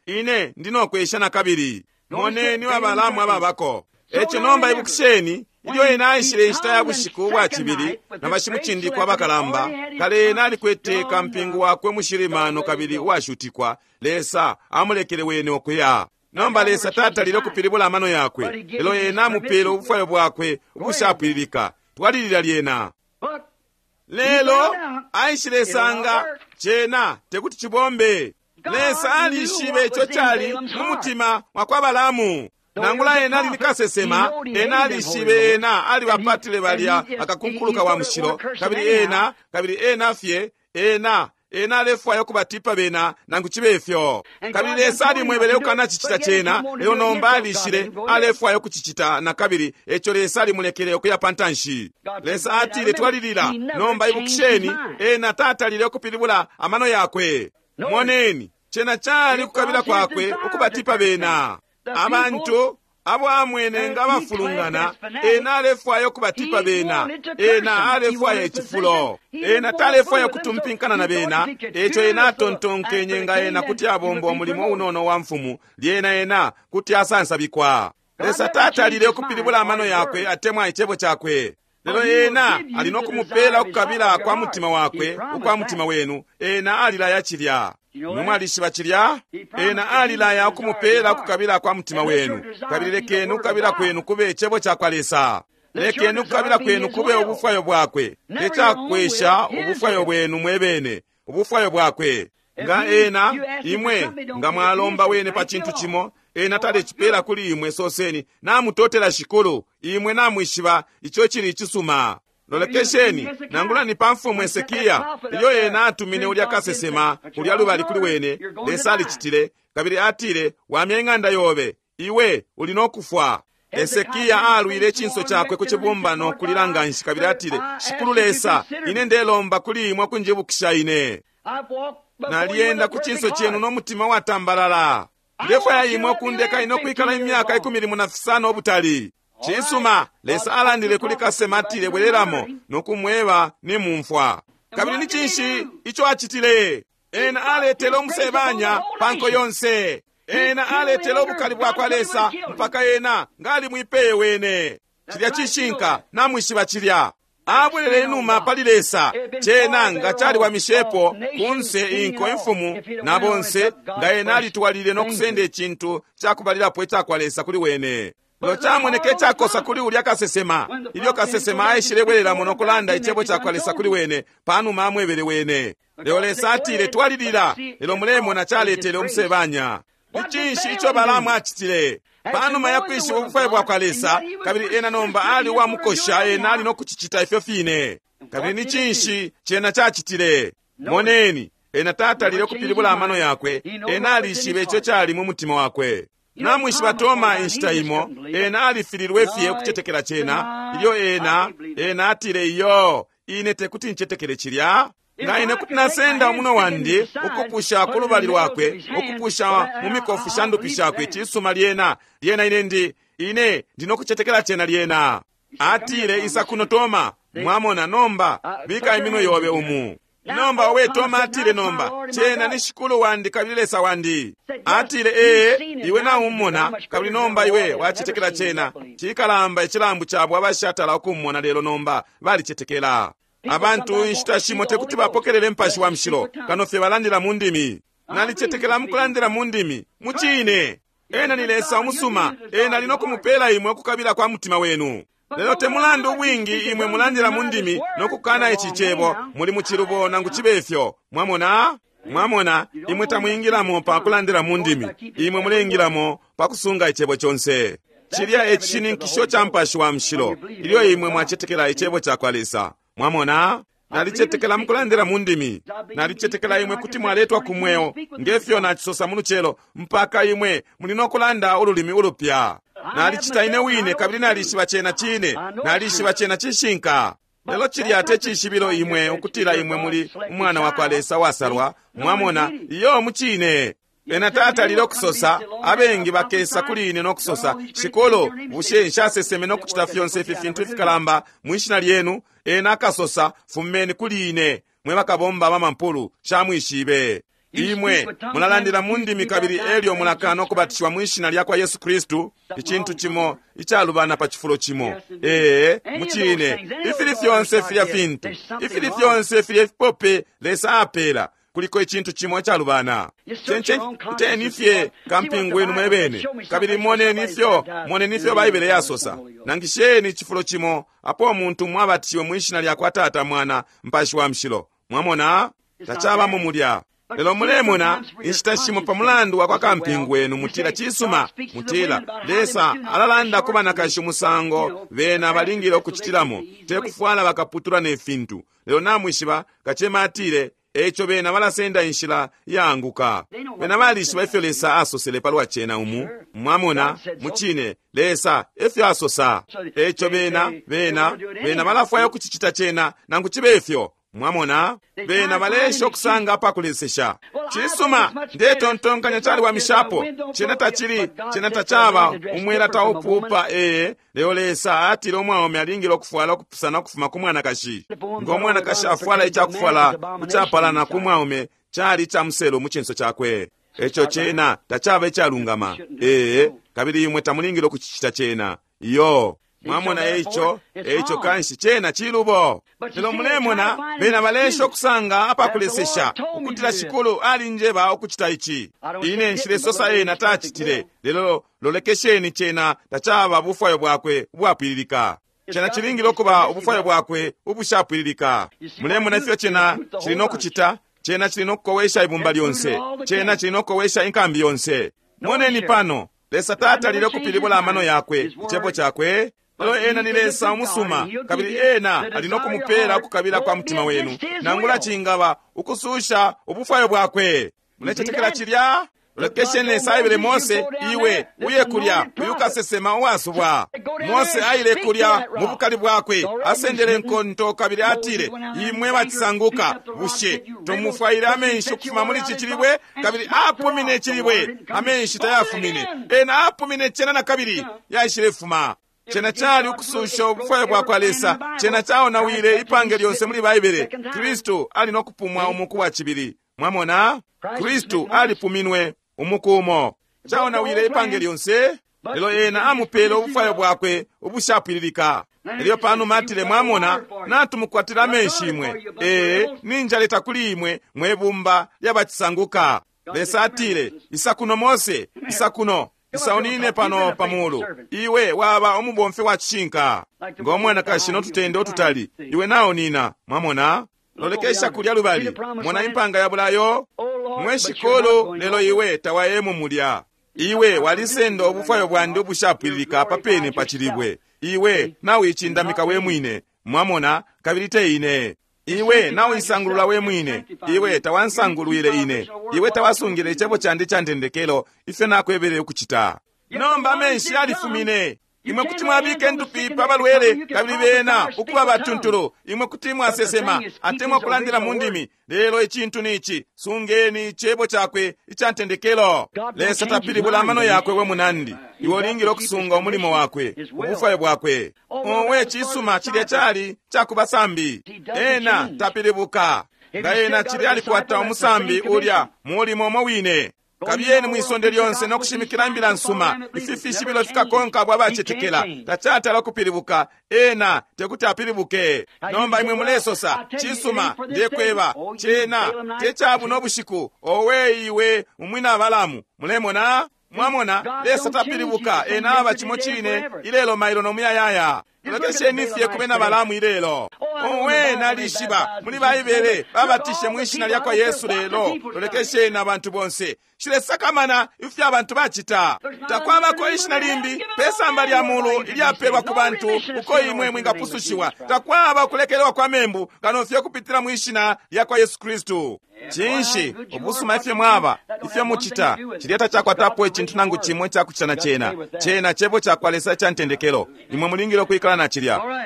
ine ndinokwesha nakabili. Moneni wa Balaamu ababako. Eco nomba ibukisheni, ilyo ena aishile inshita ya bushiku ubwa cibili na bashimucindikwa abakalamba, kale ena alikwete kampingu wakwe mushilimano kabili uwashutikwa. Lesa amulekele wene ukuya. Nomba Lesa tatalile ukupilibula amano yakwe, lelo ena amupele ubufwayo bwakwe ubushapwililika. Twalilila lyena. Lelo aishile sanga cena tekuti cibombe. Lesa alishibe ico cali mu mutima wa kwa Balaamu. Nangula ena ali ni kasesema, ena alishibe ena alibapatile balya akakunkuluka wa mushilo, kabili ena, kabili ena fye, ena ena alefwaya ukubatipa bena nangu cibe ifyo. Kabili Lesa alimwebele ukanacicita cena, lelo nomba alishile alefwaya ukucicita na kabili, eco Lesa alimulekele ukuya pantanshi. Lesa atile, twalilila. Nomba ibukisheni, ena tatalile ukupilibula amano yakwe. Moneni, cena cali kukabila kwakwe ukubatipa bena. Abantu abo amwene nga bafulungana, ena alefwaya ukubatipa bena. Ena alefwaya icifulo. Ena talefwaya kutumpinkana na bena, eco ena atontonkenye nga ena kuti abomba umulimo unono wa mfumu, lyena ena kuti asansabikwa. Lesa tatalile ukupilibula amano yakwe atemwa icebo cakwe. Lelo ena ali nokumupela ukukabila kwa mutima wakwe, ukwa mutima wenu. Ena alilaya cilya. Mwalishiba cilya? Ena alilaya ukumupela ukukabila kwa mutima wenu. Kabili lekeni ukukabila kwenu kube icebo cakwa Lesa. Lekeni ukukabila kwenu kube ubufwayo bwakwe. Tecakwesha ubufwayo bwenu mwebene, ubufwayo bwakwe. Nga ena, imwe, nga mwalomba wene pa cintu cimo, ena talecipela kuli imwe, soseni, namutotela Shikulu, imwe namwishiba ico cili icisuma. Lolekesheni, nangula ni pa mfumu Hesekia, ilyo ena atumine ulya kasesema, ulya lubali kuli wene, Lesa alicitile, kabili atile, wamya ing'anda yobe, iwe uli nokufwa. Hesekia alwile icinso cakwe ku cibumbano kulila nganshi, kabili atile, Shikulu Lesa, ine ndelomba kuli imwe kunjibukisha ine. Nalienda ku cinso cenu no mutima watambalala. Ndefwaya imwe kundeka ine ukwikala imyaka 15 ubutali. Cisuma, Lesa alandile kuli kasema atile, bwereramo nokumweba ni mumfwa. Kabili ni cinshi ico acitile? Ena aletele umusebanya panko yonse. Ena aletele ubukali bwakwa Lesa mpaka ena ngali mwipeye wene. Cilya cishinka, namwishiba cilya. Abwelele inuma pali Lesa, cena nga caliwamishepo kunse inko imfumu na bonse, nga ena alitwalile nokusenda icintu cakubalilapo icakwa Lesa kuli wene. Lelo camoneke icakosa kuli ulya kasesema, ilyo kasesema aishile bwereramo nokulanda icebo cakwa Lesa kuli wene, panuma amwebele wene. Lelo Lesa atile, twalilila. Lelo mulemona caletele umusebanya. Ni cinshi ico Balaamu acitile? Panuma ya kwishiba ubufwayo bwakwa Lesa, kabili ena nomba ali uwamukosha, ena ali nokucicita ifyo fine. Kabili ni cinshi cena cacitile? Moneni, ena tatalile ukupilibula amano yakwe, ena alishibe ico cali mu mutima wakwe. Namwishiba Toma inshita imo, ena alifililwe fye ukucetekela cena, ilyo ena atile, iyo, ine tekuti ncetekele cilya. Nga ine kuti nasenda umuno wandi ukupusha ku lubali lwakwe, ukupusha mu mikofu sha ndupi shakwe, cisuma lyena, lyena ine ndinokucetekela cena lyena. Atile, isa kuno Toma, mwamona nomba, bika iminwe yobe umu. Nomba owe Toma atile, nomba, cena ni Shikulu wandi kabili Lesa wandi. Atile, ee, iwe naumona, kabili nomba iwe wacetekela cena. Cikalamba icilambu cabo abashatala ukumona, lelo nomba balicetekela. Abantu inshita shimo tekuti bapokelele mpashi wa mushilo, kano fye balandila mu ndimi. Nalicetekela mukulandila mu ndimi, mucine. Ena ni Lesa umusuma, ena ali nokumupela imwe ukukabila kwa mutima wenu. Lelo te mulandu ubwingi imwe mulandila mu ndimi nokukana ici cebo, muli mucilubo nangu cibe ifyo. Mwamona? Mwamona, imwe tamwingilamo pa kulandila mu ndimi, imwe mulengilamo pa kusunga icebo conse. Cilya e cishininkisho ca mpashi wa mushilo, ilyo imwe mwacetekela icebo cakwa Lesa. Mwamona? Nalicetekela mukulandila mu ndimi. Nalicetekela imwe kuti mwaletwa ku mweo, ngefyo nacisosa mu lucelo, mpaka imwe muli nokulanda ululimi ulupya. Nalicita ine wine, kabili nalishiba cena cine, nalishiba cena cishinka. Lelo cilya te cishibilo imwe ukutila imwe muli umwana wakwa Lesa wasalwa. Mwamona? Iyo, mucine. Ena tatalile ukusosa, abengi bakesa kuli ine no kusosa, Shikulu, bushe nshaseseme no kucita fyonse ifi fintu ifikalamba mwi shina lyenu? Ena akasosa, fumeni kuli ine, mwe bakabomba bamampulu, shamwishibe. Imwe mulalandila mu ndimi kabili elyo mulakana ukubatishiwa mwi shina lyakwa Yesu Kristu, icintu cimo icalubana pa cifulo cimo. Ee, mucine, ifili fyonse filya fintu, ifili fyonse filya ifipope Lesa apela, kuliko icintu cimo icalubana. Chencheni fye kampingu wenu mwebene, kabili moneni ifyo, moneni ifyo Baibele yasosa. Nangisheni icifulo cimo apo umuntu mwabatishiwe mwi shina lyakwa Tata, Mwana, Mpashi wa Mushilo. Mwamona? Tacabamo mulya. Lelo mulemona inshita shimo pa mulandu wa kwa kampingu wenu mutila cisuma, mutila Lesa alalanda ku banakashi umusango bena balingile ukucitilamo, te kufwala bakaputula ne fintu. Lelo namwishiba kacema atile eco bena balasenda inshila yaanguka. Bena balishiba ifyo Lesa asosele palwa cena umu. Mwamona, mucine Lesa efyo asosa. Eco bena bena bena balafwaya ukucicita cena nangu cibe ifyo. Mwamona, bena balesha okusanga apakulesesha. Cisuma, ndetontonkanya caliwamishapo. Cena tacili, cena tacaba umwela taupupa. Ee, lelo Lesa atile umwaume alingile ukufwala ukupusana ukufuma ku mwanakashi. Ngo mwanakashi afwala icakufwala kucapalana ku mwaume, cali ica muselu mu cinso cakwe. Eco cena tacaba icalungama. Ee, kabili imwe tamulingile ukucicita cena. Iyo. Mwamona eico, eico kanshi cena cilubo. Lelo mulemona bena balesha okusanga apakulesesha ukutila Shikulu alinjeba ukucita ici. Ine nshilesosa ena tacitile, lelo lolekesheni cena tacaba bufwayo bwakwe ubwapwililika. Cena cilingile ukuba ubufwayo bwakwe ubushapwililika. Mulemona ifyo cena cili nokucita? Cena cili nokukowesha ibumba lyonse. Cena cili nokukowesha inkambi yonse. Moneni pano, Lesa tatalile ukupilibula amano yakwe, icebo cakwe. Lelo ena ni Lesa umusuma, kabili ena ali nokumupela ukukabila kwa mutima wenu, nangula cingaba ukususha ubufwayo bwakwe. Mulecetekela cilya? Lolekesheni Lesa aebele Mose, iwe uye kulya uyu kasesema uwasubwa. Mose aile kulya mu bukali bwakwe, asendele nkonto kabili atile, imwe bacisanguka, bushe tomufwaile amenshi ukufuma muli ici cilibwe? Kabili apumine icilibwe, amenshi tayafumine. Ena apumine cena na kabili yaishilefuma. Cena cali ukususha ubufwayo bwakwa Lesa. Cena caonawile ipange lyonse muli Baibele. Kristu ali nokupumwa umuku wa cibili. Mwamona, Kristu alipuminwe umuku umo, caonawile ipange lyonse. Lelo ena amupele ubufwayo bwakwe ubushapwililika. Elyo panuma atile, mwamona, natumukwatila amenshi imwe. Ee, ninjaleta kuli imwe mwe bumba lyabacisanguka. Lesa atile, isa kuno Mose, isa kuno. Isa unine pano pamulu. Iwe waba umubomfi wa cishinka. Ngo mwanakashi notutende otutali, iwe nawo nina. Mwamona? Lolekesha kulya lubali. Mona impanga ya bulayo. Mwe Shikulu, lelo iwe tawayemo mulya. Iwe walisenda ubufwayo bwandi ubushapwililika papene pa cilibwe. Iwe nawicindamika we mwine. Mwamona, kabili te ine. Iwe nawisangulula we mwine. Iwe tawansangulwile ine. Iwe tawasungile icebo candi ca ntendekelo ifyo nakwebele ukucita. Nomba amenshi yalifumine. Imwe kuti mwabika endupi pa balwele kabili bena ukuba batuntulu. Imwe kuti mwasesema atemwa kulandila mu ndimi. Lelo icintu ni ici, sungeni icebo cakwe ica ntendekelo. Lesa tapilibula amano yakwe we munandi. Iwe ulingile ukusunga umulimo wakwe, ubufwayo bwakwe. Owe cisuma cilya cali cakubasambi. Ena tapilibuka. Nga ena cilya alikwata umusambi ulya mulimo umo wine. Kabiyeni mwisonde lyonse no kushimikila imbila nsuma. Ifi fishibilo fikakonka abo abacetekela. Tacatala kupilibuka. Ena tekuti apilibuke. Nomba imwe mulesosa, cisuma, ndekweba, cena te cabuno bushiku. Owe iwe umwina Balamu. Mulemona? Mwamona, Lesa tapilibuka. Ena aba cimo cine ilelo, mailo no muyayaya. Lolekesheni fye ku bena Balamu ilelo. Owe nalishiba muli Baibele babatishe mwi shina lyakwa Yesu lelo. Lolekesheni abantu bonse. Shilesakamana ifyo abantu bacita. Takwabako ishina limbi pe samba lya mulu ilyapelwa ku bantu uko imwe mwingapusushiwa. Takwaba ukulekelelwa kwa membu kano fye kupitila mwi shina lyakwa Yesu Kristu. Cinshi ubusuma ifyo mwaba, ifyo mucita, cilya tacakwatapo icintu nangu cimo icakucita na cena. Cena cebo cakwa Lesa ica ntendekelo. Imwe mulingile ukwikala na cilya.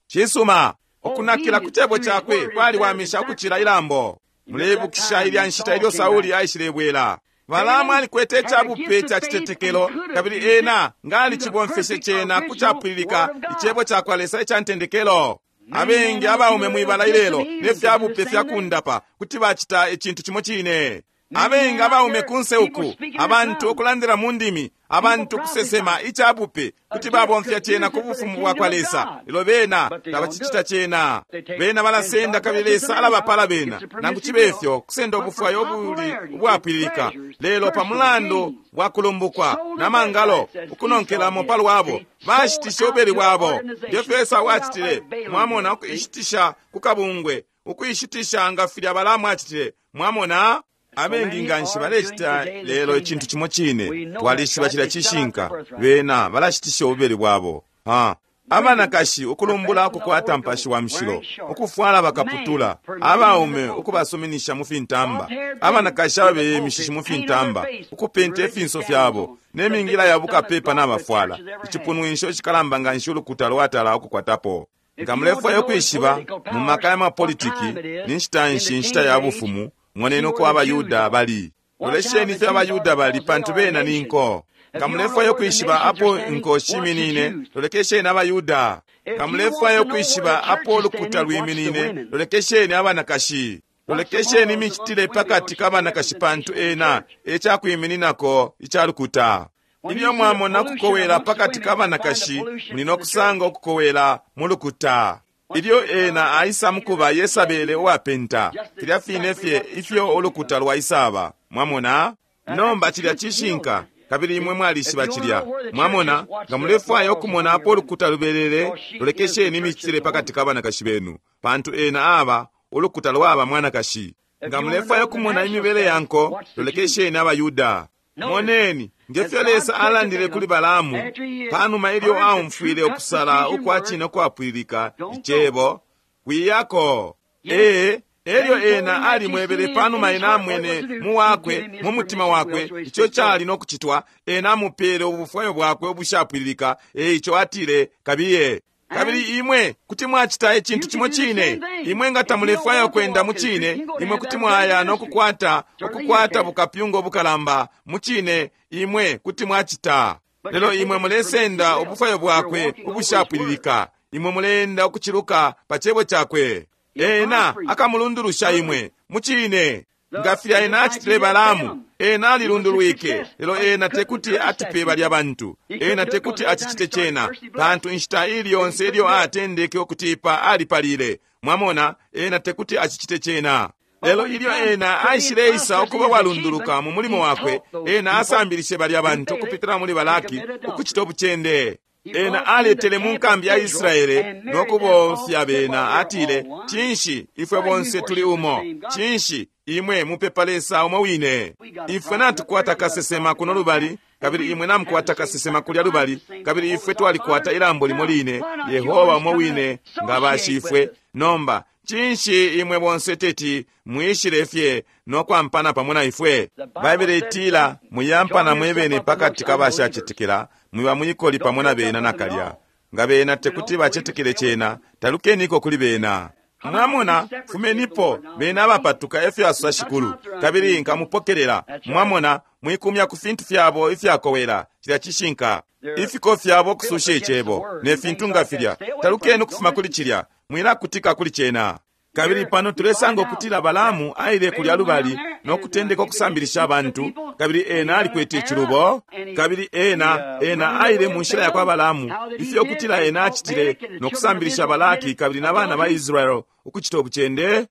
Cisuma, ukunakila ku cebo cakwe kwaliwamisha ukucila ilambo. Muleibukisha ilya nshita ilyo Sauli aishilebwela. Balaamu alikwete icabupe ca citetekelo, kabili ena nga alicibomfeshe cena ku capwililika icebo cakwa Lesa ica ntendekelo. Abengi abaume mwibala ilelo ne fyabupe fya kundapa kuti bacita icintu cimo cine. Abengi abaume kunse uku, abantu ukulandila mu ndimi, abantu kusesema icabupe, kuti babomfya cena ku bufumu bwakwa Lesa, lelo bena tabacicita cena. Bena balasenda kabili Lesa alabapala bena, nangu cibe ifyo kusenda ubufwayo ubuli ubwapwililika, lelo pa mulandu wa kulumbukwa na mangalo ukunonkelamo palwabo, bashitisha ubeli bwabo. Ngefyo Esau acitile, mwamona, ukuishitisha ku kabungwe, ukuishitisha nga filya Balaamu acitile, mwamona. Abengi nganshi balecita lelo icintu cimo cine. Twalishiba cilya cishinka. Bena balashitisha ububeli bwabo. Ha. Abanakashi ukulumbula ukukwata mpashi wa mushilo, ukufwala bakaputula, abaume ukubasuminisha mu fintamba, abanakashi ababeye imishishi mu fintamba, ukupenta ifinso fyabo ne mingila ya bukapepa nabafwala, icipunwisho icikalamba nganshi ulukuta lwatala ukukwatapo. Nga mulefwaya ukwishiba mu maka ya mapolitiki ni nshita nshi inshita ya bufumu, moneni uko abaYuda bali. Lolesheni ifyo abaYuda bali, pantu bena ni nko. Nga mulefwaya ukwishiba apo inko shiminine, lolekesheni abaYuda. Nga mulefwaya ukwishiba apo ulukuta lwiminine, lolekesheni abanakashi. Lolekesheni imicitile pakati ka banakashi, pantu ena e cakwimininako ica lukuta. Ilyo mwamona kukowela pakati ka banakashi, muli no kusanga ukukowela mu lukuta. Ilyo ena aisa mukuba Yesabele uwapenta, filya fine fye ifyo ulukuta lwaisaba. Mwamona? Nomba cilya cishinka, kabili imwe mwalishiba cilya. Mwamona, nga mulefwaya ukumona apo ulukuta lubelele, lolekesheni imicitile pakati ka banakashi benu, pantu ena aba ulukuta lwaba mwanakashi. Nga mulefwaya ukumona imibele ya nko, lolekesheni abaYuda. Moneni ngefyo Lesa alandile kuli Balaamu panuma ilyo aumfwile ukusala ukwa cine ukwapwililika icebo, wiyako. Ee, elyo ena alimwebele panuma ena amwene mu wakwe mu mutima wakwe ico cali no kucitwa, ena amupele ubufwayo bwakwe ubushapwililika, eico atile kabiye. Kabili imwe kuti mwacita icintu cimo cine. Imwe nga tamulefwaya kwenda mu cine, imwe kuti mwaya no kukwata ukukwata bukapyunga bukalamba mu cine, imwe kuti mwacita. Lelo imwe mulesenda ubufwayo bwakwe ubushapwililika, imwe mulenda ukuciluka pa cebo cakwe. Ena akamulundulusha imwe mu cine. Nga filya ena acitile Balaamu, ena alilundulwike, lelo ena tekuti atipe balya bantu. Ena tekuti acicite cena, pantu inshita ili yonse ilyo atendeke ukutipa alipalile. Mwamona, ena tekuti acicite cena. Lelo ilyo ena aishileisa ukuba walunduluka mu mulimo wakwe, ena asambilishe balya bantu ukupitila muli Balaki ukucita ubucende. Ena aletele mu nkambi ya Israele no kubomfya bena, atile, cinshi ifwe bonse tuli umo? Cinshi imwe mupepa Lesa umo wine? Ifwe natukwata kasesema kuno lubali, kabili imwe namukwata kasesema kulya lubali, kabili ifwe twalikwata ilambo limo line, Yehova umo wine nga bashifwe. Nomba cinshi imwe bonse teti mwishile fye no kwampana pamo na ifwe? Baibele itila, muyampana mwebene pakati ka bashacetekela, mwiba mwikoli pamo na bena nakalya. Nga bena tekuti bacetekele cena, talukeniko kuli bena. Mwamona, fumenipo bena abapatuka, efyo asosa Shikulu, kabili nkamupokelela. Mwamona, mwikumya ku fintu fyabo ifyakowela, cilya cishinka. Ifiko fyabo ukususha icebo ne fintu nga filya, talukeni ukufuma kuli cilya, mwilakutika kuli cena. Kabili pano tulesanga ukutila Balaamu aile kulya lubali no kutendeka ukusambilisha abantu, kabili ena alikwete icilubo, kabili ena aile mu nshila yakwa Balaamu, ifyo ukutila ena acitile no kusambilisha Balaki kabili na bana ba Israel ukucita ubucende.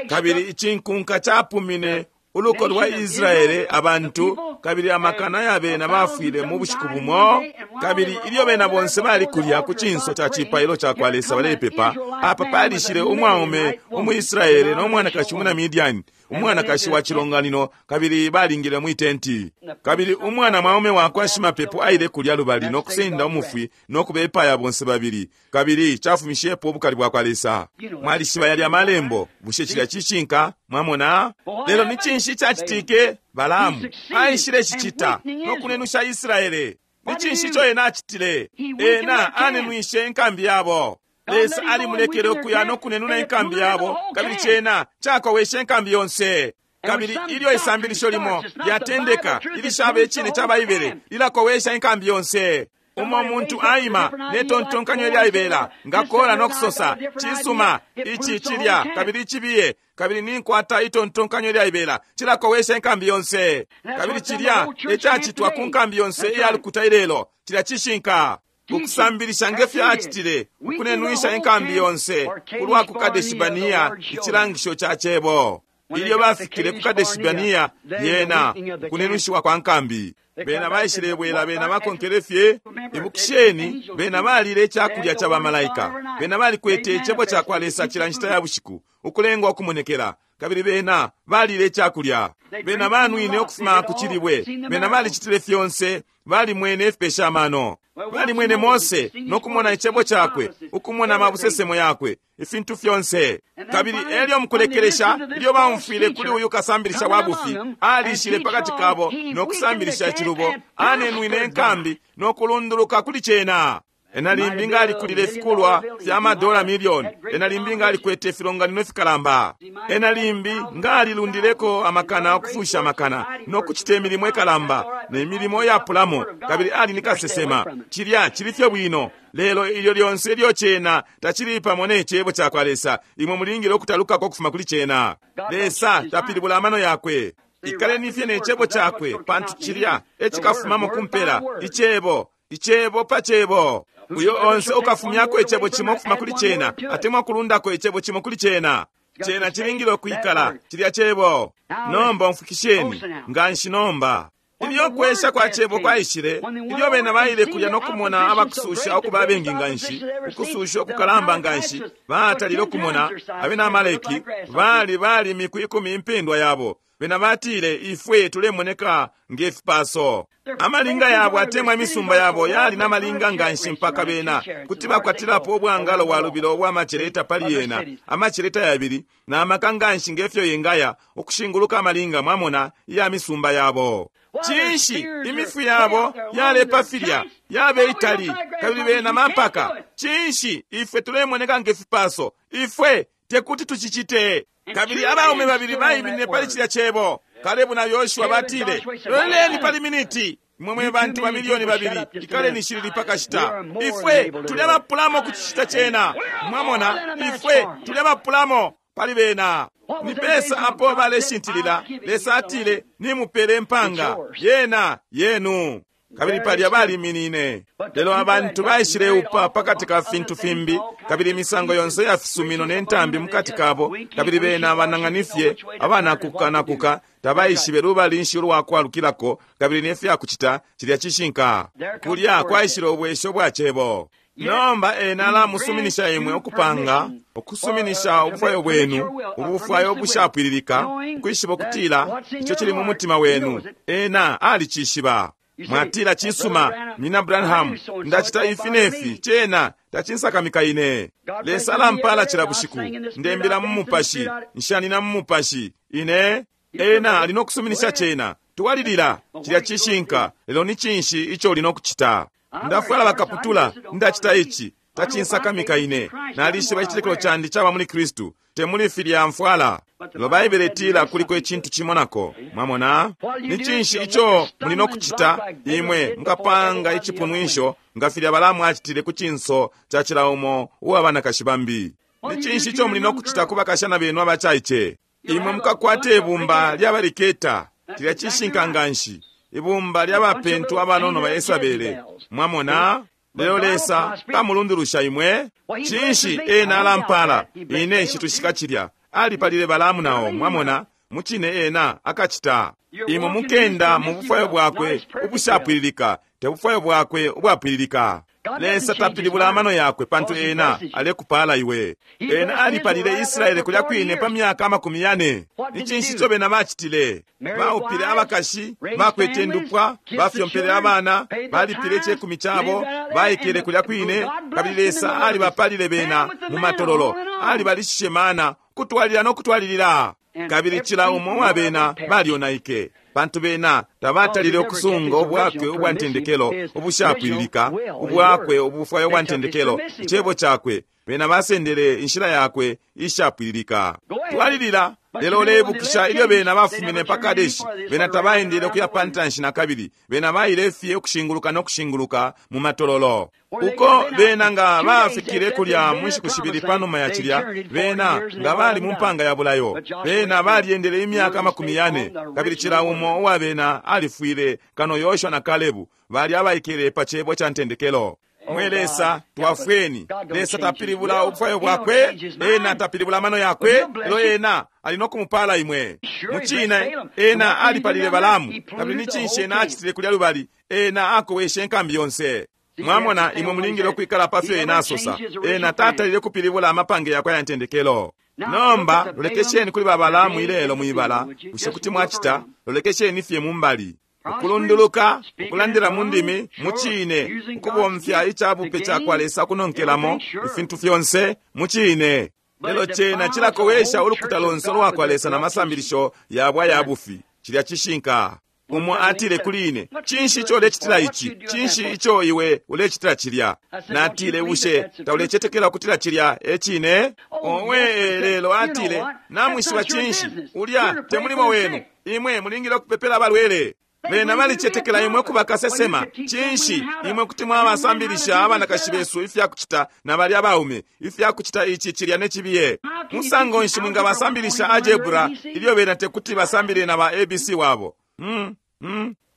Kabili icinkunka capumine uluko lwa Israele abantu, kabili amakana ya bena bafwile mu bushiku bumo. Kabili ilyo bena bonse bali kulya ku cinso ca cipailo ca kwa Lesa balepepa, apa palishile umwaume umuIsraele no mwanakashi umwina Midiani, umwanakashi wa cilonganino, kabili balingile mwi tenti. Kabili umwana mwaume wakwa shimapepo aile kulya lubali no kusenda umufwi no kubepaya bonse babili, kabili cafumishepo ubukali bwa kwa Lesa. Mwalishiba yalya malembo, bushe cilya cishinka? Mwamona? Lelo ni cinshi cacitike? Balaamu aishile cicita no kunenusha Israele. Ni cinshi ico ena acitile? Ena anenwishe inkambi yabo. Lesa alimulekele ukuya no kunenuna inkambi yabo, kabili cena cakoweshe inkambi yonse. Kabili ilyo isambilisho limo lyatendeka ilishaba icine ca Baibele, lilakowesha inkambi yonse. Umo muntu aima ne tontonkanyo ilyaibela nga Kora no kusosa, cisuma, ici cilya, kabili icibiye, kabili ninkwata itontonkanyo ilyaibela, cilakowesha inkambi yonse. Kabili cilya ecacitwa ku nkambi yonse iya lukuta ilelo. Cilya cishinka. Ukusambilisha nge fyo acitile, ukunenwisha inkambi yonse ulwa ku Kadeshi-Barnea, icilangisho ca cebo. Ilyo bafikile ku Kadeshi-Barnea, yena kunenwishiwa kwa nkambi. Bena baishilebwela, bena bakonkele fye. Ibukisheni, bena balile icakulya ca bamalaika. Bena balikwete icebo ca kwa Lesa cila nshita ya bushiku, ukulengwa ukumonekela. Kabili bena balile icakulya. Bena banwine ukufuma ku cilibwe. Bena balicitile fyonse, balimwene ifipesha amano. Balimwene Mose no kumona icebo cakwe, ukumona amabusesemo yakwe, ifintu fyonse. Kabili elyo mukulekelesha, ilyo baumfwile kuli uyu kasambilisha wa bufi, alishile pakati kabo no kusambilisha icilubo, anenwine inkambi no kulunduluka kuli cena. Ena limbi nga alikulile ifikulwa fya madola milioni. Ena limbi nga alikwete ifilonganino ifikalamba. Ena limbi nga alilundileko amakana ukufusha amakana no kucita imilimo ikalamba ne milimo iyapulamo, kabili ali ni kasesema. Cilya cili fye bwino, lelo ilyo lyonse ilyo cena tacili pamo ne cebo ca kwa Lesa, imwe mulingile ukutalukako ukufuma kuli cena. Lesa tapilibula amano yakwe. Ikaleni fye ne cebo cakwe, pantu cilya ecikafumamo kumpela, icebo, icebo pa cebo. Uyo onse ukafumyako icebo cimo ukufuma kuli cena, atemwa kulundako icebo cimo kuli cena, cena cilingile ukwikala cilya cebo. Nomba umfukisheni nganshi nomba. Ilyo kwesha kwa cebo kwaishile, ilyo bena baile kulya no kumona abakususha ukuba abengi nganshi, ukususha ukukalamba nganshi, batalile ukumona abena Amaleki bali bali imiku 10 impendwa yabo. Bena batile, ifwe tulemoneka nge fipaso. Amalinga yabo atemwa imisumba yabo yali na malinga nganshi mpaka bena kuti bakwatilapo ubwangalo bwa lubilo ubwa maceleta pali yena, amaceleta yabili na maka nganshi ngefyo yengaya ukushinguluka amalinga, mwamona, iya misumba yabo. Cinshi imifwi yabo yalepa filya yabe itali, kabili bena mampaka. Cinshi ifwe tulemoneka nge fipaso, ifwe tekuti tucicite. Kabili abaume babili baiminine pali cilya cebo, Kalebu na Yoshua, batile, loleleni pali miniti, imwe mwe bantu ba milioni 2, ikaleni shilili pakashita. Ifwe tuli abapulamo kucicita cena. Mwamona, ifwe tuli abapulamo pali bena. Ni pesa apo baleshintilila. Lesa atile, nimupele impanga yena yenu. Kabili palya baliminine. Lelo abantu baishileupa pakati ka fintu fimbi, kabili imisango yonse ya fisumino ne ntambi mukati kabo, kabili bena banang'anifye abanakukanakuka, tabaishibe lubali nshi ulwakwalukilako, kabili ne fyakucita. Cilya cishinka. Kulya kwaishile ubwesho bwa cebo. Nomba ena alamusuminisha imwe ukupanga, ukusuminisha ubufwayo bwenu, ubufwayo bushapwililika, ukwishiba ukutila ico cili mu mutima wenu. Ena alicishiba. Mwatila, cisuma, Nina Branham, ndacita ifi nefi, cena tacinsakamika ine. Lesa alampala cila bushiku, ndembila mu mupashi, nshanina mu mupashi, ine. Ena ali nokusuminisha cena. Twalilila, cilya cishinka, lelo ni cinshi ico uli nokucita? Ndafwala bakaputula, ndacita ici, tacinsakamika ine. Nalishiba icitekelo candi caba muli Kristu, te muli filya mfwala. Lelo Baibele itila kuliko icintu cimo nako. Mwamona? Ni cinshi ico muli nokucita? Imwe mukapanga icipunwisho nga filya Balaamu acitile ku cinso ca cila umo uwa banakashi bambi. Ni cinshi ico muli nokucita ku bakashana benu abacaice? Imwe mukakwata ibumba lya baliketa, cilya cishinka nganshi, ibumba lya bapentu abanono ba Yesabele. Mwamona? Lelo Lesa kamulundulusha imwe. Cinshi ena alampala? Ine nshitushika cilya. Alipalile Balaamu nao, mwamona, mucine ena akacita. Imwe mukenda mu bufwayo bwakwe ubushapwililika, te bufwayo bwakwe ubwapwililika. Lesa tapilibula amano yakwe, pantu ena alekupala iwe. Ena alipalile Israele kulya kwine pa myaka 40. Ni cinshi ico bena bacitile? Baupile abakashi, bakwete indupwa, bafyompele abana, balipile icekumi cabo, baikele kulya kwine, kabili Lesa alibapalile bena mu matololo, alibalishishe mana, kutwalilila no kutwalilila. Kabili cila umo wa bena balyonaike, pantu bena tabatalile ukusunga ubwakwe ubwa ntendekelo ubushapwililika, ubwakwe ubufwayo bwa ntendekelo, icebo cakwe. Bena basendele inshila yakwe ishapwililika. Twalilila. Lelo uleibukisha ilyo bena bafumine pa Kadeshi, bena tabaendele ukuya pa ntanshi nakabili. Bena baile fye ukushinguluka no kushinguluka mu matololo. Uko bena nga bafikile kulya mu nshiku shibili panuma ya cilya, bena nga bali mu mpanga ya bulayo. Bena balyendele imyaka 40, kabili cila umo uwa bena alifwile, kano Yoshua na Kalebu bali abaikele pa cebo ca ntendekelo. Mwe Lesa, twafweni. Lesa tapilibula ubufwayo bwakwe, ena tapilibula amano yakwe, lelo ena ali no kumupala imwe. Mucine, ena alipalile Balamu, kabili ni cinshi ena acitile kulya lubali? Ena akoweshe inkambi yonse. Mwamona, imwe mulingile ukwikala pa fyo ena asosa. Ena tatalile kupilibula amapange yakwe aya ntendekelo. Nomba, lolekesheni kuli ba Balamu ilelo mwibala. Bushe kuti mwacita? Lolekesheni fye mumbali. Ukulunduluka, ukulandila mu ndimi, mucine, ukubomfya icabupe cakwa Lesa kunonkelamo, ifintu fyonse, mucine. Lelo cena cilakowesha ulukuta lonse lwakwa Lesa na masambilisho yabo aya bufi. Cilya cishinka. Umo atile kuli ine, cinshi ico ulecitila ici? Cinshi ico iwe ulecitila cilya? Natile, bushe taulecetekela ukutila cilya e cine? Owe, lelo atile, namwishiba cinshi? Ulya te mulimo wenu. Imwe mulingile ukupepela abalwele. Bena balicetekela imwe kuba kasesema. Cinshi imwe kuti mwabasambilisha abanakashi besu ifya kucita na bali abaume ifya kucita ici cilya ne cibiye? Musango nshi mwingabasambilisha algebra ilyo bena tekuti basambilile na ba ABC wabo?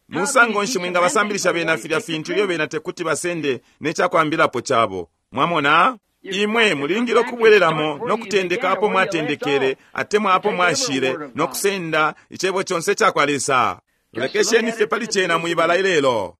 Musango nshi mwingabasambilisha bena filya fintu ilyo bena tekuti basende ne cakwambilapo cabo? Mwamona? Imwe mulingile ukubwelelamo no kutendeka apo mwatendekele atemwa apo mwashile no kusenda icebo conse cakwa Lesa. Lolekesheni fye pali cena mwibala ilelo.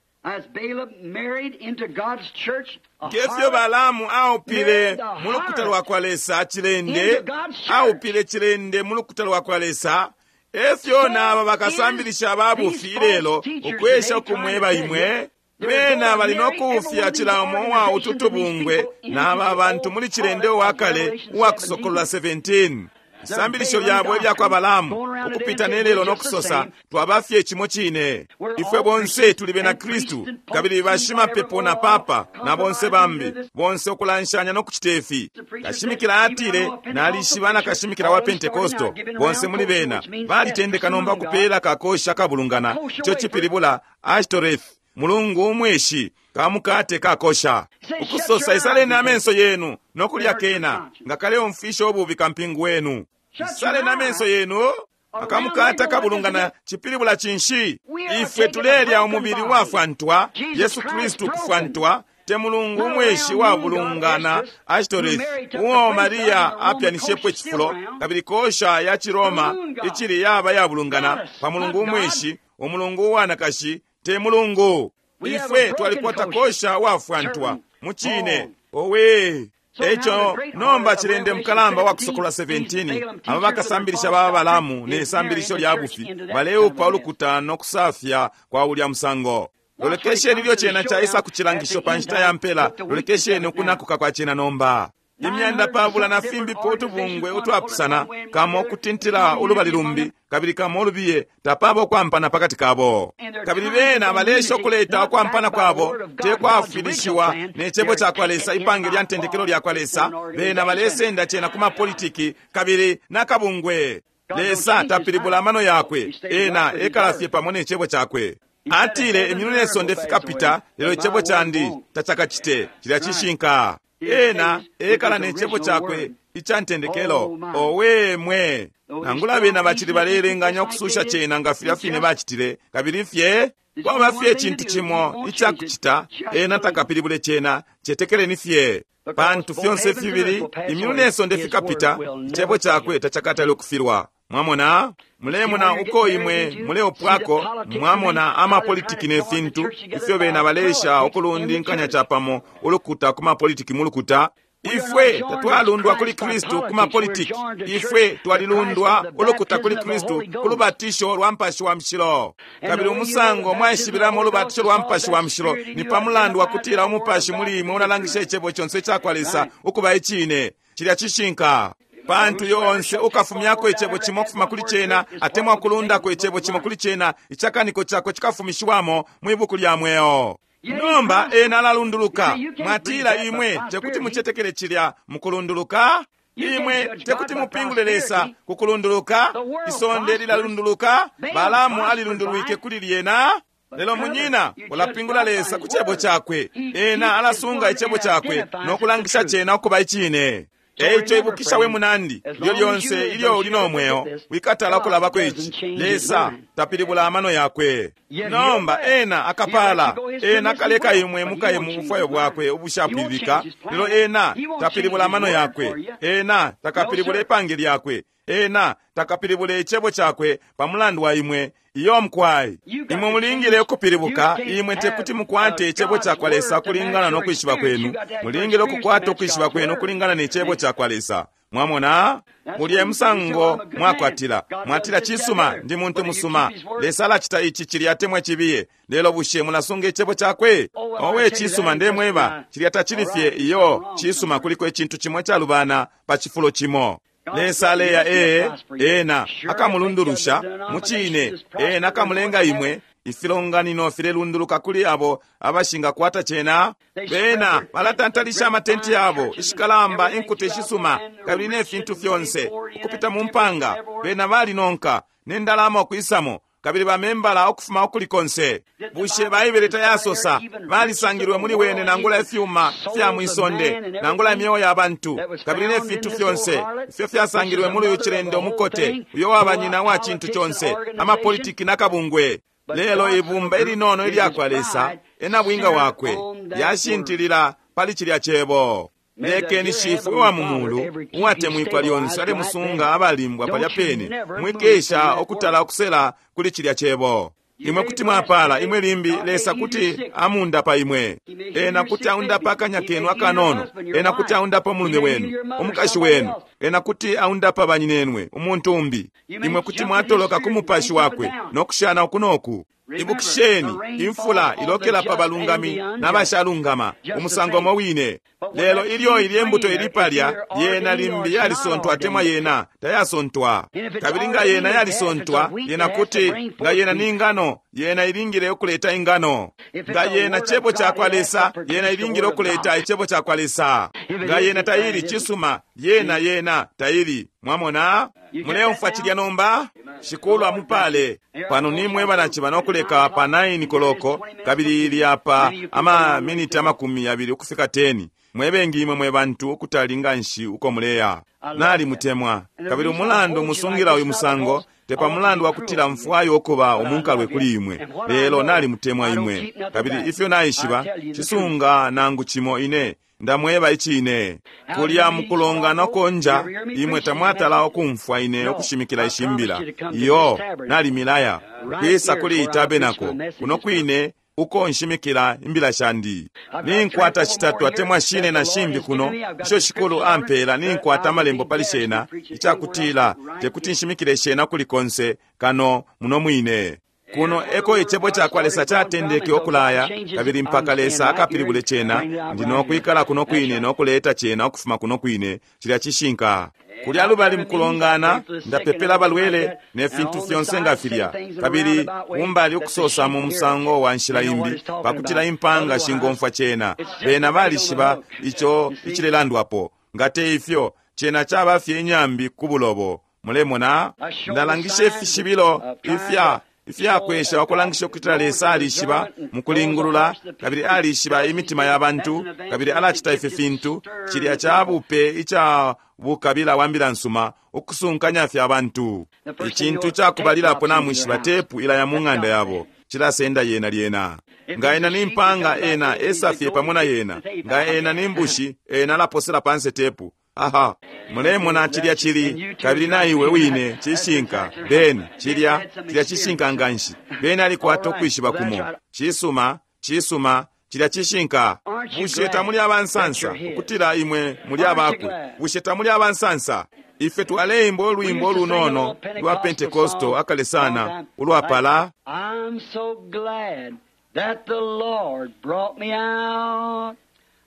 Ngefyo Balamu aupile mu lukuta lwakwa Lesa cilende, aupile cilende mu lukuta lwakwa Lesa, efyo naba bakasambilisha babufi ilelo ukwesha ukumweba imwe. Bena bali no kuufya cila umo uwa utu tubungwe naba bantu muli cilende uwakale uwa Kusokolola 17. Isambilisho lyabo ilya kwa Balamu ukupita nelelo no kusosa twaba fye cimo cine. Ifwe bonse tuli bena Kristu, kabili bashimapepo na papa na bonse bambi bonse ukulanshanya no kucita ifi. Kashimikila atile, nalishiba na kashimikila wa Pentekosto bonse muli bena balitendeka nomba kupela kakosha kabulungana, ico cipilibula Ashtoreth, mulungu umweshi kamukate kakosha. Ukusosa isaleni amenso yenu no kulya kena nga kaleumfisha ububi kampingu wenu. Isaleni amenso yenu akamukata kabulungana cipilibula cinshi? Ifwe tulelya umubili wafwantwa, Yesu Kristu kufwantwa, te mulungu umweshi wabulungana Ashtoreth, uo Maria apyanishepo icifulo, kabili kosha ya Ciroma icili yaba yabulungana pa mulungu umweshi, umulungu uwanakashi te mulungu. Ifwe twalikwata kosha wafwantwa mucine. Owe! Eco nomba cilende mukalamba wa Kusokolola 17, aba bakasambilisha ba Balamu ne sambilisho lya bufi baleupa ulukuta no kusafya kwa ulya musango. Lolekesheni ilyo cena caisa kucilangisho pa nshita ya mpela. Lolekesheni ukunakuka kwa cena nomba. Imyanda pabula na fimbipo utubungwe utwapusana, kamo kutintila ulubali lumbi kabili kamo ulubiye, tapaba ukwampana pakati kabo. Kabili bena balesha ukuleta ukwampana kwabo te kwafilishiwa ne cebo cakwa Lesa, ipange lya ntendekelo lyakwa Lesa. Bena balesenda cena ku mapolitiki kabili nakabungwe. Lesa tapilibula amano yakwe, ena ekala fye pamo ne cebo cakwe. Atile imyulu ne sonde fikapita, lelo icebo candi tacakacite. Cilya cishinka. Ena ekala ne cebo cakwe ica ntendekelo. Owe mwe! Nangula bena bacili balelenganya ukususha cena nga filya fine bacitile, kabili fye kwaba fye icintu cimo icakucita, ena takapilibule cena. Cetekeleni fye, pantu fyonse fibili imyulu ne sonde fikapita, icebo cakwe tacakatale ukufilwa. Mwamona? Mulemona uko imwe muleopwako. Mwamona amapolitiki ne fintu ifyo bena balesha ukulundinkanya capamo ulukuta ku mapolitiki mu lukuta. Ifwe tatwalundwa kuli Kristu ku mapolitiki. Ifwe twalilundwa ulukuta kuli Kristu ku lubatisho lwa Mupashi wa Mushilo. Kabili umusango mwaishibilamo ulubatisho lwa Mupashi wa Mushilo ni pa mulandu wa kutila umupashi muli imwe ulalangisha icebo conse icakwa Lesa ukuba icine. Cilya cishinka. Pantu yonse ukafumyako icebo cimo ukufuma kuli cena atemwa kulundako icebo cimo kuli cena, icakaniko cakwe cikafumishiwamo mwi buku lya mweo. Nomba ena alalunduluka. Mwatila imwe tekuti mucetekele cilya mukulunduluka? Imwe tekuti mupingule Lesa ku kulunduluka. Isonde lilalunduluka. Balaamu alilundulwike kuli lyena. Lelo munyina, ulapingula Lesa ku cebo cakwe. Ena alasunga icebo cakwe no kulangisha cena ukuba icine. Eico ibukisha we munandi, ilyo lyonse ilyo uli no mweo, wikatala ukulabako ici: Lesa tapilibula amano yakwe. Nomba ena akapala, ena akaleka imwe mukaye mu bufwayo bwakwe ubushapwililika, lelo ena tapilibula amano yakwe. Ena takapilibule ipange lyakwe. Ena takapilibule icebo cakwe pa mulandu wa imwe. Iyo mukwai, imwe mulingile ukupilibuka. Imwe tekuti mukwate icebo cakwa Lesa kulingana no kwishiba kwenu. Mulingile ukukwata ukwishiba kwenu kulingana ne cebo cakwa Lesa. Mwamona, mulye musango mwakwatila. Mwatila, cisuma, ndi muntu musuma, Lesa alacita ici, cilya atemwa cibiye. Lelo bushe mulasunga icebo cakwe? Owe, cisuma, ndemweba, cilya tacili fye iyo. Cisuma, kuliko icintu cimo calubana pa cifulo cimo. Lesa aleya ee, ena akamulundulusha mucine, ena akamulenga imwe. Ifilonganino filelunduluka kuli abo abashingakwata cena. Bena balatantalisha amatenti yabo, ishikalamba, inkuta ishisuma, kabili ne fintu fyonse ukupita mu mpanga. Bena balinonka ne ndalama ukwisamo, kabili bamembala ukufuma ukuli konse. Bushe Baibele tayasosa balisangilwe muli wene nangula ifyuma fya mwisonde, nangula imyeo ya bantu, kabili ne fintu fyonse ifyo fyasangilwe muli uyu cilende umukote, uyo waba nyina wa cintu conse, amapolitiki na kabungwe? Lelo ibumba ilinono ilyakwa Lesa, enabwinga wakwe, lyashintilila pali cilya cebo. Lekeni Shifwe wa mu mulu uwatemwikwa lyonse alemusunga abalimbwa palya pene. Mwikesha ukutala ukusela kuli cilya cebo. Imwe kuti mwapala, imwe limbi Lesa kuti amundapa imwe. Ena kuti aundapa akanya kenu akanono. Ena kuti aundapa umulume wenu, umukashi wenu. Ena kuti aundapa banyinenwe, umuntu umbi. Imwe kuti mwatoloka ku mupashi wakwe no kushana uku noku. Ibukisheni, imfula ilokela pa balungami n'abashalungama, umusango umo wine. Lelo ilyo ilye mbuto ili palya, yena limbi yalisontwa atemwa yena tayasontwa. Kabili nga yena yalisontwa, yena kuti, nga yena ni ngano, yena ilingile ukuleta ingano. Nga yena cebo cakwa Lesa, yena ilingile ukuleta icebo cakwa Lesa. Nga yena taili, cisuma, yena yena taili. Mwamona? Muleumfwa cilya nomba? Shikulu amupale. Pano nimwe banaciba nokuleka pa 9 koloko, kabili ili apa ama miniti 20 ukufika 10. Mwebengi imwe mwe bantu ukutali nganshi uko muleya. Nali mutemwa. Kabili umulandu musungila uyu musango te pa mulandu wakutila mfwayo ukuba umunkalwe kuli imwe, lelo nali mutemwa imwe. Kabili ifyo naishiba, cisunga nangu cimo ine ndamweba icine. Kulya mukulongana konja, imwe tamwatala ukumfwa ine ukushimikila ishimbila. Iyo, nali milaya kwisa kuli itabenako kuno kwine uko nshimikila imbila shandi. Ninkwata shitatu atemwa shine na shimbi kuno isho Shikulu ampela. Ninkwata amalembo pali shena, icakutila tekuti nshimikile shena kuli konse kano muno mwine. Kuno eko icebo cakwa Lesa catendeke ukulaya, kabili mpaka Lesa akapilibule cena, ndi nokwikala kuno kwine nokuleta cena ukufuma kuno kwine. Cilya cishinka. Kulya lubali mukulongana, ndapepela abalwele ne fintu fyonse nga filya, kabili umbali ukusosa mu musango wa nshila imbi pakutila impanga shingomfwa cena. Bena balishiba ico icilelandwapo. Nga te ifyo, cena caba fye inyambi ku bulobo. Mulemona, ndalangisha ifishibilo ifya ifyakwesha ukulangisha ukutila Lesa alishiba mukulingulula, kabili alishiba imitima ya bantu, kabili alacita ifi fintu. Cilya ca bupe ica bukabila wa mbila nsuma, ukusunkanya fye abantu. Icintu cakubalilapo namwishiba, tepu ilaya mu ng'anda yabo, cilasenda yena lyena. Nga ena ni mpanga, ena esafye pamo na yena. Nga ena ni mbushi, ena alaposela panse tepu. Aha, mulemona cilya cili, kabili na iwe wine cishinka. Beni cilya cilya cishinka nganshi. Beni alikwata ukwishiba kumo. Cisuma, cisuma, cilya cishinka. Bushe tamuli abansansa ukutila imwe muli abakwe? Bushe tamuli abansansa? Ife twaleimba ulwimbo ulunono lwa Pentekosto akale sana, ulwapala: I'm so glad that the Lord brought me out.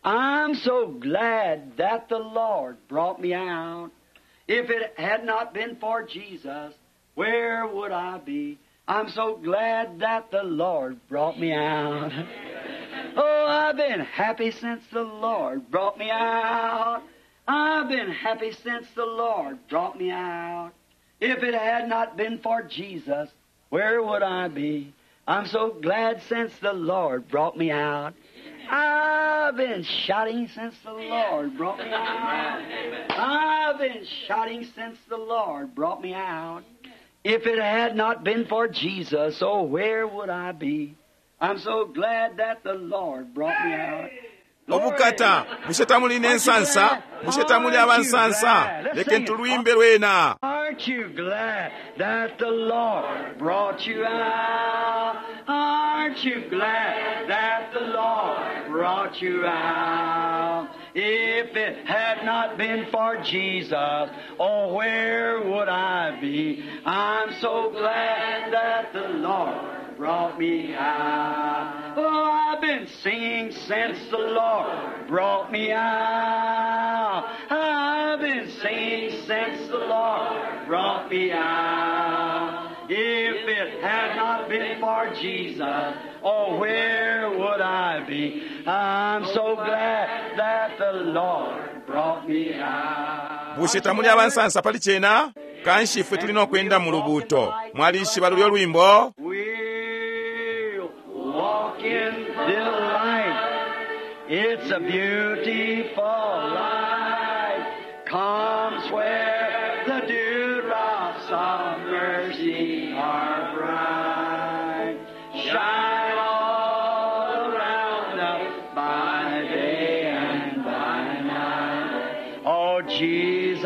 I'm so glad that the Lord brought me out. If it had not been for Jesus, where would I be? I'm so glad that the Lord brought me out. Oh, I've been happy since the Lord brought me out. I've been happy since the Lord brought me out. If it had not been for Jesus, where would I be? I'm so glad since the Lord brought me out. I've been shouting since the Lord brought me out. I've been shouting since the Lord brought me out. If it had not been for Jesus, oh, where would I be? I'm so glad that the Lord brought me out. Obukata, bushe tamuli n'ensansa? Bushe tamuli abansansa? Leke ntulwimbe lwena. Aren't you glad that the Lord brought you out? Aren't you glad that the Lord brought you out? If it had not been for Jesus, oh, where would I be? I'm so glad that the Lord brought me out. Oh, I've been singing since the Lord brought me out. I've been singing since the Lord brought me out. If it had not been for Jesus, oh, where would I be? I'm so glad that the Lord brought me out. Bushe tamuli abansansa pali cena? Kanshi ifwe tuli n'okwenda mu lubuuto. Mwalishiba lulyo lwimbo? We'll walk in the light. It's a beautiful light. Comes where the dewdrops of mercy are bright. Shine all around us by day and by night. Oh, Jesus,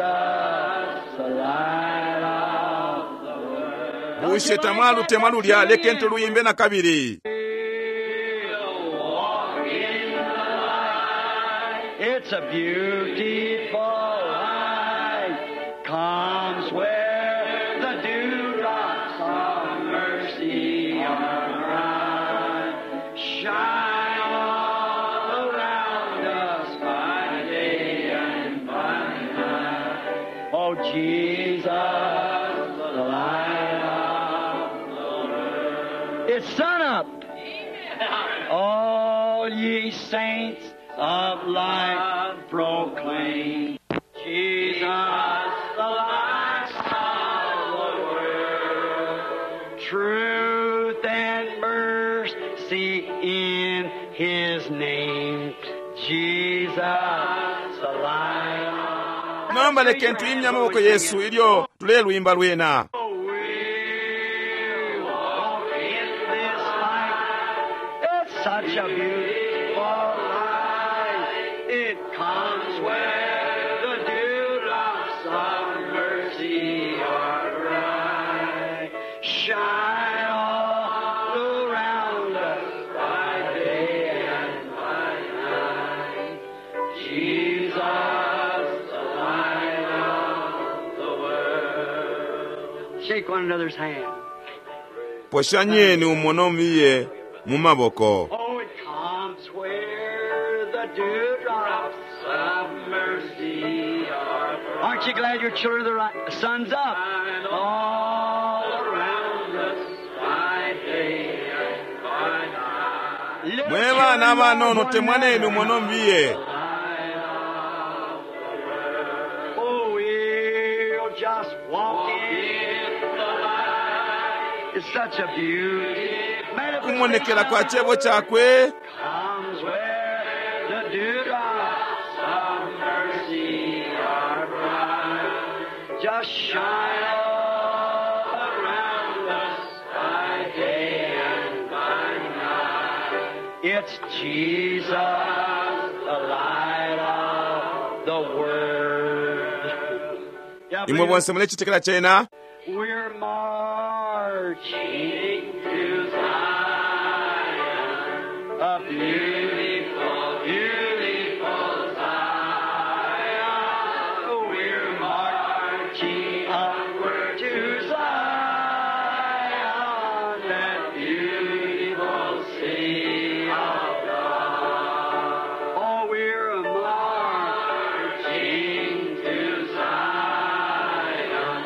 the light of the world. Bushe tamwalutemwa lulya? Leke ntuluyimbe na kabili. Walk in the light. It's a beautiful light. Comes where the dewdrops of mercy are bright. Shine all around us by day and by night. Oh, Jesus, the light of the world. It's sun up. All ye saints of light proclaim Jesus, the light of the world. Truth and mercy in His name. Jesus, the light. Nomba leke ntuyimye amaboko yesu ilyo tulelwimba lwena. We'll walk in this light. It's such a beautiful light. It comes where the dewdrops of mercy are bright. Shine all around us by day and by night. Jesus, the light of the world. Shake one another's hand. Poshanyeni umo nomiye mu maboko. Oh, it comes where the dewdrops of mercy are. Aren't you glad your children are the right? Sun's up. All around us by day and by night. Little Mwe bana children abanono love one temwaneni umo another. nomiye. Oh, we'll just walk in the light. It's such a beauty. Kumonekera kwa chebo chakwe Comes where the dewdrops of mercy are bright. Just shine all around us by day and by night. It's Jesus, the light of the world. Yeah, imwe bonse mulechitekera chena. We're marching to Zion, a beautiful, beautiful Zion. We're marching upward to Zion, that beautiful city of God. Oh, we're marching to Zion.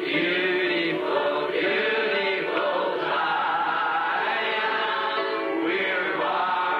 Beautiful, beautiful Zion, we're marching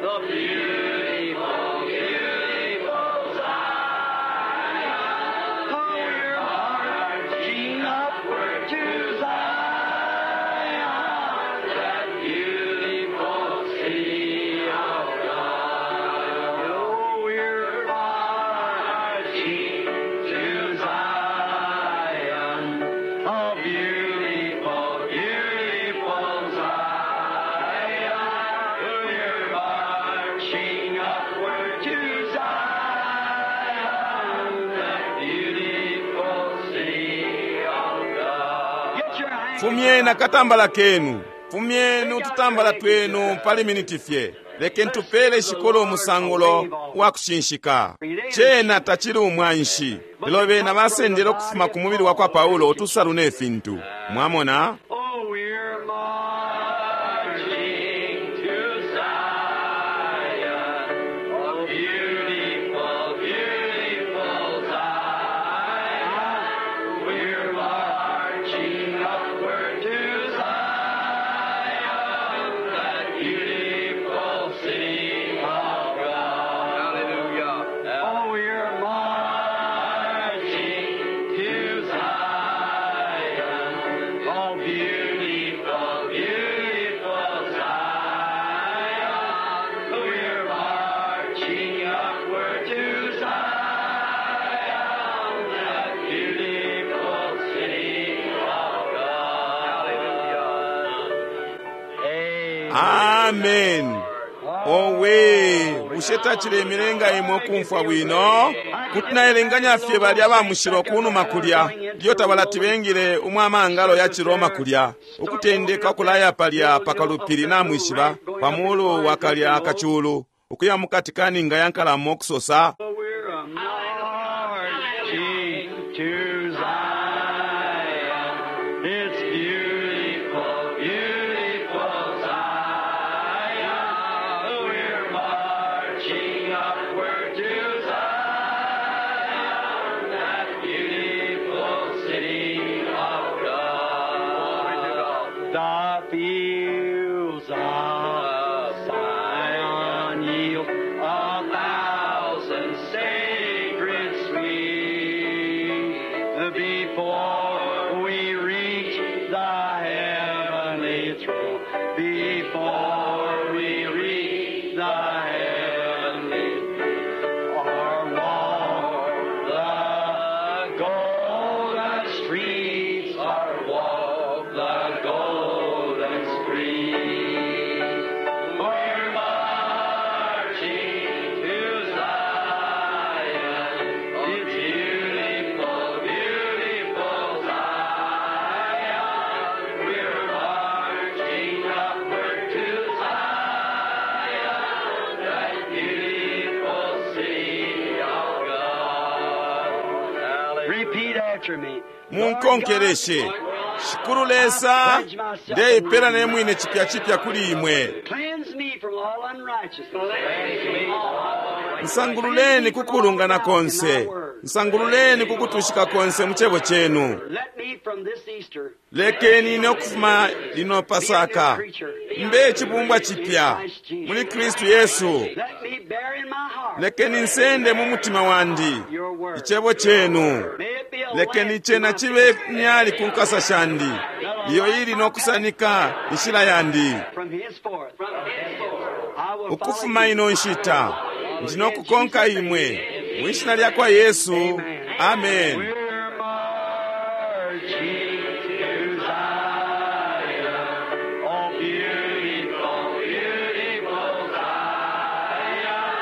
The beautiful, beautiful Zion. Oh, we're marching upward to Zion, that beautiful city of God. Oh, we're marching to Zion, a beautiful, beautiful Zion. We're marching upward to Zion, that beautiful city of God. Get your hands Fumyeni akatambala kenu, fumyeni ututambala twenu pali miniti fye. Lekeni tupele shikolo umusangulo wa kushinshika. Cena tacili umwanshi, lelo bena basendele ukufuma ku mubili wa kwa Paulo utusalu ne fintu. Mwamona? Oh, we're marching to Zion, oh, beautiful, beautiful Zion. We're marching upward to Zion, that beautiful city of God. Hallelujah. Oh, we're marching to Zion, oh, beautiful, beautiful Zion. We're marching upward to Zion, that beautiful city of God. Hallelujah. Amen. Owe, bushe tacilemilenga imwe ukumfwa bwino? Kuti naelenganya fye balya ba mushilo kunuma kulya, ilyo tabalati bengile umwamangalo ya Ciroma kulya, ukutendeka ukulaya palya pakalupili namwishiba, pa mulu wa kalya akachulu, ukuya mukati ka ninga ya nkalamo ukusosa, We're a marching to Zion. It's beautiful, beautiful Zion. We're marching upward to Zion, that beautiful city of God. The fields of Zion yield a thousand sacred sweets before we reach the heavenly throne. Before we reach the heavenly throne, or walk the golden streets, or walk the golden streets. We're marching to Zion, it's beautiful, beautiful Zion. We're marching upward to Zion, that beautiful city of God. Repeat after me. Munkonkeleshe. Shikulu Lesa, ndeipela ne mwine chipya chipya kuli imwe. Cleanse me from all unrighteousness. Nsangululeni kukulungana konse, nsangululeni kukutushika konse mu chebo chenu. Let me from this Easter Lekeni ine ukufuma lino Pasaka mbe chibumbwa chipya muli Kristu Yesu. Let me bear in my heart Lekeni nsende mu mutima wandi your word. ichebo chenu. May it be a Lekeni lamp to chena my chibe feet. nyali ku nkasa shandi, iyo ili nokusanika inshila yandi. From henceforth, I will Ukufuma follow you. ino nshita ndinokukonka imwe mu ishina lya kwa Yesu, amen. We're marching to Zion, oh beautiful, beautiful Zion.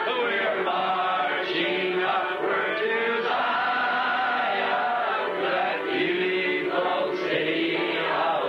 We're marching upward to Zion, that beautiful city of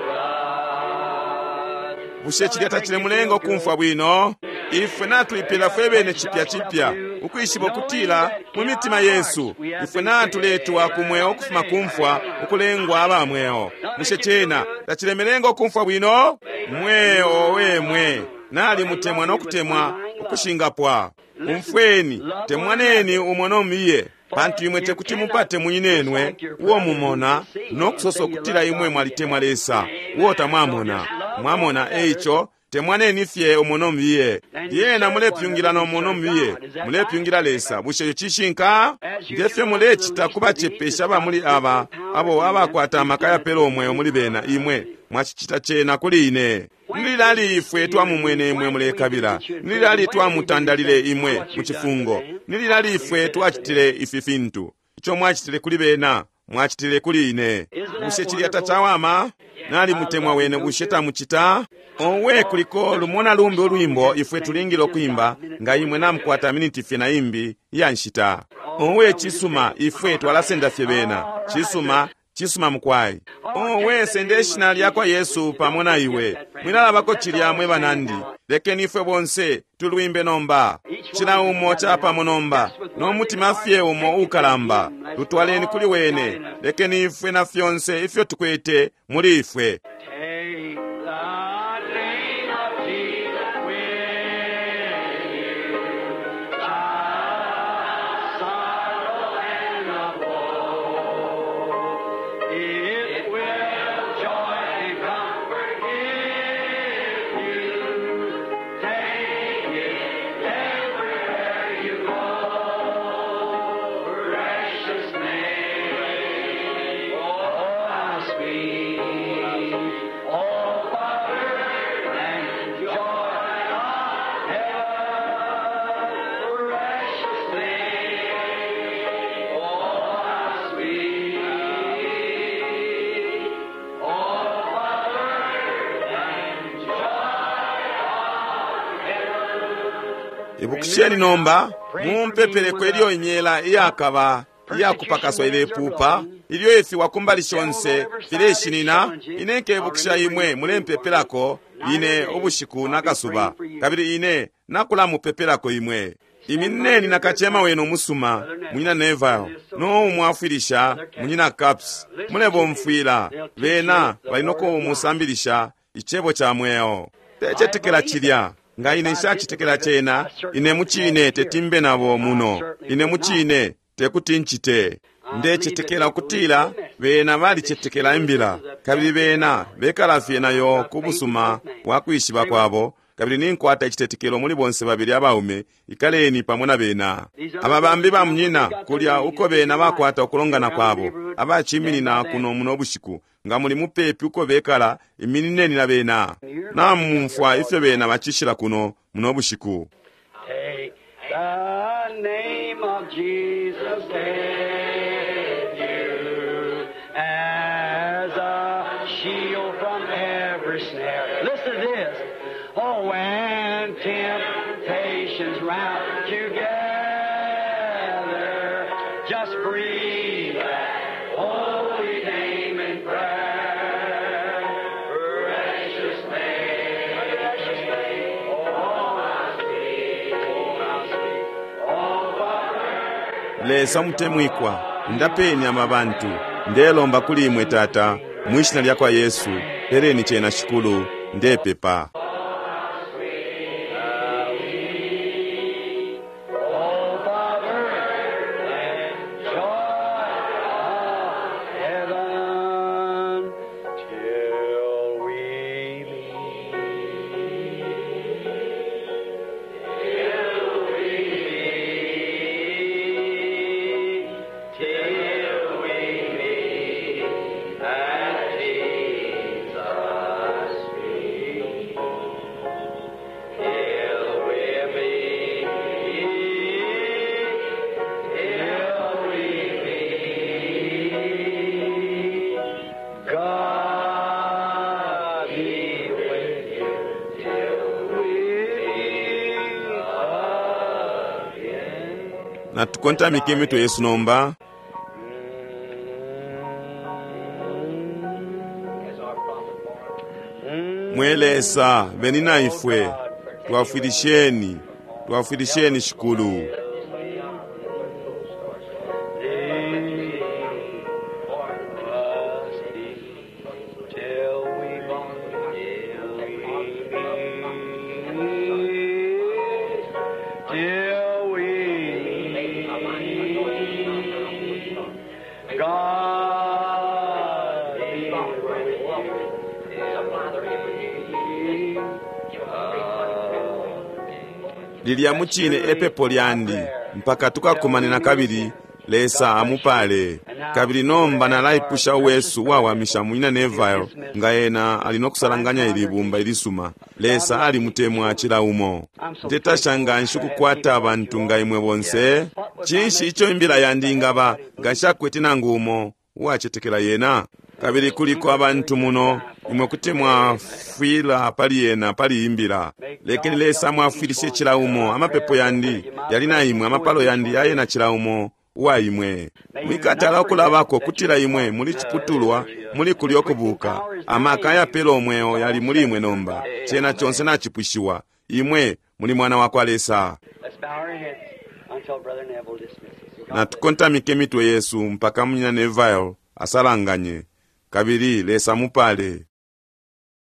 God. Bushe chilya tachilemulenga okumfwa bwino? Ifwe natwipila fwe bene chipya chipya, ukwishiba ukutila mu mitima yesu ifwe natuletwa ku mweo ukufuma kumfwa ukulengwa aba mweo. Bushe chena tachilemelenga okumfwa bwino? Mweo wemwe nali mutemwa nokutemwa ukushingapwa. Umfweni, temwaneni umwe nomiye, pantu imwe tekuti mupate mwinenwe uwo mumona nokusosa okutila imwe mwalitemwa Lesa uwo tamwamona. Mwamona eicho Temwaneni fye umo no mubiye. Lyena mulepyungila no muno mubiye, mulepyungila Lesa. Bushe ico cishinka? Ngefyo mulecita kubacepesha ba muli aba abo abakwata amaka yapela umweo muli bena, imwe mwacicita cena kuli ine. Nililali ifwe twamumwene imwe mulekabila? Nililali twamutandalile imwe mu cifungo? Nililali ifwe twacitile ifi fintu? Ico mwacitile kuli bena, mwacitile kuli ine. Bushe cilya tacawama? Nalimutemwa wene, bushe tamucita? Owe, kuliko lumo na lumbi ulwimbo ifwe tulingile ukwimba, nga imwe namukwata miniti fye na imbi iya nshita. Owe, cisuma, ifwe twalasenda fye bena. Cisuma, cisuma mukwai. Owe, sende ishina lyakwa Yesu pamo na iwe. Mwilalabako cilya mwe banandi. Lekeni ifwe bonse tulwimbe nomba. Cila umo capamo nomba, no mutima fye umo ukalamba. Tutwaleni kuli wene. Lekeni ifwe na fyonse ifyo tukwete muli ifwe. Take the name of Jesus with you. The sorrow and the woe. It will joy and comfort give you. Take it everywhere you go. Precious name, oh how sweet. Oh, Father, and joy of heaven, precious name, oh how sweet. Oh, Father, and joy of Ibukisheni nomba, mumpepeleko ilyo imyela iyakaba iyakupakaswa ilepupa, ilyo ifiwa kumbali shonse fileshinina. Ine nkebukisha imwe mulempepelako ine ubushiku nakasuba, kabili ine nakulamupepelako imwe. Iminineni na kacema wenu umusuma, munyina Neville, no umwafwilisha munyina Caps. Mulebomfwila bena bali no kumusambilisha icebo ca mweo. Tecetekela cilya. Nga ine nshacitekela cena, ine mucine tetimbe nabo muno. Ine mucine tekuti ncite. Ndecetekela ukutila bena balicetekela imbila, kabili bena bekala fye nayo ku busuma bwa kwishiba kwabo, kabili ninkwata icitetekelo muli bonse babili abaume. Ikaleni pamo na bena. Aba bambi ba munyina kulya uko bena bakwata ukulongana kwabo, abaciminina kuno muno bushiku, nga muli mupepi uko bekala, iminineni na bena. Namumfwa ifyo bena bacishila kuno muno bushiku. Take the name of Jesus with you as a shield from every snare. Listen to this. Oh, when temptations round you gather, just breathe that holy name in prayer. Precious name, precious name. Oh, how sweet, oh, how sweet. Oh, Father. Lesa mutemwikwa, ndapeni aba bantu. Ndelomba kuli imwe Tata, mwishina lyakwa Yesu, peleni cena Shikulu, ndepepa. Oh, Father, and joy of heaven till we meet. Till we meet, till we meet at Jesus' feet. Till we meet, till we meet, God be with you till we meet again. Natukontamike imitwe yesu nomba. Mwe Lesa, beni na ifwe, twafwilisheni, twafwilisheni Shikulu. Till we meet, God be with you. Lilya mucine epepo lyandi mpaka tukakumane nakabili. Lesa amupale. Kabili nomba nalaipusha uwesu uwawamisha Munyina Neville nga ena ali nokusalanganya ili bumba ilisuma. Lesa alimutemwa cila umo. Ndetasha nganshi ukukwata abantu nga imwe bonse. Cinshi ico imbila yandi ingaba nga nshakwete nangu umo uwacetekela yena? Kabili kuliko abantu muno, imwe kuti mwafwila pali yena pali imbila. Lekeni Lesa amwafwilishe cila umo. Amapepo yandi yali na imwe, amapalo yandi yaye na cila umo uwa imwe. Mwikatala ukulabako kutila imwe muli ciputulwa muli kulyo kubuka. Amaka ayapela umweo yali muli imwe nomba. Cena conse nacipwishiwa. Imwe muli mwana wa kwa Lesa. Let's bow our heads until Brother Neville dismisses. God Natukontamike imitwe yesu mpaka Munyina Neville asalanganye. Kabili Lesa mupale.